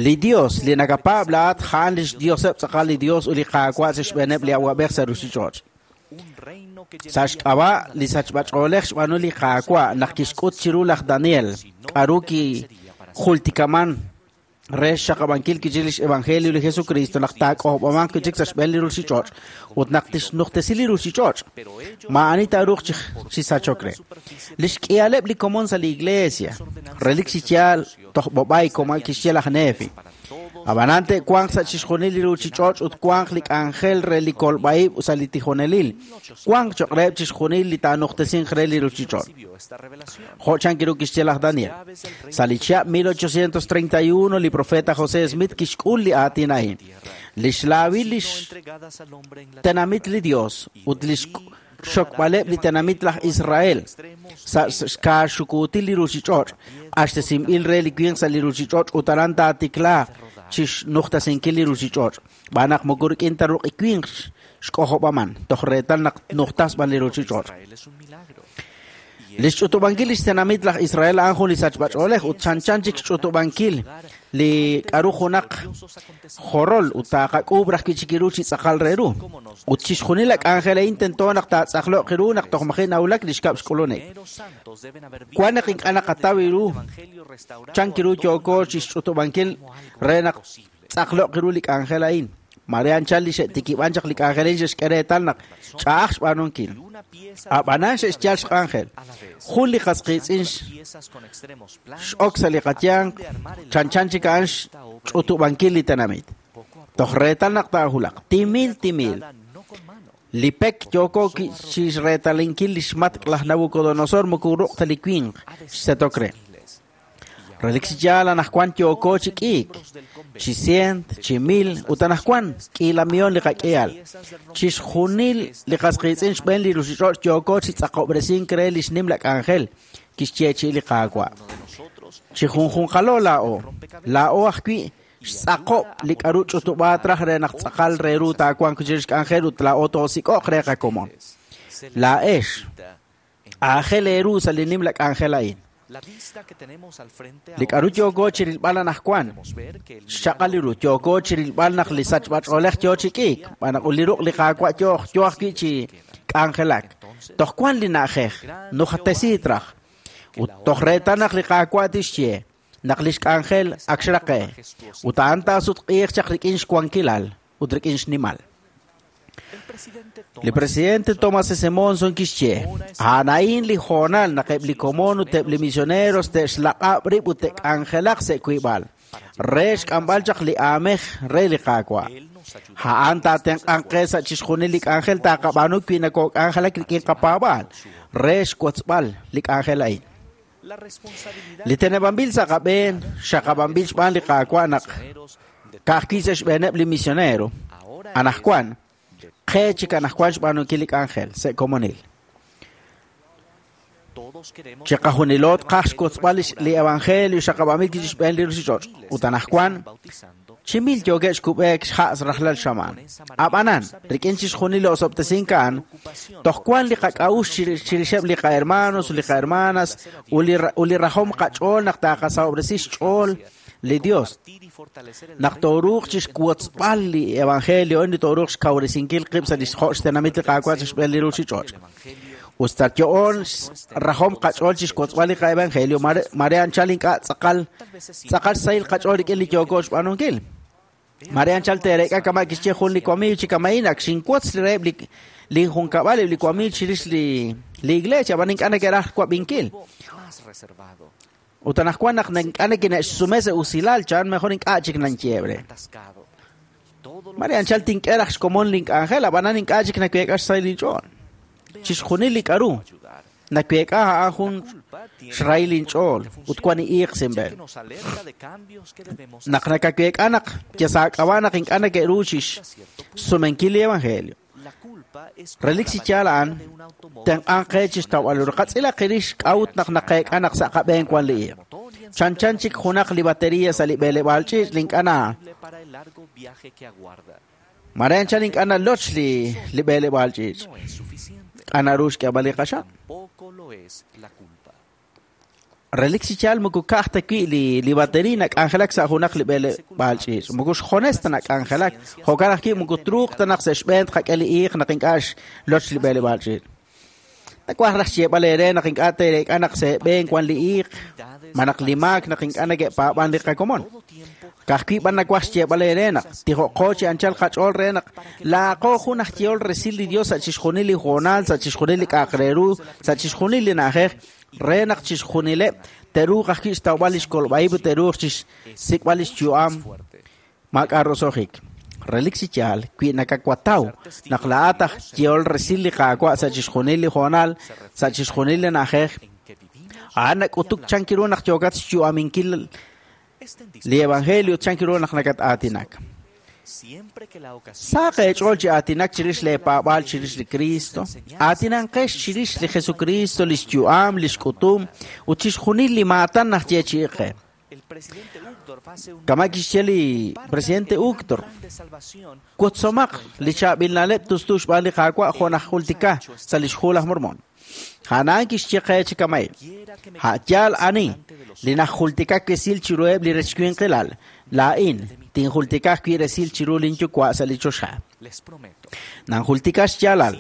Li Dios li nakapaab' laa'at a'an lix Dioseb' tz'aqal li Dios ut li Qaawa' sa' xb'eeneb' li awab'ej sa' ruuchich'och'. Sa' xk'ab'a' li sachb'ach'oolej xb'aanu li Qaawa' naq kixk'ut chiru laj Daniel k'aru kijultikaman re xxaqab'ankil kichik lix evangelio li Jesucristo naq taak'ojob'amanq kichik sa' xb'een li ruuchich'och' ut naq tixnujtesi li ruuchich'och'. Maa'ani taaruuq chi sachok re. Lix k'ihaleb' li komon sa' li iglesia, relik chi yaal toj b'ob'ay koma kixye laj Nefi. Ab'anan te'wanq sa' chixjunil li ruuchich'och' ut wanq li k'anjel re li kolb'a'ib' sa' li tijonelil. Wanq cho'q reheb' chixjunil li taanujtesinq re li ruuchich'och'. Jo' chan kiru kixye laj Daniel. Sa' li chihab' 1831 li profeta José Smith kixk'ul li aatin a'in. Lix laawil lix tenamit li Dios ut lix xokb'aleb' li tenamit laj Israel sa' xkaaxukuutil li ruuchich'och' q'axtesinb'il re li winq sa' li ruuchich'och' ut aran taatiklaaq chi xnujtasinkil li ruuchich'och' xb'aan naq moko rik'in ta ruq'i winq xk'ojob'aman toj reetal naq nujtas b'an li ruuchich'och'. Lix ch'utub'ankil lix tenamit laj Israel a'an jun li sachb'ach'oolej ut chanchan chik xch'utub'ankil li k'aru junaq jorol ut taaqak'uub' raj wi' chik ru chi tz'aqal re ru. Ut chixjunil la k'anjel a'in tento naq taatz'aqlo'q ru naq toj maji' nawulak li xkab' xk'ulunik. Wan naq ink'a' naqataw ru chan kiru yooko chi xch'utub'ankil re naq tz'aqlo'q ru li k'anjel a'in. Mare anchal li xe'tikib'an chaq li k'anjel a'in xe'xk'e reetal naq ch'a'aj xb'aanunkil. Ab'anan xe'xyal xk'anjel. Jun li qas qiitz'in x'ok sa' li qayanq chanchan chik a'an xch'utub'ankil li tenamit. Toj reetal naq taahulaq. Timil, timil. Li pek yooko chixreetalinkil lix matk' laj Nabucodonosor moko ruq' ta li winq xsetok re. Relik chi yaal anaqwan yooko chi k'iik, chi cient, chi mil, ut anaqwan k'iila miyon li qak'ihal. Chixjunil li qas qiitz'in xb'een li ruuchich'och' yooko chi tz'aqob'resink re lix nimla k'anjel kixyeechi'i li Qaawa'. Chi junjunqalo laa'o, laa'o ajwi' xtz'aqob' li k'aru ch'utub'aat raj re naq tz'aqal re ru taawanq chirix k'anjel ut laa'o toosik'oq re qakomon. Laa'ex, aajel eeru sa' li nimla k'anjel a'in. Li k'aru yooko chirilb'al anaqwan, xchaq'al li ru, yooko chirilb'al naq li sachb'ach'oolej yoo chi k'iik, xb'aan naq li ruq' li Qaawa' yoo ajwi' chi k'anjelak. Toj wan li na'ajej, nujatesiit raj. Ut toj reetal naq li Qaawa' tixye naq lix k'anjel ak xraqe, ut a'an taasutq'iiq chaq rik'in xwankilal ut rik'in xnimal. Li presidente Thomas S. Monson kixye, a'an a'in li hoonal naq eb' li komon ut eb' li misioneros te'xlaq'ab' rib' ut te'k'anjelaq sa' wiib'al, re xk'amb'al chaq li aamej re li Qaawa'. A'an taatenq'anq qe sa' chixjunil li k'anjel taqab'aanu wi nakok'anjelak rik'in qapaab'aal re xwotzb'al li k'anjel a'in. Li teneb'anb'il sa' qab'een xaqab'anb'il xb'aan li Qaawa' naq ka'ajwi' sa' xb'eeneb' li misionero. Anaqwan, qe chik anaqwan xb'aanunkil li k'anjel sa' komonil. Chiqajunilo tqaj xwotzb'al li evangelio xaqab'anb'il chixb'een li ruuchich'och'. Ut anaqwan, chi mil yookeb' xkub'eek xha' rajlal xamaan. Ab'anan, rik'in chixjunil li osob'tesink a'an, toj wan li qak'a'uxl chirixeb' li qahermanos ut li qahermanas ut li rajom qach'ool naq taqasahob'resi xch'ool li Dios. Naq tooruuq chixwotzb'al li evangelio li tooruuq xkawresinkil qib' sa' li jo' xtenamit li Qaawa' chixb'een li ruuchich'och'. Ut sa' yo'oon rajom qach'ool chixwotzb'al li qaevangelio, mare anchal ink'a' tz'aqal xsahil qach'ool rik'in li yooko xb'aanunkil. Mare anchal teerek'a kama' kixye jun li wamiiw chi kama'in ak xinwotz li reheb' li junkab'al eb' li wamiiw chirix li iglesia, ab'an ink'a' neke'raj wab'inkil. Ut anaqwan naq ink'a' nekine'xsume sa' usilal, chan mejor ink'a' chik nanyeeb' re. Mare anchal tink'e raj xkomon link'anjel, ab'anan ink'a' chik naweek'a xsahil inch'ool. Chixjunil li k'aru naweek'a a'an jun xrahil inch'ool ut wan iiq sinb'en. Naq nakaweek'a naq yasaak'ab'a naq ink'a' neke'ru chixsumenkil li evangelio. Relik chi yaal a'an, tenq'anq qe chixtawb'al ru. Qatz'ilaq qirix k'a'ut naq naqeek'a naq sa' qab'een wan li iiq. Chanchan chik junaq li batería sa' li b'eleb'aal ch'iich' li ink'a' na. Mare anchal ink'a' naloch li b'eleb'aal ch'iich'. K'a naru xk'eeb'al li qaxam. Relik chi yaal moko ka'aj ta wi' li batería nak'anjelak sa' junaq li b'eleb'aal ch'iich'. Moko xjones ta nak'anjelak. Jo'kan ajwi' moko truuq ta naq sa' xb'een tqak'e li iiq naq ink'a' xloch li b'eleb'aal ch'iich'. Nawaj raj xyeeb'al eere naq ink'a' teerek'a naq sa' eeb'een wan li iiq, ma naq li maak naq ink'a' neke'paab'an li qakomon. Ka'ajwi' b'an nawaj xyeeb'al eere naq tijo'qo chi anchal qach'ool re naq laaqo jun aj yehol resil li Dios sa' chixjunil li hoonal, sa' chixjunil li k'a'aq re ru, sa' chixjunil li na'ajej, re naq chixjunileb' te'ruuq ajwi' xtawb'al lix kolb'a'ib' ut te'ruuq chixsik'b'al lix yu'am maak'a' roso'jik. Relik chi yaal, wi nakawataw naq laa'at aj yehol resil li Qaawa' sa' chixjunil li hoonal, sa' chixjunil li na'ajej, a'an nak'utuk chan ru naq yookat xyu'aminkil li evangelio chan ru naq nakat-aatinak. Saq eech'ool chi aatinak chirix leepaab'aal chirix li Cristo, aatinanqex chirix li Jesucristo, lix yu'am, lix k'utum, ut chixjunil li maatan naj yeechi'i qe. Kama' kixye li presidente Uchtdorf, wotzomaq li chaab'il na'leb' tustu xb'aan li Qaawa' jo' naj jultika sa' lix hu laj Mormon. A'an kixye qe chi kama'in, a' yaal ani li najultikak resil chiruheb' li rechwinqilal, laa'in tinjultika ajwi' resil chiru linyuwa' sa' li choxa. Nanjultika xyaalal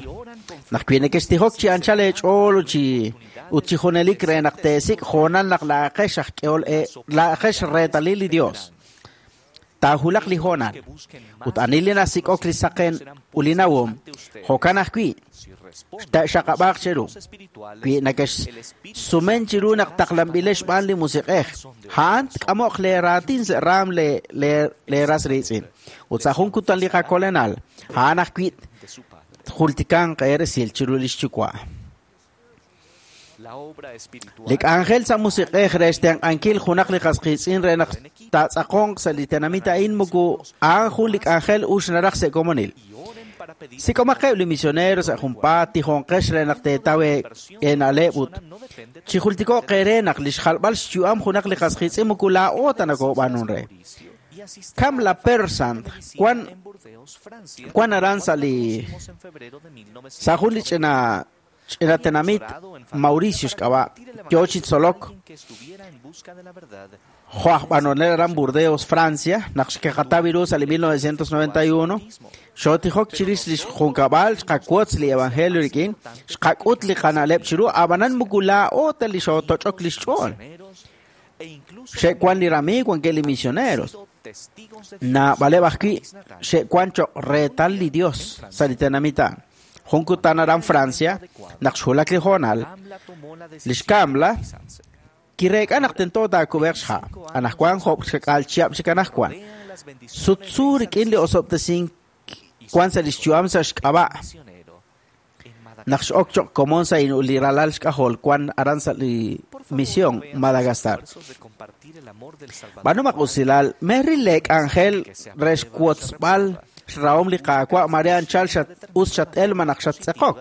naq wi nekextijok chi anchal eech'ool ut chi junelik re naq teesik' hoonal naq laa'aqex aj k'ehol laa'aqex reetalil li Dios. Taahulaq li hoonal ut ani li nasik'ok li saqen ut li nawom, jo'kan ajwi' Xta'xaqab'aaq cheru. Wi nakexsumen chiru naq taqlanb'ilex xb'aan li musiq'ej. A'an tk'amoq leeraatin sa' raam leeras riitz'in. Ut sa' jun kutan li qakolenal, a'an ajwi' tjultikanq eeresil chiru lix yuwa'. Li k'anjel sa' musiq'ej re xtenq'ankil junaq li qas qiitz'in re naq taatz'aqonq sa' li tenamit a'in moko a'an jun li k'anjel ux naraj sa' komonil. Sik'omaqeb' li misionero sa' junpaat tijonqex re naq teetaw eena'leb' ut chijultiko'q eere naq li xjalb'al xyu'am junaq li qas qiitz'in moko laa'o ta nakoob'aanun re. Kamla Persant wan aran sa' li sa' jun li ch'ina tenamit Mauricio xk'ab'a' yo chi tzolok jo' aj b'anonel aran Burdeos, Francia, naq xkeqataw ru sa' li 1991, xotijok chirix li xjunkab'al xqawotz li evangelio rik'in, xqak'ut li qana'leb' chiru, ab'anan moko laa'o ta li xotoch'ok li xch'ool. Xe'wan li ramiiw wankeb' li misioneros. Naab'aleb' ajwi' xe'wan cho'q reetal li Dios sa' li tenamit a'an. Jun kutan aran Francia, naq xwulak li hoonal, li xkamla kireek'a naq tento taakub'eq xha'. Anajwan jo'b' xkak'aal chihab' chik anajwan. Sutsu rik'in li osob'tesink wan sa' li xyu'am sa' xk'ab'a'. Naq x'ok cho'q komon sa' li ralal xk'ajol wan aran sa' li misión Madagascar. B'aanumaq usilal, meril le k'anjel re xwotzb'al xrahom li Qaawa' mare anchal us xat-el ma naq xattz'eqok.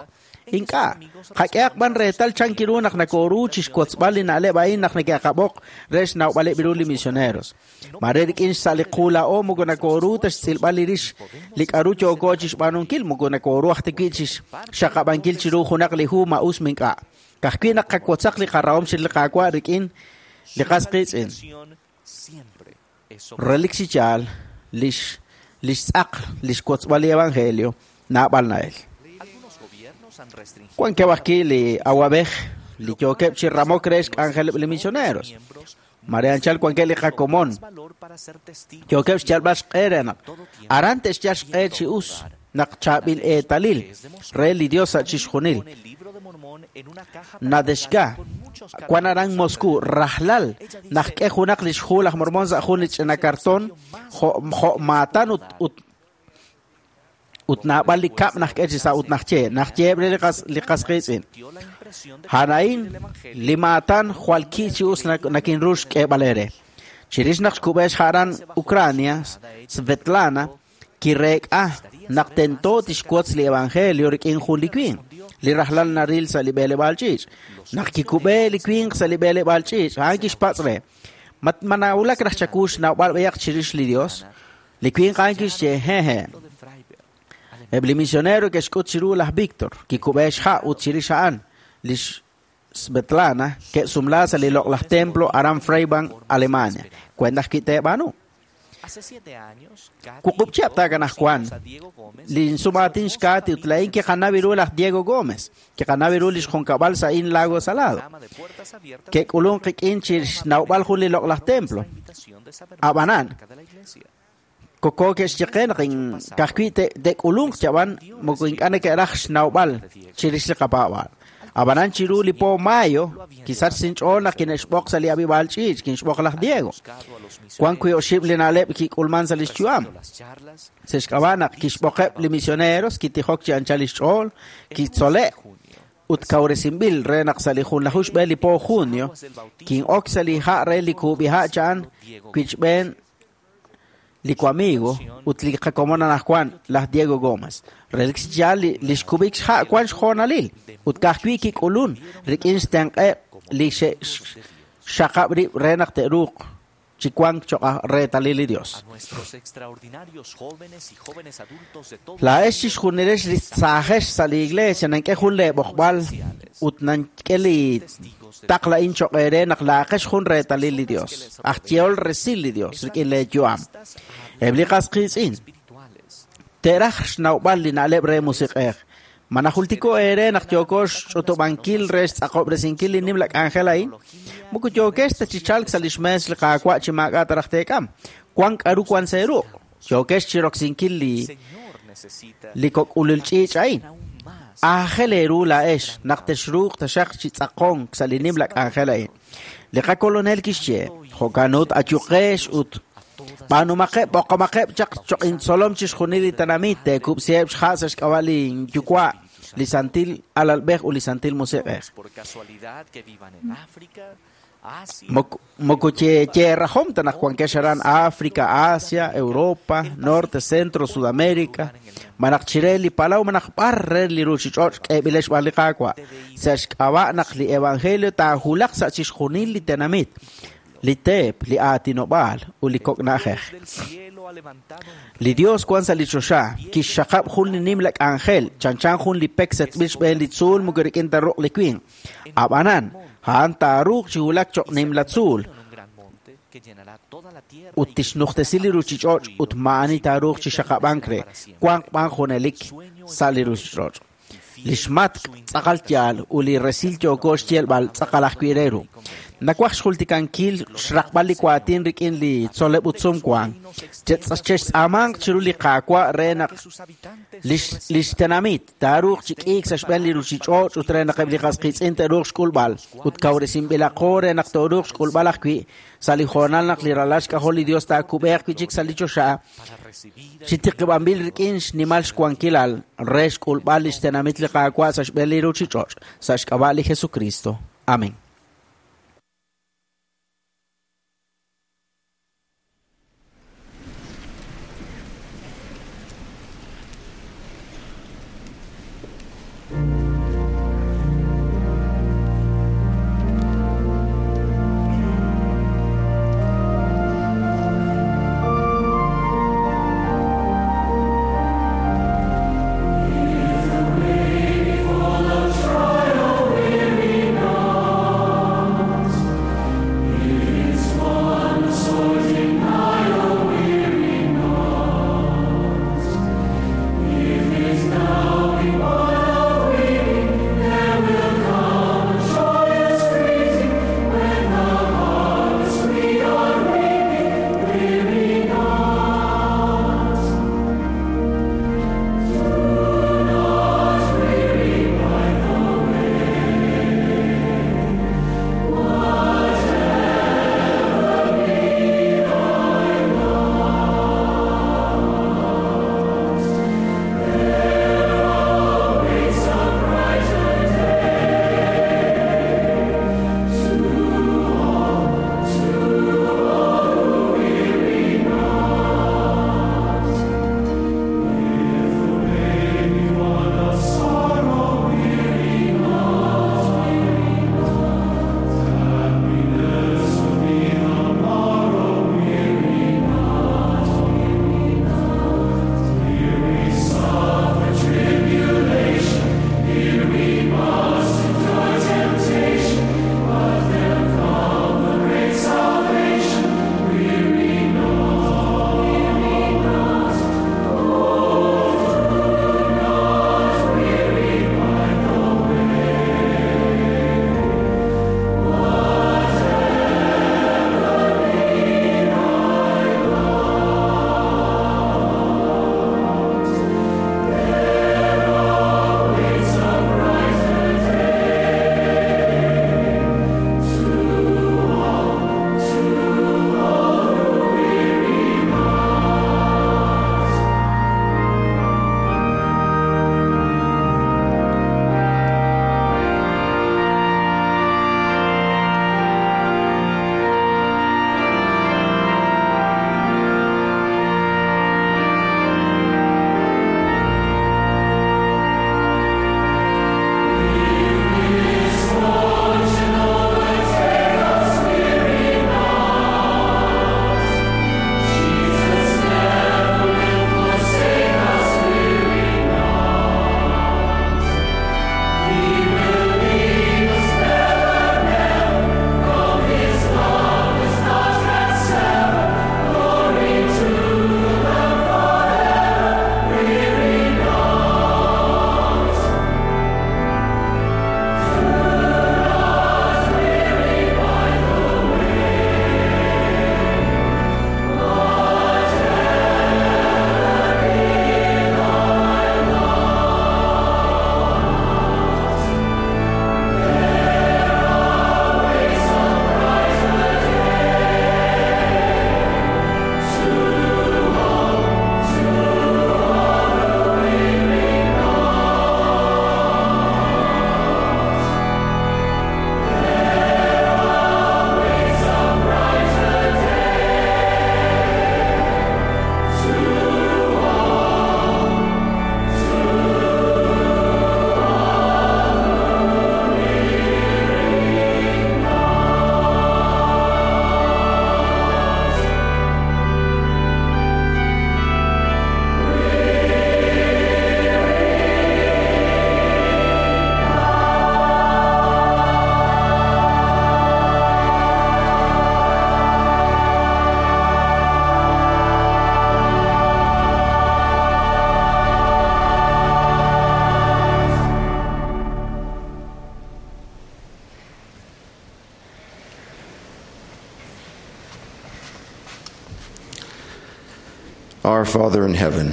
Ink'a', qak'ehaq b'an reetal chan kiru naq nakoru chi xwotzb'al li na'leb' a'in naq neke'qab'oq re xnawb'aleb' ru li misioneros. Mare rik'in sa' li qu laa'o moko nakoru ta xtz'ilb'al li rix li k'aru yooko chi xb'aanunkil, moko nakoru aj ta wi' chi xxaqab'ankil chiru junaq li hu ma us mink'a'. Ka'ajwi' naq qawotzaq li qarahom chirix li Qaawa' rik'in li qas qiitz'in. Relik chi yaal lix tz'aq li xwotzb'al li evangelio naab'al na'el. Wankeb' ajwi' li awab'ej li yookeb' chi ramok re xk'anjeleb' li misioneros. Mare anchal wankeb' li qakomon yookeb' xyalb'al xq'e re naq aran te'xyal xq'e chi us naq chaab'il eetalil re li Dios sa' chixjunil. Nadeshka wan aran Moscú rajlal naq k'e junaq li xhu laj Mormón sa' jun li ch'ina karton jo' maatan ut naab'al li kab' naq k'e chi sa' ut naq yeeb' re li qas qiitz'in. A'an li maatan jwal ki' chi us nakinru xk'eeb'al eere. Chirix naq xkub'e xha' aran Ucrania, Svetlana kireek'a naq tento tixwotz li evangelio rik'in jun li winq li rajlal naril sa' li b'eleb'aal ch'iich'. Naq kikub'e li winq sa' li b'eleb'aal ch'iich', a'an kixpatz' re, ma nawulak raj chaku xnawb'al b'ayaq chirix li Dios? Li winq a'an kixye, hehe. Eb' li misionero ke'xk'ut chiru laj Víctor, kikub'e xha' ut chirix a'an lix Svetlana ke'sumla sa' li loq'laj templo aran Freiburg, Alemania. Kwent ajwi' teeb'aanu. Wuqub' chihab' taakanaj wan li sumaatin xkaati ut laa'in kiqanaw ru laj Diego Gómez, kiqanaw ru li xjunkab'al sa' in Lago Salado. Ke'k'ulunk qik'in chi xnawb'al jun li loq'laj templo. Ab'anan, koko ke'xyeqe naq ka'ajwi' te'k'ulunk chab'an moko ink'a' neke'raj xnawb'al chirix li qapaab'aal. Ab'anan chiru li po mayo kisach sinch'ool naq kine'xb'oq sa' li ab'ib'aal ch'iich' kinxb'oq laj Diego. Wan wi' oxib' li na'leb' kik'ulman sa' li xyu'am. Sa' xk'ab'a' naq kixb'oqeb' li misioneros kitijok chi anchal li xch'ool, kitzole' ut kawresinb'il re naq sa' li junlaju xb'e li po junio kin'ok sa' li ha' re li kub'iha' cha'an wichb'een li wamigo ut li qakomon anajwan laj Diego Gómez. Relik chi yaal li xkub'ik xha' wan xjoonalil ut ka'ajwi' kik'ulun rik'in xtenq'eb' li xe'xxaqab' rib' re naq te'ruuq chi wank cho'q reetalil li Dios. Laa'ex chixjunilex li saajex sa' li iglesia nank'e jun leeb'oqb'al ut nank'e li taqla'in cho'q eere naq laaqex jun reetalil li Dios, aj yehol resil li Dios rik'in leeyu'am. Eb' li qas qiitz'in te'raj xnawb'al li na'leb' re musiq'ej. Ma najultiko eere naq yooko xch'utub'ankil re xtz'aqob'resinkil li nimla k'anjel a'in? Moko yookex ta chi chalk sa' li xmees li Qaawa' chi maak'a' ta raj teek'am. Wan k'aru wan sa' eeruq'. Yookex chi roksinkil li kok'ulul ch'iich' a'in. Aajel eeru laa'ex naq texruuq taxaq chi tz'aqonk sa' li nimla k'anjel a'in. Li qakolonel kixye, jo'kan ut ayuqex ut b'aanumaqeb' b'oqomaqeb' chaq choq' intzolom chixjunil li tenamit teekub'siheb' xha' sa' xk'ab'a' li Yuwa', li Santil Alalb'ej ut li Santil Musiq'ej. Moko yeerajom ta naq wankex aran África, Asia, Europa, Norte, Centro, Sudamérica, malaj chire li palaw malaj b'ar re li ruuchich'och' k'eeb'ilex xb'aan li Qaawa'. Sa' xk'ab'a' naq li evangelio taahulaq sa' chixjunil li tenamit, li teep, li aatinob'aal ut li kok' na'ajej. Li Dios wan sa' li choxa kixxaqab' jun li nimla k'anjel, chanchan jun li pek setb'il xb'een li tzuul moko rik'in ta ruq' li winq. Ab'anan, a'an taaruuq chi wulak choq' nimla tzuul ut tixnujtesi li ruuchich'och' ut maa'ani taaruuq chi xaqab'ank re, wanq b'an junelik sa' li ruuchich'och'. Li xmatk' tz'aqal yaal ut li resil yooko xyeelb'al tz'aqal ajwi' re ru. Nawaj xjultikankil xraqb'al li waatin rik'in li tzol'leb' ut sumwank. Chextz'aamanq chiru li Qaawa' re naq li xtenamit taaruuq chi k'iik sa' xb'een li ruuchich'och' ut re naq eb' li qas qiitz'in te'ruuq xk'ulb'al ut kawresinb'ilaqo re naq tooruuq xk'ulb'al ajwi' sa' li hoonal naq li ralal xk'ajol li Dios taakub'eeq wi' chik sa' li choxa chi tiqib'anb'il rik'in xnimal xwankilal re xk'ulb'al li xtenamit li Qaawa' sa' xb'een li ruuchich'och' sa' xk'ab'a' li Jesucristo. Amén. Full of trial, weary night. Our Father in heaven,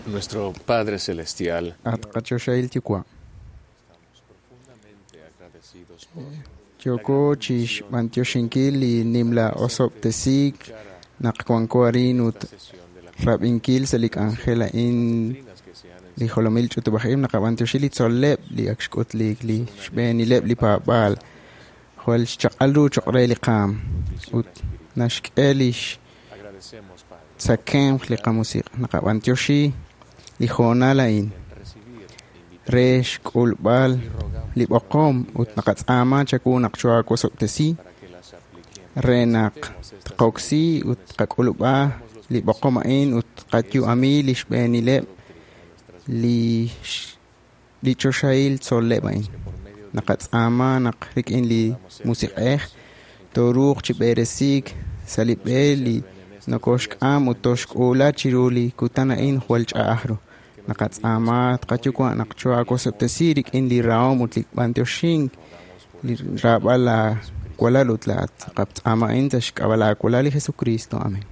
Nuestro Padre Celestial, At qachoxahil yuwa'. Yooko chixb'antioxinkil li nimla osob'tesiik naq wanko arin ut rab'inkil sa' li k'anjel a'in li jolomil ch'utub'aj-ib' naqab'antioxi li tzol'leb' li ak xk'utliik li xb'eenileb' li paab'aal jwal xchaq'al ru choq' re li qaam ut naxk'e lix tzakemq li qamusiq' naqab'antioxi li hoonal a'in re xk'ulb'al li b'oqom ut naqatz'aama chawu naq choawosob'tesi re naq tqoksi ut tqak'ulub'a li b'oqom a'in ut tqayu'ami li xb'eenileb' li choxahil tzol'leb' a'in. Naqatz'aama naq rik'in li musiq'ej tooruuq chi b'eresiik sa' li b'e li nokoxk'am ut toxk'uula chiru li kutan a'in jwal ch'a'aj ru. Naqatz'aama tqayuwa' naq choawosob'tesi rik'in li rahom ut li b'antioxink li raab'al laa walal ut laa'at. Naqatz'aama a'in sa' xk'ab'a' laawalal li Jesucristo. Amén.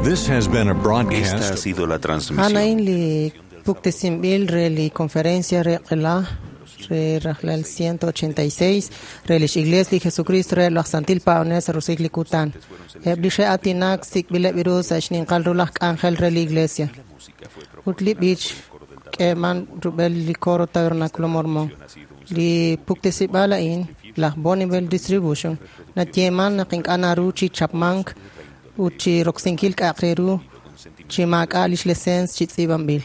This has been a broadcast. Esta ha sido la transmisión. A'an li puktesinb'il re li conferencia re q'ela re rajlal 186 re lix Iglesia li Jesucristo re laj Santil Paab'anel sa' Roso'jik li kutan. Eb' li xe'aatinak sik'b'ileb' ru sa' xninqal ru laj k'anjel re li Iglesia. Ut li b'ich k'eeman rub'el li coro Tabernáculo Mormón. Li puktesib'aal a'in laj Bonneville Distribution nayeeman naq ink'a' naru chi chapmank ut chi roksinkil k'a'aq re ru chi maak'a' lix licencia chi tz'iib'anb'il.